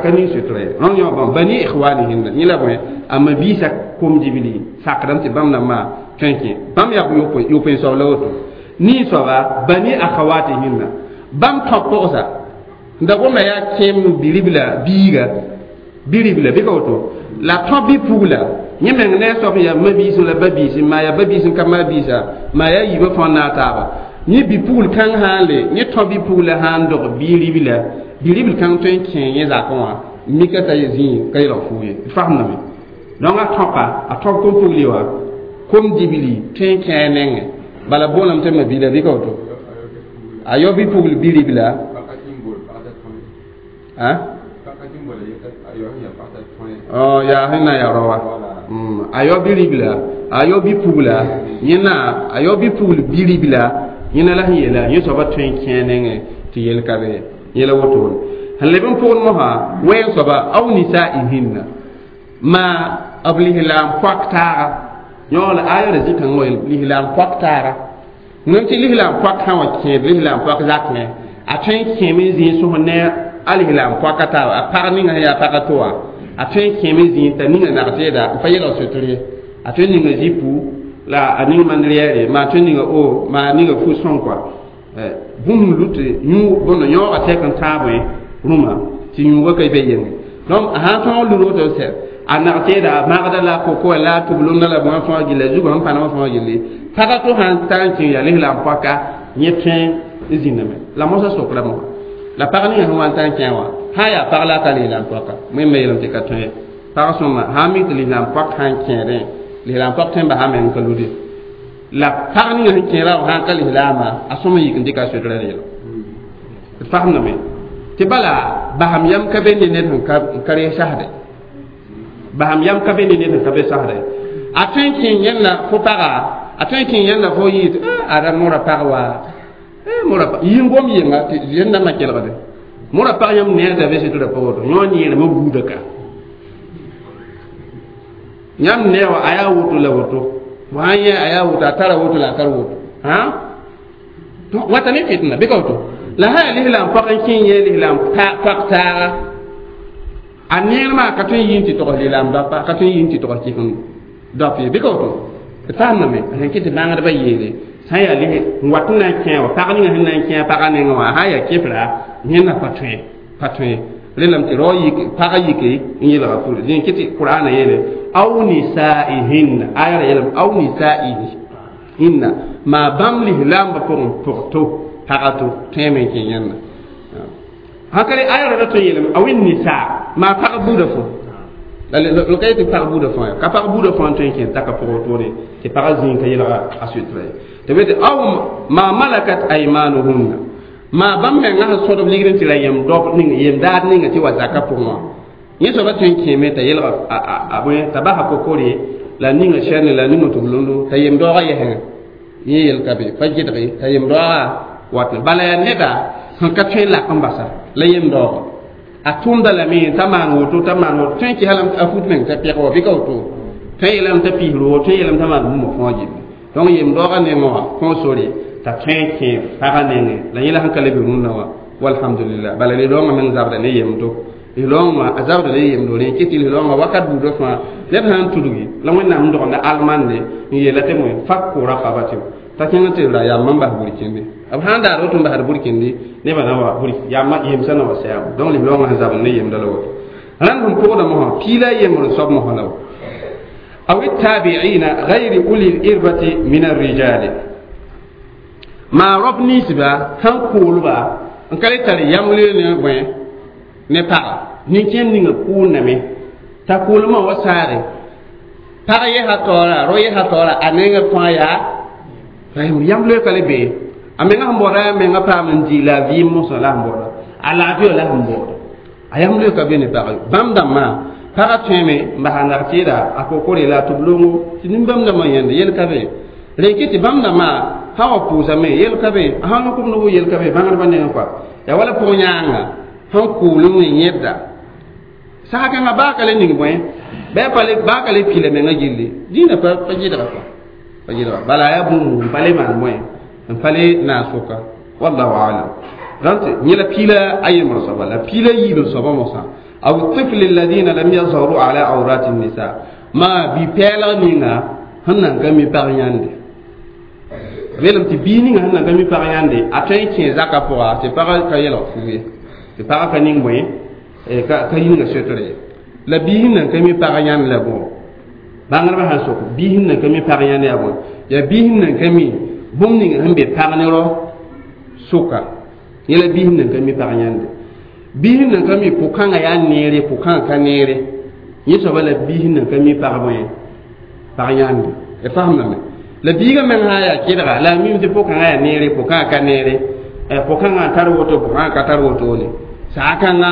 ka ning sutra ye rõnd yõ bãmb bani ikhwanihinna yẽ la bõe a mabiisã kom dibli sakdame tɩ bãmb rãmbã tõe n kẽ bãmb yaa yopoe soab la woto nin soaba bani akhawatihinna bãmb tõ pʋgsa da gomda yaa kẽem biribla biiga biribla bɩ ka woto la tõ bi-pugla yẽ meng ne a soab yaa mabiis la ba biis maa yaa ba biis n ka maa biisa maa yaa yiibã fãa naag taaba yẽ bi-pugl kãng sã n le yẽ tõ bi-pugla sã n dog biribla biribl kãng tõe n kẽ yẽ zakẽ wã mika t'a zĩ ka yelg fuu ye d faamdame donc a tõpa a tõb kom-pugli wã kom dibli tõe n kẽ a nengẽ bala boolame tɩ mabila bɩ ka woto a yao bi-pugl biribla yaa sẽn na n yaa rao wa a yao biribla a yao bi-pugla yẽna a yao bi-pugl biribla yẽna la sẽn yeela yẽ soaba tõe n kẽ a nengẽ tɩ yel ka be yẽla wotone sẽn leb n pʋgd mosã wɛɛng soaba aw nisaihinna maa b lislaam poak taaga yõ la aya ra zĩ-kãngã wa lislaam poak taaga nem tɩ lislaam poak sã wa kẽed lislaam poak zakẽ a tõe n kẽeme n zĩ sõs ne a lislaam poaka taaba a pag ninga sẽn yaa pag to wã a tõe n kẽeme n zĩ t'a ninga nag teeda n pa yelg sotr ye a tõe n ninga zipu la a ning mand rɛɛre maa tõe n ninga o maa ninga fu sõng kɔa bũmb lut yũ bõndo yõoga tɛk n tãag bõe rũmã tɩ yũuga ka be yenge donc a sãn tõog lud woto sɛ a nag teeda a magda la kokoa la tublumda la bõe fãa gilla zugã sẽn pãnema fãa gilli pagã to sãn tar n kẽ yaa lislaam poaka yẽ tõe n zĩndame la mosã sokra mosã la pag ninga sẽn wa n tar n kẽ wã sã yaa pag la a ka lislaam poaka wẽnnaam yeelame tɩ ka tõe ye pag sõma sã n mik tɩ lislaam poak sã n kẽedẽ lislaam poak tõe n basa meng ka lude La pag ninga sẽn kẽera wã sã n ka lislaamba a sõm n yik n dɩka a sotra yɛla d fasemdame tɩ bala basam yam ka be ne ned sẽn ka rees sasde basam yam ka be ne ned sẽn ka be sasde a tõe n kẽ yẽnda fo paga a tõe n kẽ yẽnda fo yɩ tɩ ada mora pag wa mora yɩ n gom yenga tɩ yẽndãmbã kelgde mora pag yãmb neerda be sɩtra pa woto yõ neermã buuda ka yãmb neer wa a yaa woto la woto sã n yẽ a yaa woto a tara woto la a tar woto wata ne fitna bɩ ka woto la sã yaa lislaam pag n kẽ yẽ lislaam pag taaga a neermã ka tõe n yɩ n tɩ togs lislaam dapa ka tõe n yɩ n tɩ togs kɩsem dap ye bɩ ka woto d fasemdame a sẽn kɩ tɩ bãngdbã yeele sã n yaa lis n wat n na n kẽ wa pag ninga sẽn na n kẽ pagã nengẽ wã sã n yaa kɩfra yẽnda pa tõe pa tõe rẽndame tɩ rao yik pagã yike n yeelga pʋre dẽ kɩ tɩ qur'ana yeele aw nisaihinna aya ra yeelame aw nisaihinna maa bãmb lislaambã pʋgẽ pʋg to pagã to tõeme n kẽ yẽnda sã ka aya ra ra tõe n yeelame aw nisa maa pag buudã fo la ka yetɩ pag buudã fãa ka pag buudã fãa n tõe n kẽ taka pʋgẽ wotone tɩ pagã zĩig ka yeelga a soetra ye tɩ be tɩ aw maa malakat aymanuhunna maa bãmb menga sẽn sõdb ligd n tɩ ra yem dob ning yem daad ninga tɩ wa zaka pʋgẽ wã yẽ soaba tõe n kẽeme t'a yeelga a bõe t'a basa kokore la ninga sɛrne la ninga tʋb-londo t'a yem daoogã yɛsẽngã yẽ yel ka be pa gɩdge t'a yem daoogã wat bala yaa neda sẽn ka tõe n lak n basa la yem daooga a tʋʋmda lame t'a maan woto t'a maan woto tõe n kɩsa lame a fut meng t'a pɛg wa bɩ ka woto tõe n yeelame t'a piisr wo tõe n yeelame t'a maan bũmb fãa gilli donc yem daoogã nengẽ wã kõo sore t'a tõe n kẽ pagã nengẽ la yẽla sẽn ka le be rũnnã wã walhamdulillah bala lislaoongã meng zabda ne yemdo lislaoongã a zabda ne yemdo rẽ kɩ tɩ lislaoongã wakat buudã fãa ned sã n tudgi la wẽnnaam n dogenda almande n yeela tɩ moe fak kʋʋra paba tɩ t'a kẽng tɩ ra yambã n bas burkĩnde b sã n daar woto n basd burkĩndi nebã na wa burk yambã yemsã na wa sɛɛbo donc lislaoongã sẽn zabd ne yemda la woto rãnd sẽn pʋgda mosã piila yembr n soab mosã la wa aw التابعين غير أولي الإربة من الرجال maa rɔb ninsba sãn kʋʋlba n ka le tar yãmble ne bõe ne paga nin-kẽem ninga kʋʋlname t'a kʋʋlmã wa saare pag yɛsa taoora ro yɛsa taoora a nengã fãa yaa yãmble ka le be a menga sẽn baooda yaa menga paam n dɩ la a vɩɩm mosã la sẽn baooda a laafɩ la sẽn baooda a yãmble ka be ne pag bãmb dãmbã pagã tõeme n basa nag tɩɩda a kokore la a tʋb-longo tɩ nin-bãmb dãmbã yẽnde yel ka be rẽ kɩ tɩ bãmb dãmbã sã wa pʋʋsame yel ka be a sãn lok b nogo yel ka be bãngdbã nengẽ kɔa yaa wala pʋg yãanga sẽn kʋʋl n wẽ yẽbda sag kãngã baa ka le ning bõe bɩ a baa ka le pila menga gilli dĩinã pa gɩdga kɔa pa gɩdga bala yaa bũmb n pa le maan bõe n pa le naas soka wallahu alam rãnt yẽ la piila a yembr soaba la piila yiib soaba mosã aw tifl alladina lam yazharu ala awrati nisa maa bi-pɛɛlg ninga sẽn nan ka mi pag yãnde belem tɩ bii ninga sẽn nan ka mi pag yãnde a tõe n kẽ zakã pʋga tɩ pagã ka yɛlg fug ye tɩ pagã ka ning bõe ka yĩnga sotre ye la bii sẽn nan ka mi pag yãnd la bõ bãngdbã sãn sok bii sẽn nan ka mi pag yãnd yaa bõe yaa bii sẽn nan ka mi bũmb ninga sẽn be pag ne rao sʋka yẽ la bii sẽn nan ka mi pag yãnde bii sẽn nan ka mi pʋ-kãngã yaa neere pʋ-kãngã ka neere yẽ soaba la bii sẽn nan ka mi pag bõe pag yãnde y fasemdame la biigã meng sã n yaa kɩdga la a mim tɩ pʋ-kãngã yaa neere pʋ-kãngã ka neere pʋ-kãngã n tar woto pʋ-kãngã ka tar wotone saa-kãngã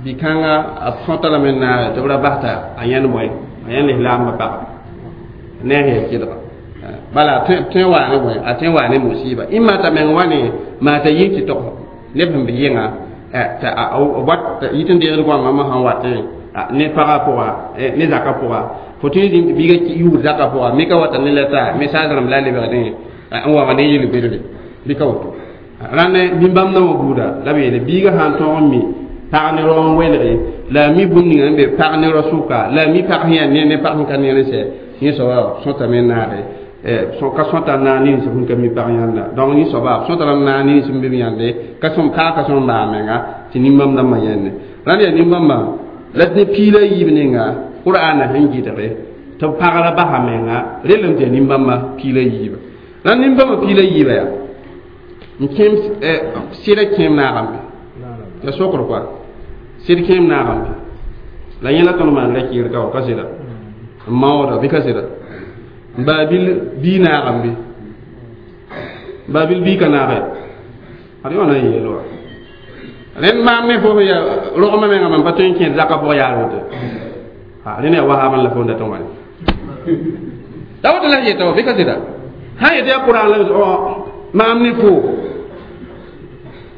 bi-kãngã a sõta lame n naage tɩ b ra bas t'a a yãnd bõe a yãnd lislaambã pagba ne a yaa kɩdga bala tõe waa ne bõe a tõe waa ne musiba ĩmma t'a meng wa ne maa t'a yɩ tɩ tog neb sẽn be yẽnga t'a wat yit n deegd goamã mosã n watẽ ne pagã pʋga ne zakã pʋga fo tõe n zĩnd tɩ biigã yuud zakã pʋga me ka wata ne la taa message rãmb la a lebgdẽ n wa ne yel-bedre bɩ ka woto rãnd nin-bãmb na wã buuda la b yeele biigã sã n tõog n mi pag ne rao n welge la a mi bũmb ninga sẽn be pag ne rao sʋka la a mi pag sẽn yaa ne ne pag sẽn ka neer n sɛ yẽ soaba sõtame n naage ka sõta naag nins sẽn ka mi pag yãnda donc yẽ soaba sõta la naag nins sẽn be b yãnde ka sõm kaa ka sõm baa menga tɩ nin-bãmb dãmbã yẽnde rãnd yaa nin-bãmbã la ne piila yiib ninga qur'ana sẽn gɩdge tɩ b pagra basa menga relem tɩ yaa nin-bãmbã piila yiiba la nin-bãmbã piila yiiba yaa n kẽem sɩda kẽem naagame la sokr koa sɩd kẽem naagame la yẽ la tõnd maan ra kɩɩr ka wa ka sɩda n maooda bɩ ka sɩda n baa bil bii naagame Babil bi ka naage ad yõ na n yeel wa rẽnd maam ne fo ya rogmã mengã mam pa tõe n kẽed zakã pʋg yaar woto rẽnd yaa wahaabã la fo n dat n wa ta woto la yeta wa bɩ ka sɩda sã yetɩ yaa kʋrang la maam ne fo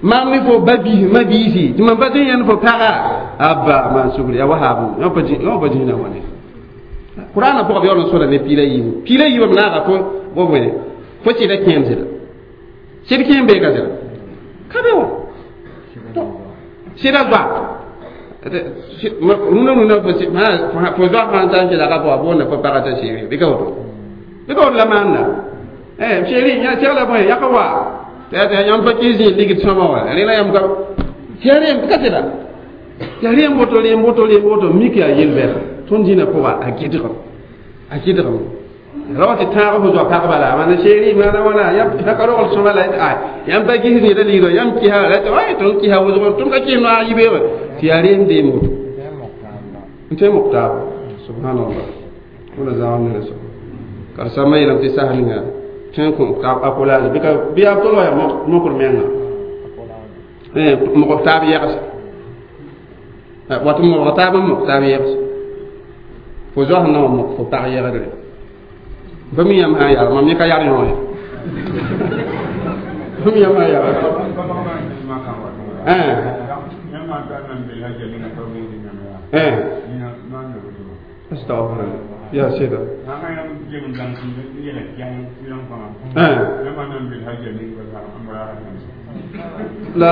maam ne fo ba biis ma biisi tɩ mam pa tõe n yãnd fo paga abba maan sugri yaa wahaabã yõ pa zĩna wãne qur'ana pʋgã b yaool n sõda ne piila yiibu piila yiibã b naaga fo fo bõe fo sɩda kẽem sɩda sɩd kẽem bee ka sɩda ka be wã sɩda zoa rũnã rũnã fo zoa fãa n ta n kelga pʋga boonda fo paga t'a seere bɩ ka woto bɩ ka woto la maanda seere segla bõe yaka wa tɩ yãmb pa kɩs zĩ ligd sõma wã rẽla yãmb ka yaa reem ka sɩda yaa reem woto reem woto reem woto mik yaa yel-bɛda tõnd dĩnã pʋga a gɩdgem a gɩdgem ra wa tɩ tãag fo zoa pagba la maana seeri maana wãna yãmb ka rogl sõma la yãmb pa gis neda ligdã yãmb kɩsa la tɩ tõnd kɩsa wʋsg tõnd ka kɩs noaag yibeoogã tɩ yaa reem deem woto n tõe mok taaba subhanallah wẽna zãag neda soab karsãmbã yeelame tɩ sas ninga tõe n kõ a kolaase bɩ yaa tol wa yaa mokr menga mog taab yɛgse wat mobg taab n mok taab yɛgse fo zoas na wa mok fo pag yɛgdre fa mi yãmb sã n yaa mam yẽ ka yar yõ ye fa mi yãmb sã n yaa astagfirullah ya sida la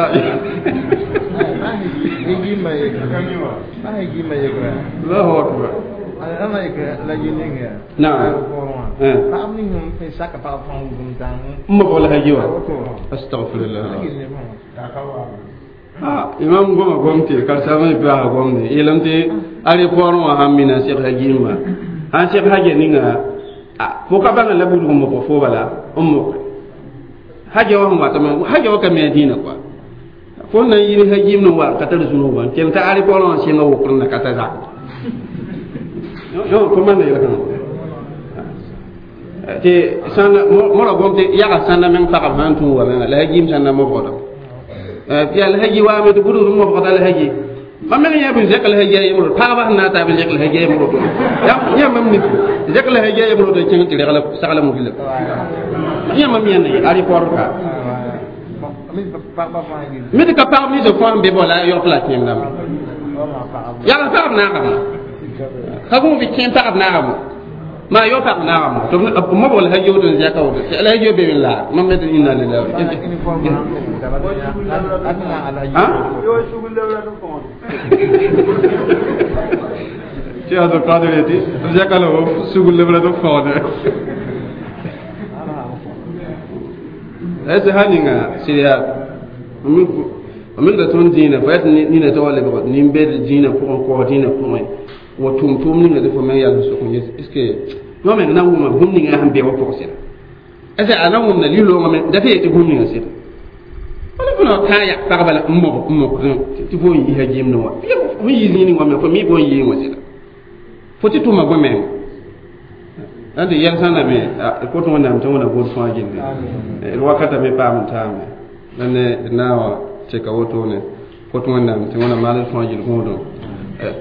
Allahu akbar. نعم. أستغفر الله. imam goma gomte karsama bi a gomne yelamte ari poron wa hamina cheikh hajima han cheikh haje ninga fo ka banga la budu mo ko fo bala ummo haje wa wa tama haje wa kam dina quoi fo na yiri hajim no wa katar zunu wa tel ta ari poron singa wo kurna kata za yo ko man yela kan te sãn mora gom tɩ yaga sãnda meng pagb sãn tũ wa menga la hajim sãnda mobgdame tɩ yaa la haji waame tɩ budgd mobgda la haji mam meng yã bɩ zɛk la haji a yembr pagba sẽn na n taa bɩ zɛk la haji a yembr woto yã mam nik zɛk la haji a yembr woto kẽng tɩ regla sagla mugla yã mam yãnd ye a rɩpɔr ka mi tɩ ka pagb ninsã fãa n be bɔ la a yɔk la kẽem dãmba yagl pagb naagame ka gũ bɩ kẽem pagb naagame ma yo pag naagame tɩ mobg la haji woto n zɛka woto la haji be n laar mam me tɩ inna lillahi Cheikh Abdul Qadir yeti zɛka la sugul lebra tɩ fõode la sã ninga sɩd yaa m da tõnd dĩinã fa yaa nina tɩ wa lebg nin-bed dĩinã pʋgẽ kaoos dĩinã pʋgẽ wa tʋm-tʋʋm ninga tɩ fo meng yals sʋk n yes est ce que yõ meng na n wʋma bũmb ninga sẽn be wa pʋg sɩda est ce a na wʋmda li-loongã me da tɩ yetɩ bũmb ninga sɩda wala fo na tã yak pagba la n mog n mok tɩ fo n yisa gimdẽ wã fo n yi zĩig ning wã me fo mi fo n yɩɩ wã sɩda fo tɩ tʋma bõe menga la tɩ yɛl sãnda me kot wẽnnaam tɩ wẽna gʋd fãa gilli d wakata me paam n taame la ne d na wa tɩka wotone kot wẽnnaam tɩ wẽna maal d fãa gill gõodẽ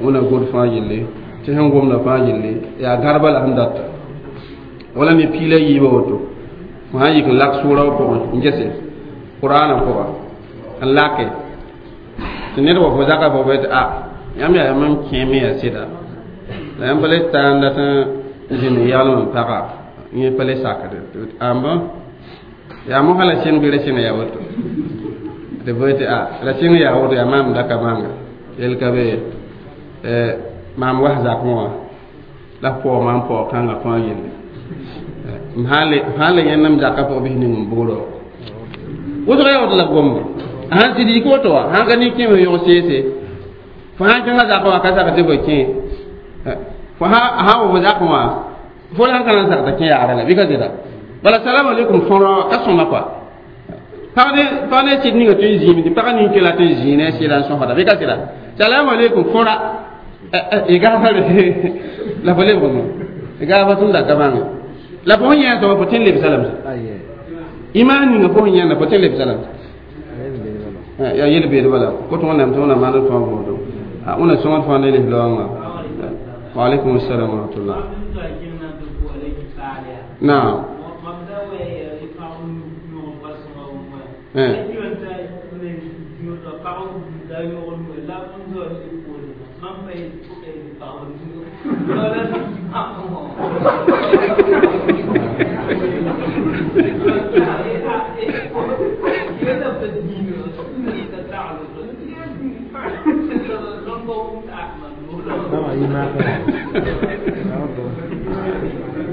wẽna gʋd fãa gilli tɩ sẽn gomda fãa gilli yaa gãrba la sẽn data wala ne piila yiibã woto fo sã n yik n lak sʋʋra wã pʋgẽ n gese qur'ana pʋga n lake tɩ ned wa fo zaka fo tɩ a yãmb yaa mam kẽeme yaa sɩda la yãmb pa le taa n dat n zĩnd n yaglem n paga yẽ pa le sakde ãmba yaa mosã la sẽng bɩ ra sẽng yaa woto tɩ boe tɩ a la sẽng yaa woto yaa maam daka manga yel ka be maam was zakẽ wã la paoog maam paoog kãngã fãa yelle m sãn le yẽnd m zakã pʋgã bɩs ning n bugrɔ wʋsg yaa woto la gombe sãn tɩ yik woto wã sãn ka nin-kẽem n yõg seese fo sãn kẽngã zakã wã ka sak tɩ fo kẽ fo sã wa fo zakẽ wã fo la sãn ka na n sak t'a kẽ yagrã la bɩ ka zɩda bala salam alaikum fõrã ka sõma kɔa pag ne sɩd ninga tõe n zĩime tɩ pagã nin-kela tõe n zĩig ne a sɩda n sõsda bɩ ka sɩda salam alaikum fõra y gaafare la fo lebg no y gaafa tʋmda ka bãnge la fo sẽn yẽ sõma fo tõe n lebsa lame Iman ninga fo yãnda fo tẽ lebsã ya yel beed bala ko tõog nam tɩ wẽnnaam maan d tõog võodo wẽnna sõngd fãa ne lis-laoongã. Wa alaikum assalam wa rahmatullah. Naam.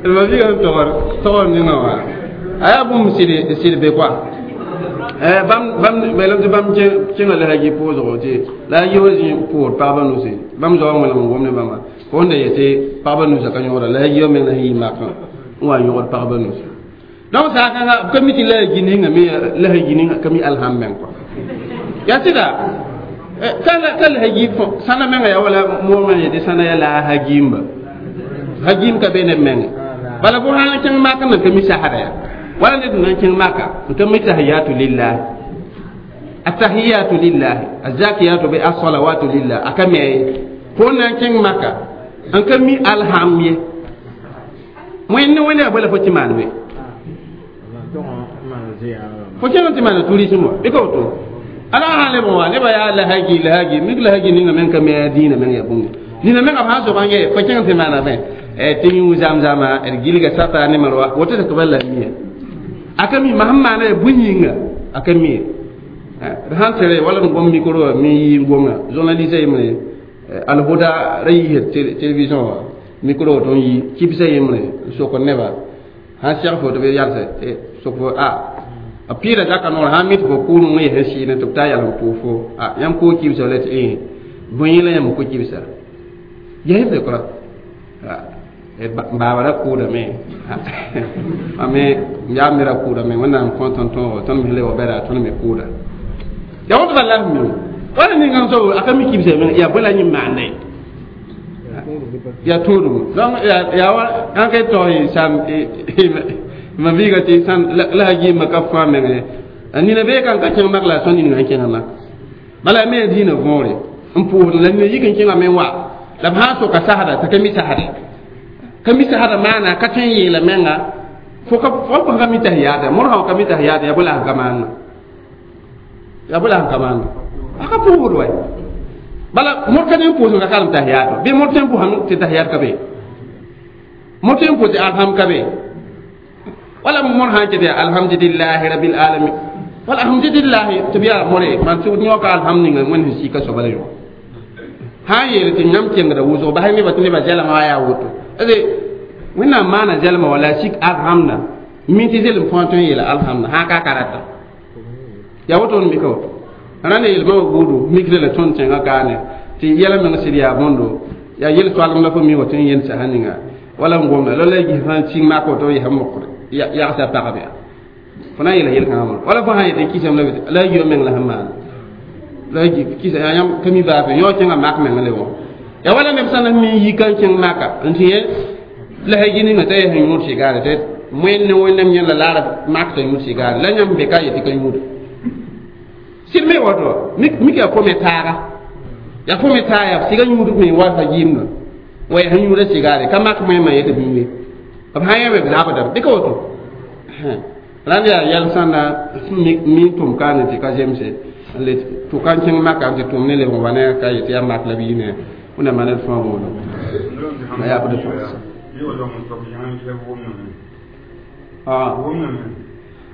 Ma bi tɔgɔ ninga wa a yaa bũmb sɩd be koa bãmb beelem tɩ bãmb kẽnga la hagi pʋʋsgo tɩ la hagi wa zĩ pʋʋr pagba nusi bãmb zaoã wẽlem n gom ne bãmba fo sẽn da yetɩ pagba nusa ka yõgda la hagi wa meng la sẽn yɩ makã n wa yõgd pagba nusi. Donc saakãnga b ka mi tɩ la hagi ninga me la hagi ninga ka mi alham meng kɔa yaa sɩda ka la hagi sãna menga yaa wala moomã yetɩ sãna yaa la a hagimba hagim ka be neb menge bala fo sã n kẽng mak n ka mi sasda ya wala ned n na n kẽng maka n ka mi tahiyatu lillahi atahiyatu lillahi azakiyatu bi as-salawatu lillahi aka me fo na n kẽng maka n ka mi alham ye wẽnd wẽnd yaa bala fo tɩ maan be fo kẽng tɩ maana tourisme wa bɩ ka woto ala sã leb n wa nebã yaa lahagi lahagi mik lahagi ninga meng ka me a dĩinã meng yaa bũmb nina menga b sã n soab n ye fo kẽng tɩ maana bẽ tɩ yũ zam-zama d gilga safa ne marwa woto tɩ ba la mia aka mi ma sẽn maana ya bũn yĩnga aka mi d sãn tere wala d gom micro wã mi yɩ gomã journaliste yembre alhuda ra yiisd télévision wã micro wã tõn yi kibsã yembre n sok neba sãn seg fo tɩ b yalse sok fo a pɩɩda zaka noor sãn mit fo kʋʋrẽ n yes n sɩɩne tɩ b taa yalem pʋʋg fo yãmb koo kibsã la tɩ bõe yẽ la yãmb ko kibsa yɛsb kora baaba ra kʋʋdame ame yaa me ra kʋʋdame wẽnnaam kõ tõnd tõogo tõnd me le wa bɛda tõnd me kʋʋda ya woto bala mi wala ninga so aka mi kibsa men ya bala nyi maana ya turu donc ya wa an ke to sam ma biga ti san la haji ma ka fa men ni na be kan ka chen mak la son ni na chen ma bala me dina vore n pour la ni yikin chen men wa la ba so ka sahada ta kami sahada kami sahada mana ka chen yela menga fo ka fo ka mi tahiyada mor ha ka mi tahiyada ya bula ka man ya bula ka man aka pour way bala mor ka ne pour ka kalam tahiyada be mor tem pour han te tahiyad ka be mor tem pour te alham ka be wala mor han te alhamdulillahi rabbil alamin wala alhamdulillah tabiya more man su nyoka alhamdulillah mon si ka so bala yo ha yel tɩ yãmb kẽngda wʋsg basɛ nebã tɩ nebã zɛlmã yaa woto ade wẽnnaam maana zɛlma wala sik alhamda mi tɩ zelem fãa tõe n yeela alhamda sã ka karata yaa woto n mika woto rãnd yelmã wa buudu mikre la tõnd tẽngã kaane tɩ yɛla meng sɩd yaa bõndo yaa yel-soalem la fo mi wa tõe n yẽnd sasa ninga wala n gomda la la gis sã n sĩng mak woto yɛsã mokre yagsa pagb yaa fo na n yeela yel-kãngã mono wala fo sã n yetɩ kisame la la yio meng la sẽn maana la kisa ya yãmb ka mi baafe yõ kẽngã mak meng le wã ya wala neb sã n mi yi ka n kẽng maka n tɩ yẽ la hagi ninga t'a yaa sẽn yũud sigaare tɩ wẽnd ne wẽnnaam yẽla laara mak t'a yũud sigaare la yãmb be ka yetɩ ka yũuda sɩd me woto mik yaa kome taaga yaa kome taa yaa siga yũud me wa fa yɩɩmda wa yaa sẽn yũuda sigaare ka mak moẽmã yetɩ b yũe b sã yã be b zabdame bɩ ka woto rãnd yaa yɛl sãnda mi tʋm kaane tɩ ka zemse le tʋ ka n kẽng maka tɩ tʋm ne lebg wa ne ka yetɩ yaa mak la b yɩ ne wẽnnaam maan d fãa võodo a yaa b d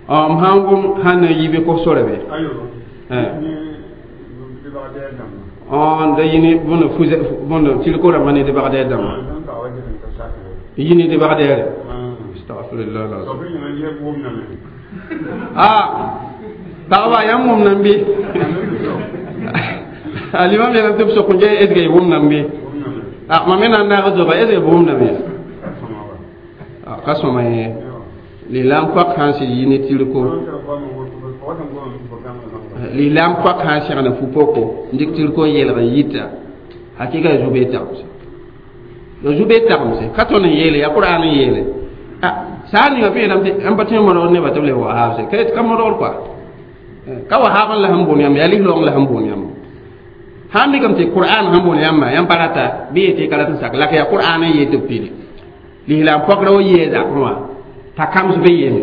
m sãn wʋm sãn na yi bɩ kos sore be da yini bõnd bõnd tilko rãmbã ne debagdɛɛr dãmbã yini debagdɛɛre astagfirullah ah pagba yãmb wʋm nan bɩ alimam yeelame tɩ b sok n est ce que y wʋm nan bɩ mam me na n naag zoga est ce que b wʋmdame ya ka sõma ye lislaam koak sã n sɩd yi ne tirko lislaam koak sã n segd fu-poko n dɩk tirko n yeelg n yita hakɩka ya zu-bee tagmse ya zu-bee tagmse ka tõnd n yeele ya qur'an n yeele. Saa ninga fẽe rãmb tɩ n pa tõe n modgd nebã tɩ b leb wahaab se ka modgd koa ka wahaab n la sẽn boon yãmb yaa lislaoong la sẽn boon yãmb sãn mikame tɩ qur'an sẽn boon yãmbã yãmb pa rata bɩ yetɩ y ka rat n sak la ka yaa qur'an n yee tɩ b pili lislaam pɔkrã wa yee zakẽ wã t'a kams be yeeme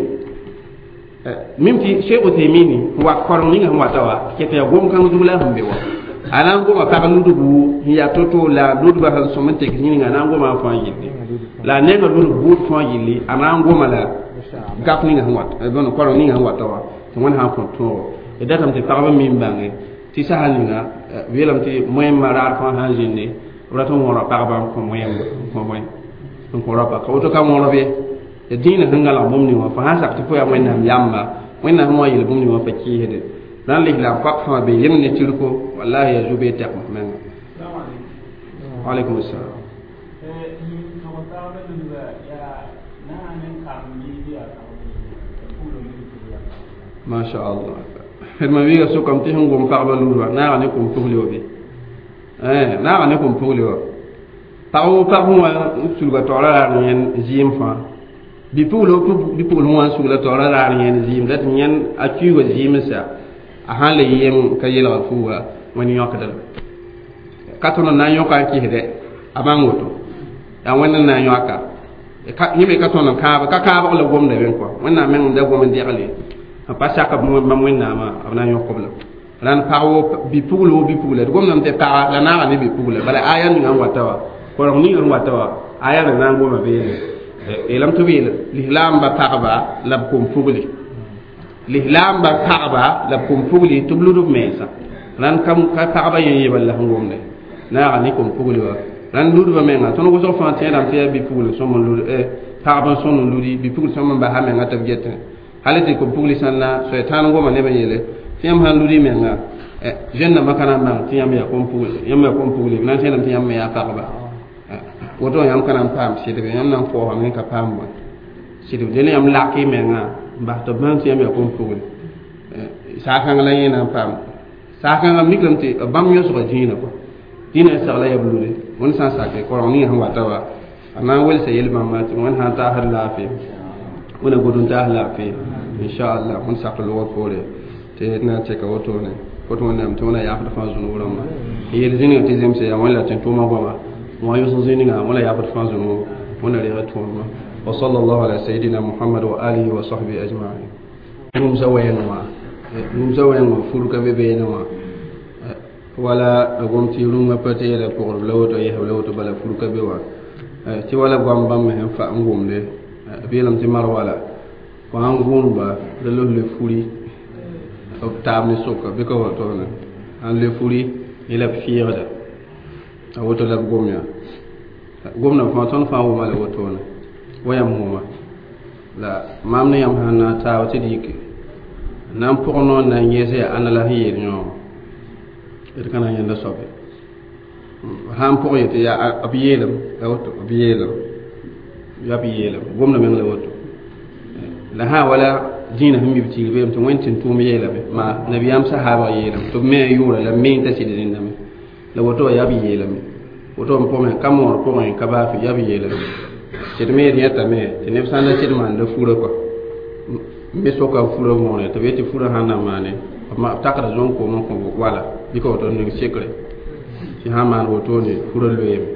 mim tɩ Cheikh Uthemini n wa koreng ninga sẽn wata wa ket yaa gom-kãng zug la sẽn be wa a na n goma pag ludb wuu sẽn yaa to-to la ludbã sẽn sõm n tek yĩnga a na n goma n fãa yilli la a nenga ludb buud fãa yilli a na n goma la gap ninga sẽn wat bõn koreng ninga sẽn wata wa tɩ wẽnd sã n kõ tõogo d datame tɩ pagba mi n bãnge tɩ sasa ninga b yeelame tɩ moẽmbã raar fãa sã n zĩnde b rat n wõra pagba n kõ moẽmb n kõ bõe n kõ rapa ka woto ka wõrb ye ya dĩinã sẽn gãlg bũmb ning wã fo sã n sak tɩ fo yaa wẽnnaam yamba wẽnnaam sẽn wa yel bũmb ning wã fa kɩɩsde rãn lislaam pak fãa be yem ne tɩrko wallahi ya zu-bee tɛkm menga waalaikum assalam. Masha Allah d ma wiiga sʋkame tɩ sẽn gom pagba ludba naaga ne kom pugli wa bɩ naaga ne kom pugli wa pag wo pag sẽn wa n sulga taoora raar yẽnd zɩɩm fãa bipugl bipugl sẽn wa n sugla taoora raar yẽnd zɩɩm la tɩ yẽnd a kuiga zɩɩm n sa a sãn le yem ka yelga fuuga wẽnd yõkda la ka tõnd n na n yõka n kɩsdɛ a bãng woto yaa wẽnd n na n yõka yẽ me ka tõnd n kãab ka kãabg la gomda bẽ kɔa wẽnnaam meng n da gom n degle n pa sak bãmb wẽnnaamã b na n yõk b la rãnd pag wo bipugl wo bipugla d gomdame tɩ paga la naaga ne bipugla bala aya ninga n wata wa koreng ninga n wata wa aya la na n goma beene yeelame tɩ b yeel lislaamba pagba la b kom pugli lislaamba pagba la b kom pugli tɩ b lud b mensã rãnd ka pagba yẽ yebl la sẽn gomde naaga ne kom pugli wa rãnd ludbã menga tõnd wʋsg fãa tẽedame tɩ yaa bipugl sõm n lud pagb n sõn n ludi bipugl sõm n basa menga tɩ b getẽ hali tɩ kom pugli sãn na soɛtãan goma neb n yeele tɩ yãmb sãn ludi menga jeune dãmbã ka na n bãng tɩ yãmb yaa kom pugli yãmb yaa kom pugli b na n tẽedame tɩ yãmb me yaa pagba woto yãmb ka na n paam sɩdbe yãmb na n koosame n ka paam bõe sɩdb dẽn yãmb lak y menga n bas tɩ b bãng tɩ yãmb yaa kom pugli saakãng la yẽ na n paam saakãngã miklame tɩ bãmb yõsga dĩinã kɔa dĩinã segla yaa b lude wẽnd sã n sake koreng ninga sẽn wata wa a na n welsa yel-bãmba tɩ wẽnd sã n taasd laafɩ wẽna god n taas laafɩ inchallah wẽnd sak logr poore tɩ na n tɛka wotone kot wẽnnaam tɩ wẽna yaafd fãa zũnug rãmba n yel zĩnigã tɩ zemse yaa wẽnd la tɩ tʋʋma goama wã yʋsg zĩnigã wẽna yaafd fãa zũnugu wẽna reeg tõodmã wa sallallahu ala sayidina muhammad wa alihi wa sahbihi ajmain rũmsa wɛɛng wã rũmsa wɛɛng wã fur ka be beene wã wala d gom tɩ rũngã pa teeda pʋgdb la woto yɛsb la woto bala fur ka be wã tɩ wala goam bãmb me sẽn fa n gomde b yeelame tɩ mar wala fo sãn gũudba la los le furi b taab ne sʋka bɩ ka wotone sãn le furi yẽ la b fɩɩgda a woto la b gom yaa gomdã fãa tõnd fãa wʋma la wotone wa yãmb wʋma la maam ne yãmb sãn na n taaba tɩ d yike na n pʋg noor na n yẽes yaa ãnna la sẽn yeel yõogo d ka na n yẽnda soabe sã n pʋg yetɩ yaa b yeelem la woto b yeelem yaa b yeelem gomda meng la woto la sã wala dĩinã sẽn mi b tigr beem tɩ wẽnd tɩ n tʋʋm yeelame maa nabiyaam sahaabg yeelame tɩ b me a yʋʋra la me n ta sɩd rẽndame la woto wa yaa b yeelame woto n pʋgẽ ka moor pʋgẽ ka baafɩ yaa b yeelame tɩ d me d yẽtame tɩ neb sã n da sɩd maanda furã kɔa me soka furã võore tɩ b yetɩ furã sãn na maane b takda zõn-koom n kõ wala bɩ ka woto ning sekre tɩ sã n maan wotone furã loeeme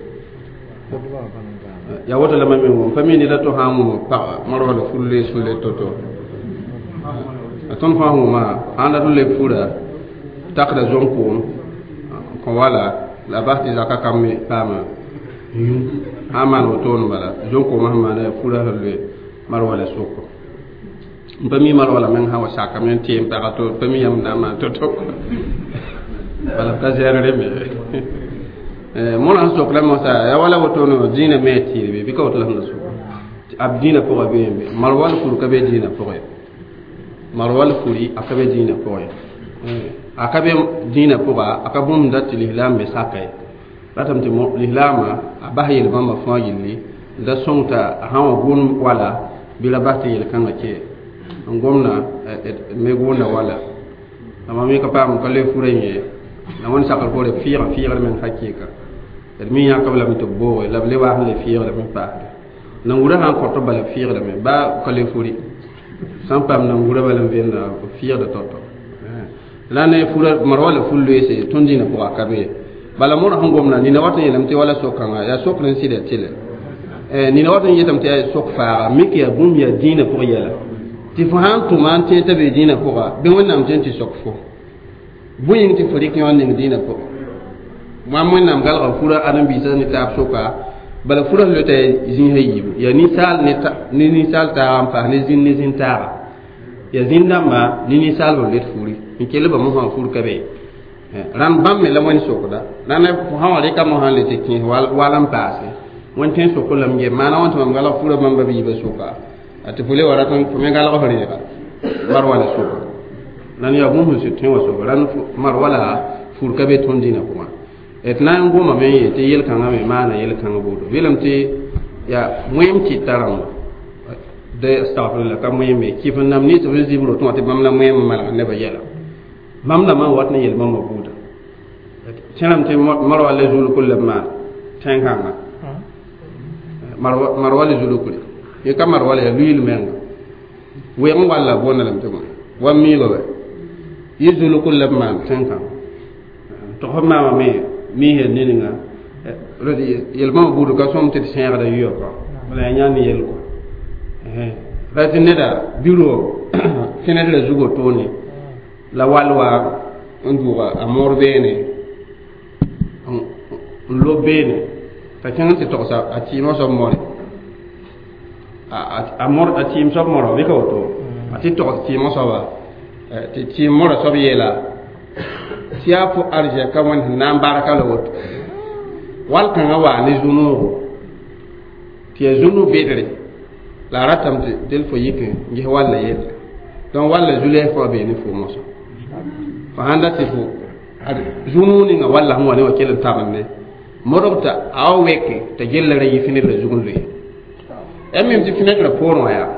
yaa woto la mam me wʋm pa mi neda to sã n wʋm pag marwala fur loe sũ-le to-to a tõnd fãa wʋma sãn dat n leb fura takda zõn-koom kõ wala la bas tɩ zaka kam me paama yũ sã n maan wotone bala zõn-koomã sẽn maana furã sẽn loe marwala sʋko n pa mi marwala meng sã wa sakame n tɩ n paga to pa mi yãmb na n maan to-to bala b ka zɛɛr reme mõrã sẽn sok la mosa yaa wala wotone dĩinã me a tɩɩrbe bɩ ka woto la sẽn da soka b dĩinã pʋgã beembe marwal fur ka be dĩinã pʋgẽ marwal furi a ka be dĩinã pʋgẽ a ka be dĩinã pʋga a ka bũmb dat tɩ lislaam me saka ye ratame tɩ lislaamã a bas yel-bãmbã fãa yilli n da sõng t'a sã n wa gʋʋn wala bɩ la bas tɩ yel-kãngã kɛ n gomna me gʋʋnda wala la mam me ka paam ka le furã yẽ la wẽnd sakr poore fɩɩgã fɩɩgr meng hakɩɩka d mi yãkb lame tɩ b booge la b le waas n le fɩɩgdame n paasde Nangura sãn kõt bala fɩɩgdame baa ka le furi sãn paam nangura bala n vẽnda fɩɩgda tao-tao la ne fura mar wala ful loeese tõnd dĩinã pʋga ka be bala modg sẽn gomda nina wat n yeelame tɩ wala sok-kãngã yaa sokr n sɩda tɩlɛ nina wat n yetame tɩ yaa sok faaga mik yaa bũmb yaa dĩinã pʋg yɛla tɩ fo sãn tʋma n tẽeg t'a bee dĩinã pʋga bɩ wẽnnaam tẽn tɩ sok fo bõe yĩng tɩ fo rɩk yõ n ning dĩinã pʋgã mam wẽnnaam galga fura ãdem-biisã ne taab soka bala fura lota zĩisã yiibu yaa ninsaal ne ninsaal taaga n paas ne zĩn ne zĩn taaga yaa zĩn-dãmba ne ninsaalb n let furi n kell ba mosã fur ka be rãnd bãmb me la wẽnd sokda rãnd fo sã wa rɩka mosã n le tɩ kẽes wal n paase wẽnd tõe n sok lame ge maana wã tɩ mam galg fura bãmba biibã soka tɩ fo le wa rat fo me galg f reega mar wala soka rãnd yaa bũmb sẽn sɩd tõe wã soka rãnd mar wala fur ka be tõnd dĩinã pʋgã d na n gomame n yeel tɩ yel-kãngã me maana yel-kãngã boodo yeelame tɩ yaa wẽem kɩta rãmba de astagfirullah ka wẽeme kɩf n nam nins b zib rotẽ wã tɩ bãmb la wẽem n malgd nebã yɛla bãmb dãmbã n wat ne yel-bãmbã buuda tẽrame tɩ marwa la zulkr la b maan tẽn-kãngã marwa la zulkre yẽ ka marwa la yaa luiil menga weeg n walla boonda lame tɩ wa miiga wa yɩ zulkr la b maan tẽn-kãngã tɩ f maamame miisã ne ninga yel-bãmba buud ka sõm tɩ d sẽegda yʋa kɔ bala yaa yãnd yell kɔ ra tɩ neda biro fẽnedrã zugo toone la wall wa n dʋʋga a moor beene n lob beene t'a kẽng n tɩ togsa a tɩɩmã soab more a mor a tɩɩm soab mora bɩ ka woto a tɩ togs tɩɩmã soaba tɩ tɩɩm mora soab yeela tɩ yaa fo arzɛka wẽnd sẽn na n barka la woto wall kãngã waa ne zu-noogo tɩ yaa zu-no bedre la a ratame tɩ del fo yik n ges walla yelle donc walla zu-lɛɛf fo a bee ne fo mosã fo sãn dat tɩ fo zu-noog ninga walla sẽn wa ne wã kell n tabende modg t'a a wa weke t'a gella ra yi fenɛtrã zug n loe ya mim tɩ fenɛtrã poorẽ wã yaa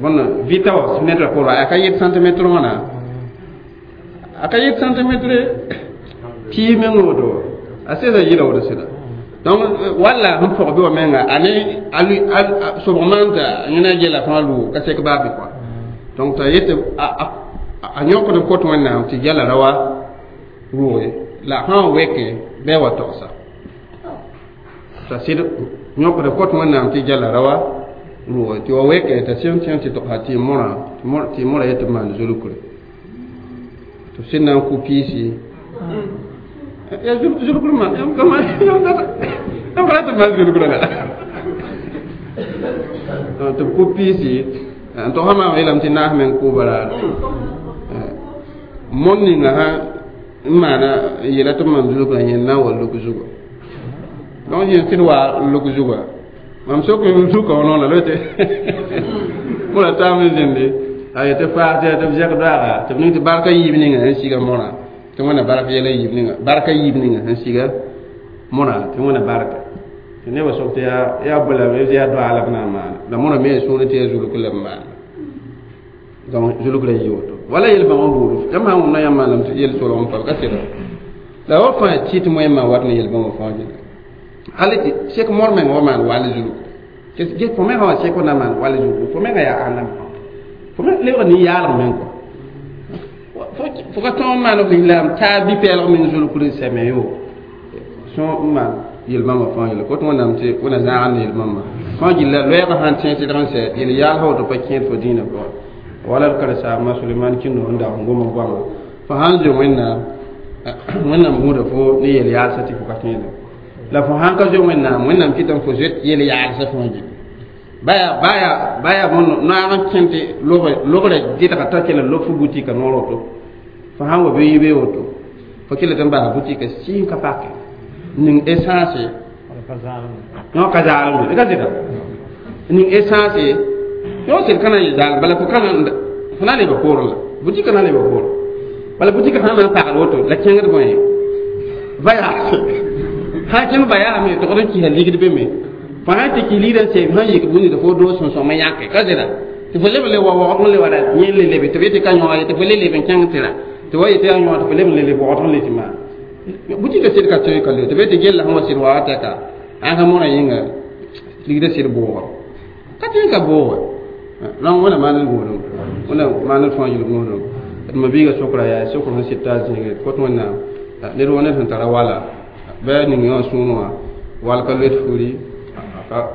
bõn vɩta wa fenɛtrã poorẽ wã yaa ka yet centimetre wãna a ka yet centimetre pii meng woto a sẽsa yɩla woto sɩda donc walla sẽn pɔg bɩ wa menga a ne a sobg maan t'a yẽna gela fãa lʋʋg ka sek baa bɩ kɔa donc t'a yet a yõkd n kot wẽnnaam tɩ gela ra wa rʋʋge la sã n weke bɩ a wa togsa t'a sɩd yõkd n kot wẽnnaam tɩ gela ra wa rʋʋge tɩ wa weke t'a sẽn tẽ tɩ togsa tɩ mõrã tɩ mõrã yet tɩ maan zulkre tɩ sẽn na n kʋ piisi ya zulkr maan yãmb ka rat n maan zulkr la tɩ b kʋ piisi n tog sã maam yeelame tɩ naas meng kʋʋba raar mon ninga sã n maana n yeela tɩ b maan zulkrã yẽnd na n wa luk zuga donc yẽn sẽd wa luk zuga mam sok n zuka wã noona la tɩ mõra taam n zĩndi a yetɩ faas tɩ b zɛk doaga tɩ b ning tɩ barka yiib ninga sẽn siga mõrã tɩ wẽnna bark yɛla yiib ninga barka yiib ninga sẽn siga mõrã tɩ wẽnna barka tɩ nebã sok tɩ yaa bõe la yaa doa la b na n maana la mõrã me yaa sũurẽ tɩ yaa zulk la b maana donc zulk la yɩ woto wala yel-bãmb n buud yãmb sã n wʋmda yãmb maaname tɩ yel-solg n pa ka sɩda la wa fãa tɩ tɩ wẽnnaam wat ne yel-bãmbã fãa gilli hali tɩ sek mor meng wa maan wall zulk fo mengã wã sek na maan wall zulk fo mengã yaa ãndame fo me lebg nin-yaalg meng kɔ fo ka tõog n maan f lislaam taa bi-pɛɛlg meng zulkr n sɛme yo sõ n maan yel-bãmbã fãa gilla kot wẽnnaam tɩ wẽnna zãagd ne yel-bãmbã fãa gilla loɛɛgã sãn tẽ sɩdg n sɛ yel-yaals woto pa kẽed fo dĩinã pʋgẽ wala d karen-saambã Suleman Kĩndo n dag n gom n goama fo sãn zoe wẽnnaam wẽnnaam gũuda fo ne yel-yaalsã tɩ fo ka tẽeda la fo sãn ka zoe wẽnnaam wẽnnaam kɩtame fo zoet yel-yaalsã fãa gilli baya baya baya bõn naag n kẽ tɩ logrã gɩdga t'a kell n lob fo butika noor woto fo sãn wa bɩ yibe woto fo kell tɩ n bas butika sɩɩn ka pake ning essence yõ ka zaalem ka sɩda ning essence yõ sɩd ka na n yɩ zaal bala fo ka fo na n leba poorẽ la butika na n leba poorẽ bala butika sã n na n pagd woto la kẽngd bõe vayaase sã kẽng vayaame togd n kɩsa ligd be me fo sã tɩ kɩ ligdã n sɛɛm sã n yik bũni tɩ fo doos sẽn sõm n yãke ka zɩra tɩ fo leb le wa waoogd n le wa ra yẽ le lebe tɩ b yetɩ ka yõoga ye tɩ fo le leb n kẽng tɩ ra tɩ wa yetɩ yaa yõoga tɩ fo leb n le leb waoogd n le tɩ maan butika sɩd ka tõe ka le tɩ b yetɩ gella sẽn wa sɩd waoog tɛka ãnka mõrã yĩnga ligdã sɩd bʋʋgr Ka tẽn ka booge rãng wẽna maan d gũudum wẽna maan d fãa yel gũudum d ma biiga sokra yaa sokr sẽn sɩd t'a zĩige kot wẽnnaam ned wa ned sẽn tara wala bɩ ning yã wã sũur wã wal ka loet furi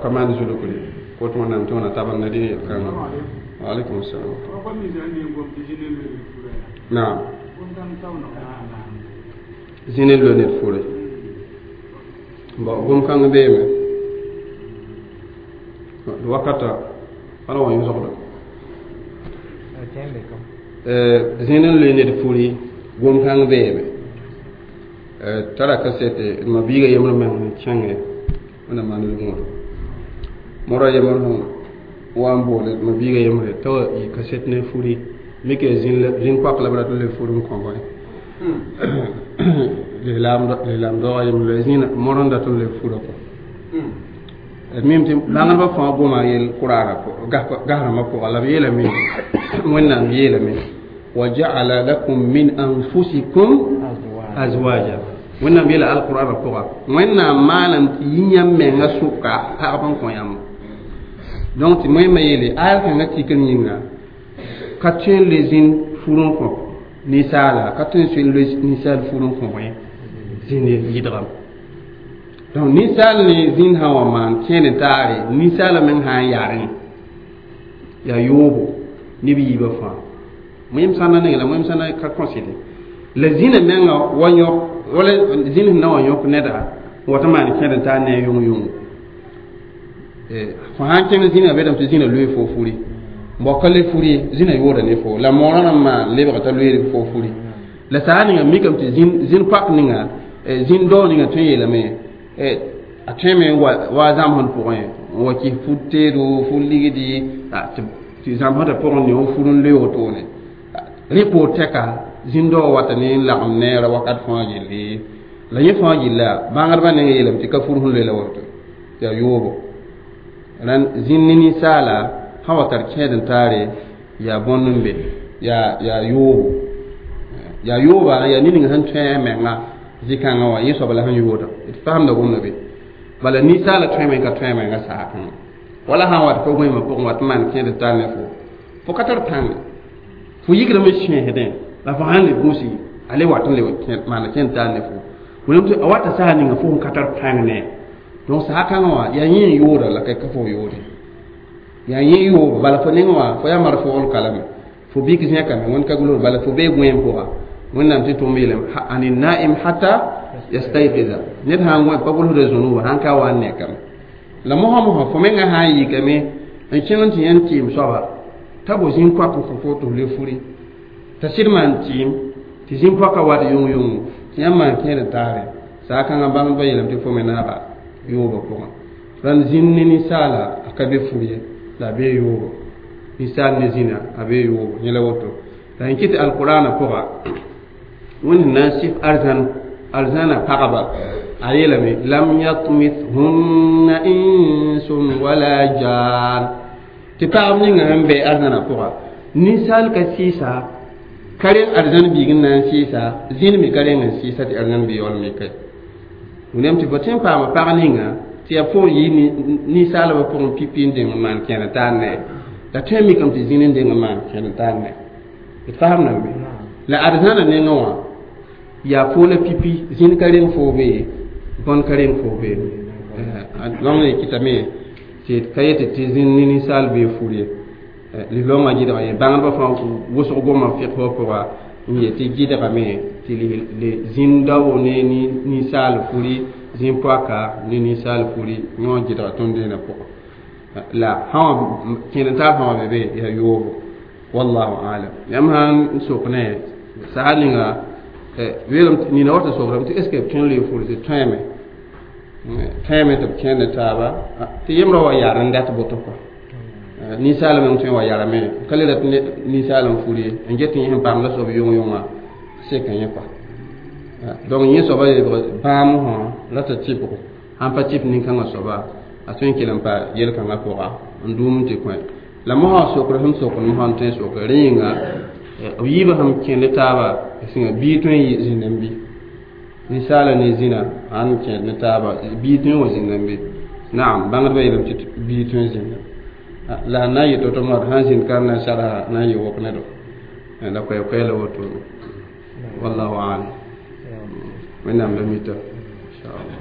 ka maan zulukri kot wẽnnaam tɩ wẽna tabend ne dẽ yel-kãngã. Wa alaikum salam. Naam, zĩn n loe ned furi bon gom-kãng beeme d wakata wala wa yõsgda zĩn n loe ned furi gom-kãng beeme tara kasete d ma biiga yembr meng sẽn kẽnge wẽna maan d gũudum mora yembr sẽn wa n boole d ma biiga yembre t'a wa yɩ kaset ne furi mike zĩn poak la b rat n le fur n kõ bõe lislaam daoga yembre la zĩna mor n dat n le fura kɔ d mim tɩ bãngdbã fãa goma yel kʋraara gasrãmbã pʋga la b yeelame wẽnnaam yeelame wa ja'ala lakum min anfusikum azwaja wẽnnaam yeela alqur'ana pʋga wẽnnaam maalem tɩ yĩ yãmb menga sʋka pagb n kõ yãmb donc tɩ moẽmã yeele ayal kãngã tikr yĩnga ka tõe n le zĩn fur n kõ ninsaala ka tõe n soe n loe ninsaal fur n kõ bõe zĩnd yɩdgame donc ninsaal ne zĩnd sã wa maan kẽed n taare ninsaala meng sã n yarẽ yaa yoobo neb yiibã fãa moẽm sãnda neng la moẽm sãnda ka kõsɩde la zĩnã menga wa yõk wala zĩnd sẽn na wa yõk neda n wat n maan kẽed n taar ne a yʋng-yʋngo fo sãn kẽng zĩnã bedame tɩ zĩnã loe fo furi bao ka le furi zĩnã yooda ne fo la moorã rãmb maan lebga t'a loeed fo furi la saa ninga mikame tɩ zĩnd poak ninga zĩnd dao ninga tõe n yeelame a tõeme wa zãmsd pʋgẽ n wa kɩs fut teedo fut ligdi tɩ zãmsdã pʋgẽ ne f fur n loe wotone rẽ poor tɛka zĩnd dao wata ne n lagem neera wakat fãa yelle la yẽ fãa yella bãngdbã neng yeelame tɩ ka fur sẽn loe la woto tɩ yaa yoobo rãnd zĩnd ne ninsaala sã wa tar kẽed n taare yaa bõnd n be yaa yoobo yaa yooba yaa ned ning sẽn tõe a menga zĩ-kãngã wã yẽ soab la sẽn yooda d faamda gomda be bala ninsaala tõeme ka tõe a menga saakãngã wala sã n wat fo goẽmã pʋgẽ wat n maan kẽed n tar ne fo fo ka tar pãnge fo yikrame sẽesdẽ la fo sãn le gũsi a le wat n le maana kẽed n tar ne fo wẽnnaam tɩ a wata saas ninga fo sẽn ka tar pãng ne donc saakãngã wã yaa yẽ n yooda la ka fo yoode yaa yẽ yoob bala fo neng wã fo yaa marf wogl kalame fo bik zẽkame wẽnd ka gʋls bala fo bee gõeem pʋga wẽnnaam tɩ tʋm yeelame ani naim hatta yastayqiza ned sãn gõe pa gʋlsda zũnuba sãn ka wa n nekame la mosã mosã fo menga sã n yikame n kẽng tɩ yẽnd tɩɩm soaba t'a bo zĩn koak n kõ fo tɩ f le furi t'a sɩd maan tɩɩm tɩ zĩn poaka wat yʋng-yʋngo tɩ yãmb maan kẽed n taare saakãngã bãngdbã yeelame tɩ fo me naaba yoobã pʋgẽ rãnd zĩnd ne ninsaala a ka be fur ye la a bee yoobo ninsaal ne zĩna a bee yoobo yẽ la woto la n kɩ tɩ alqurana pʋga wẽnd sẽn na n sɩf arzãn arzãna pagba a yeelame lam yatmithunna insun wala jan tɩ pagb ninga sẽn be arzãna pʋga ninsaal ka sɩɩsa ka reng arzãn biig n na n sɩɩsa zĩnd me ka reng n sɩɩsa tɩ arzãn bi yaool me ka wẽnnaam tɩ fo tõe n paama pag ninga tɩ yaa pʋgẽ yɩ ninsaalbã pʋgẽ pipi n deng n maan kẽed n taar ne la tõe n mikame tɩ zĩnd n deng n maan kẽed n taar ne d faam nan be la arzãna nengã wã yaa fo la pipi zĩnd ka reng foo be bõn ka reng foo be donc ne kɩtame tɩ ka yetɩ tɩ zĩnd ne ninsaal bee fur ye lislaoongã gɩdga ye bãngdbã fãa wʋsg gomã fɩk pʋga n yet tɩ gɩdgame tɩ zĩnd dao ne ninsaal furi zĩn poaka ne ninsaal furi yõ gɩdga tõnd dẽenã pʋgã la sã wã kẽed n taar fãa wã be be yaa yoobo wallahu alam yãmb sãn sok ne saha ninga weelem nina wata sokrame tɩ est ce que b tõe n loe fur tɩ tõeme tõeme tɩ b kẽed ne taaba tɩ yembrã wa yaar n dat boto kɔa ninsaala meng tõe n wa yarame ka le rat ninsaal n fur ye n get yẽ sẽn paam la soab yʋng-yʋngã seka yẽ kɔa donc yẽ soaba lebg bãam sã la t'a tɩbgo sãn pa tɩp nin-kãngã soaba a tõe n kell n pa yel-kãngã pʋga n duum n tɩ kõ la mosã sokr sẽn sokd mosã n tõe n sok rẽ yĩnga b yiibã sẽn kẽnd taaba sẽnga bii tõe n zĩnd n bɩ ninsaala ne zĩna sãn kẽed ne taaba bii tõe n wa zĩnd n bɩ naam bãngdbã yeelame tɩ bii tõe n zĩnda La na n yɩ to-to moar sã n zĩnd ka n na n sadsa na n yɩ wok nedo la koɛɛ-koɛɛla wotone. Wallahu alam. Wẽnnaam la mita, inchallah.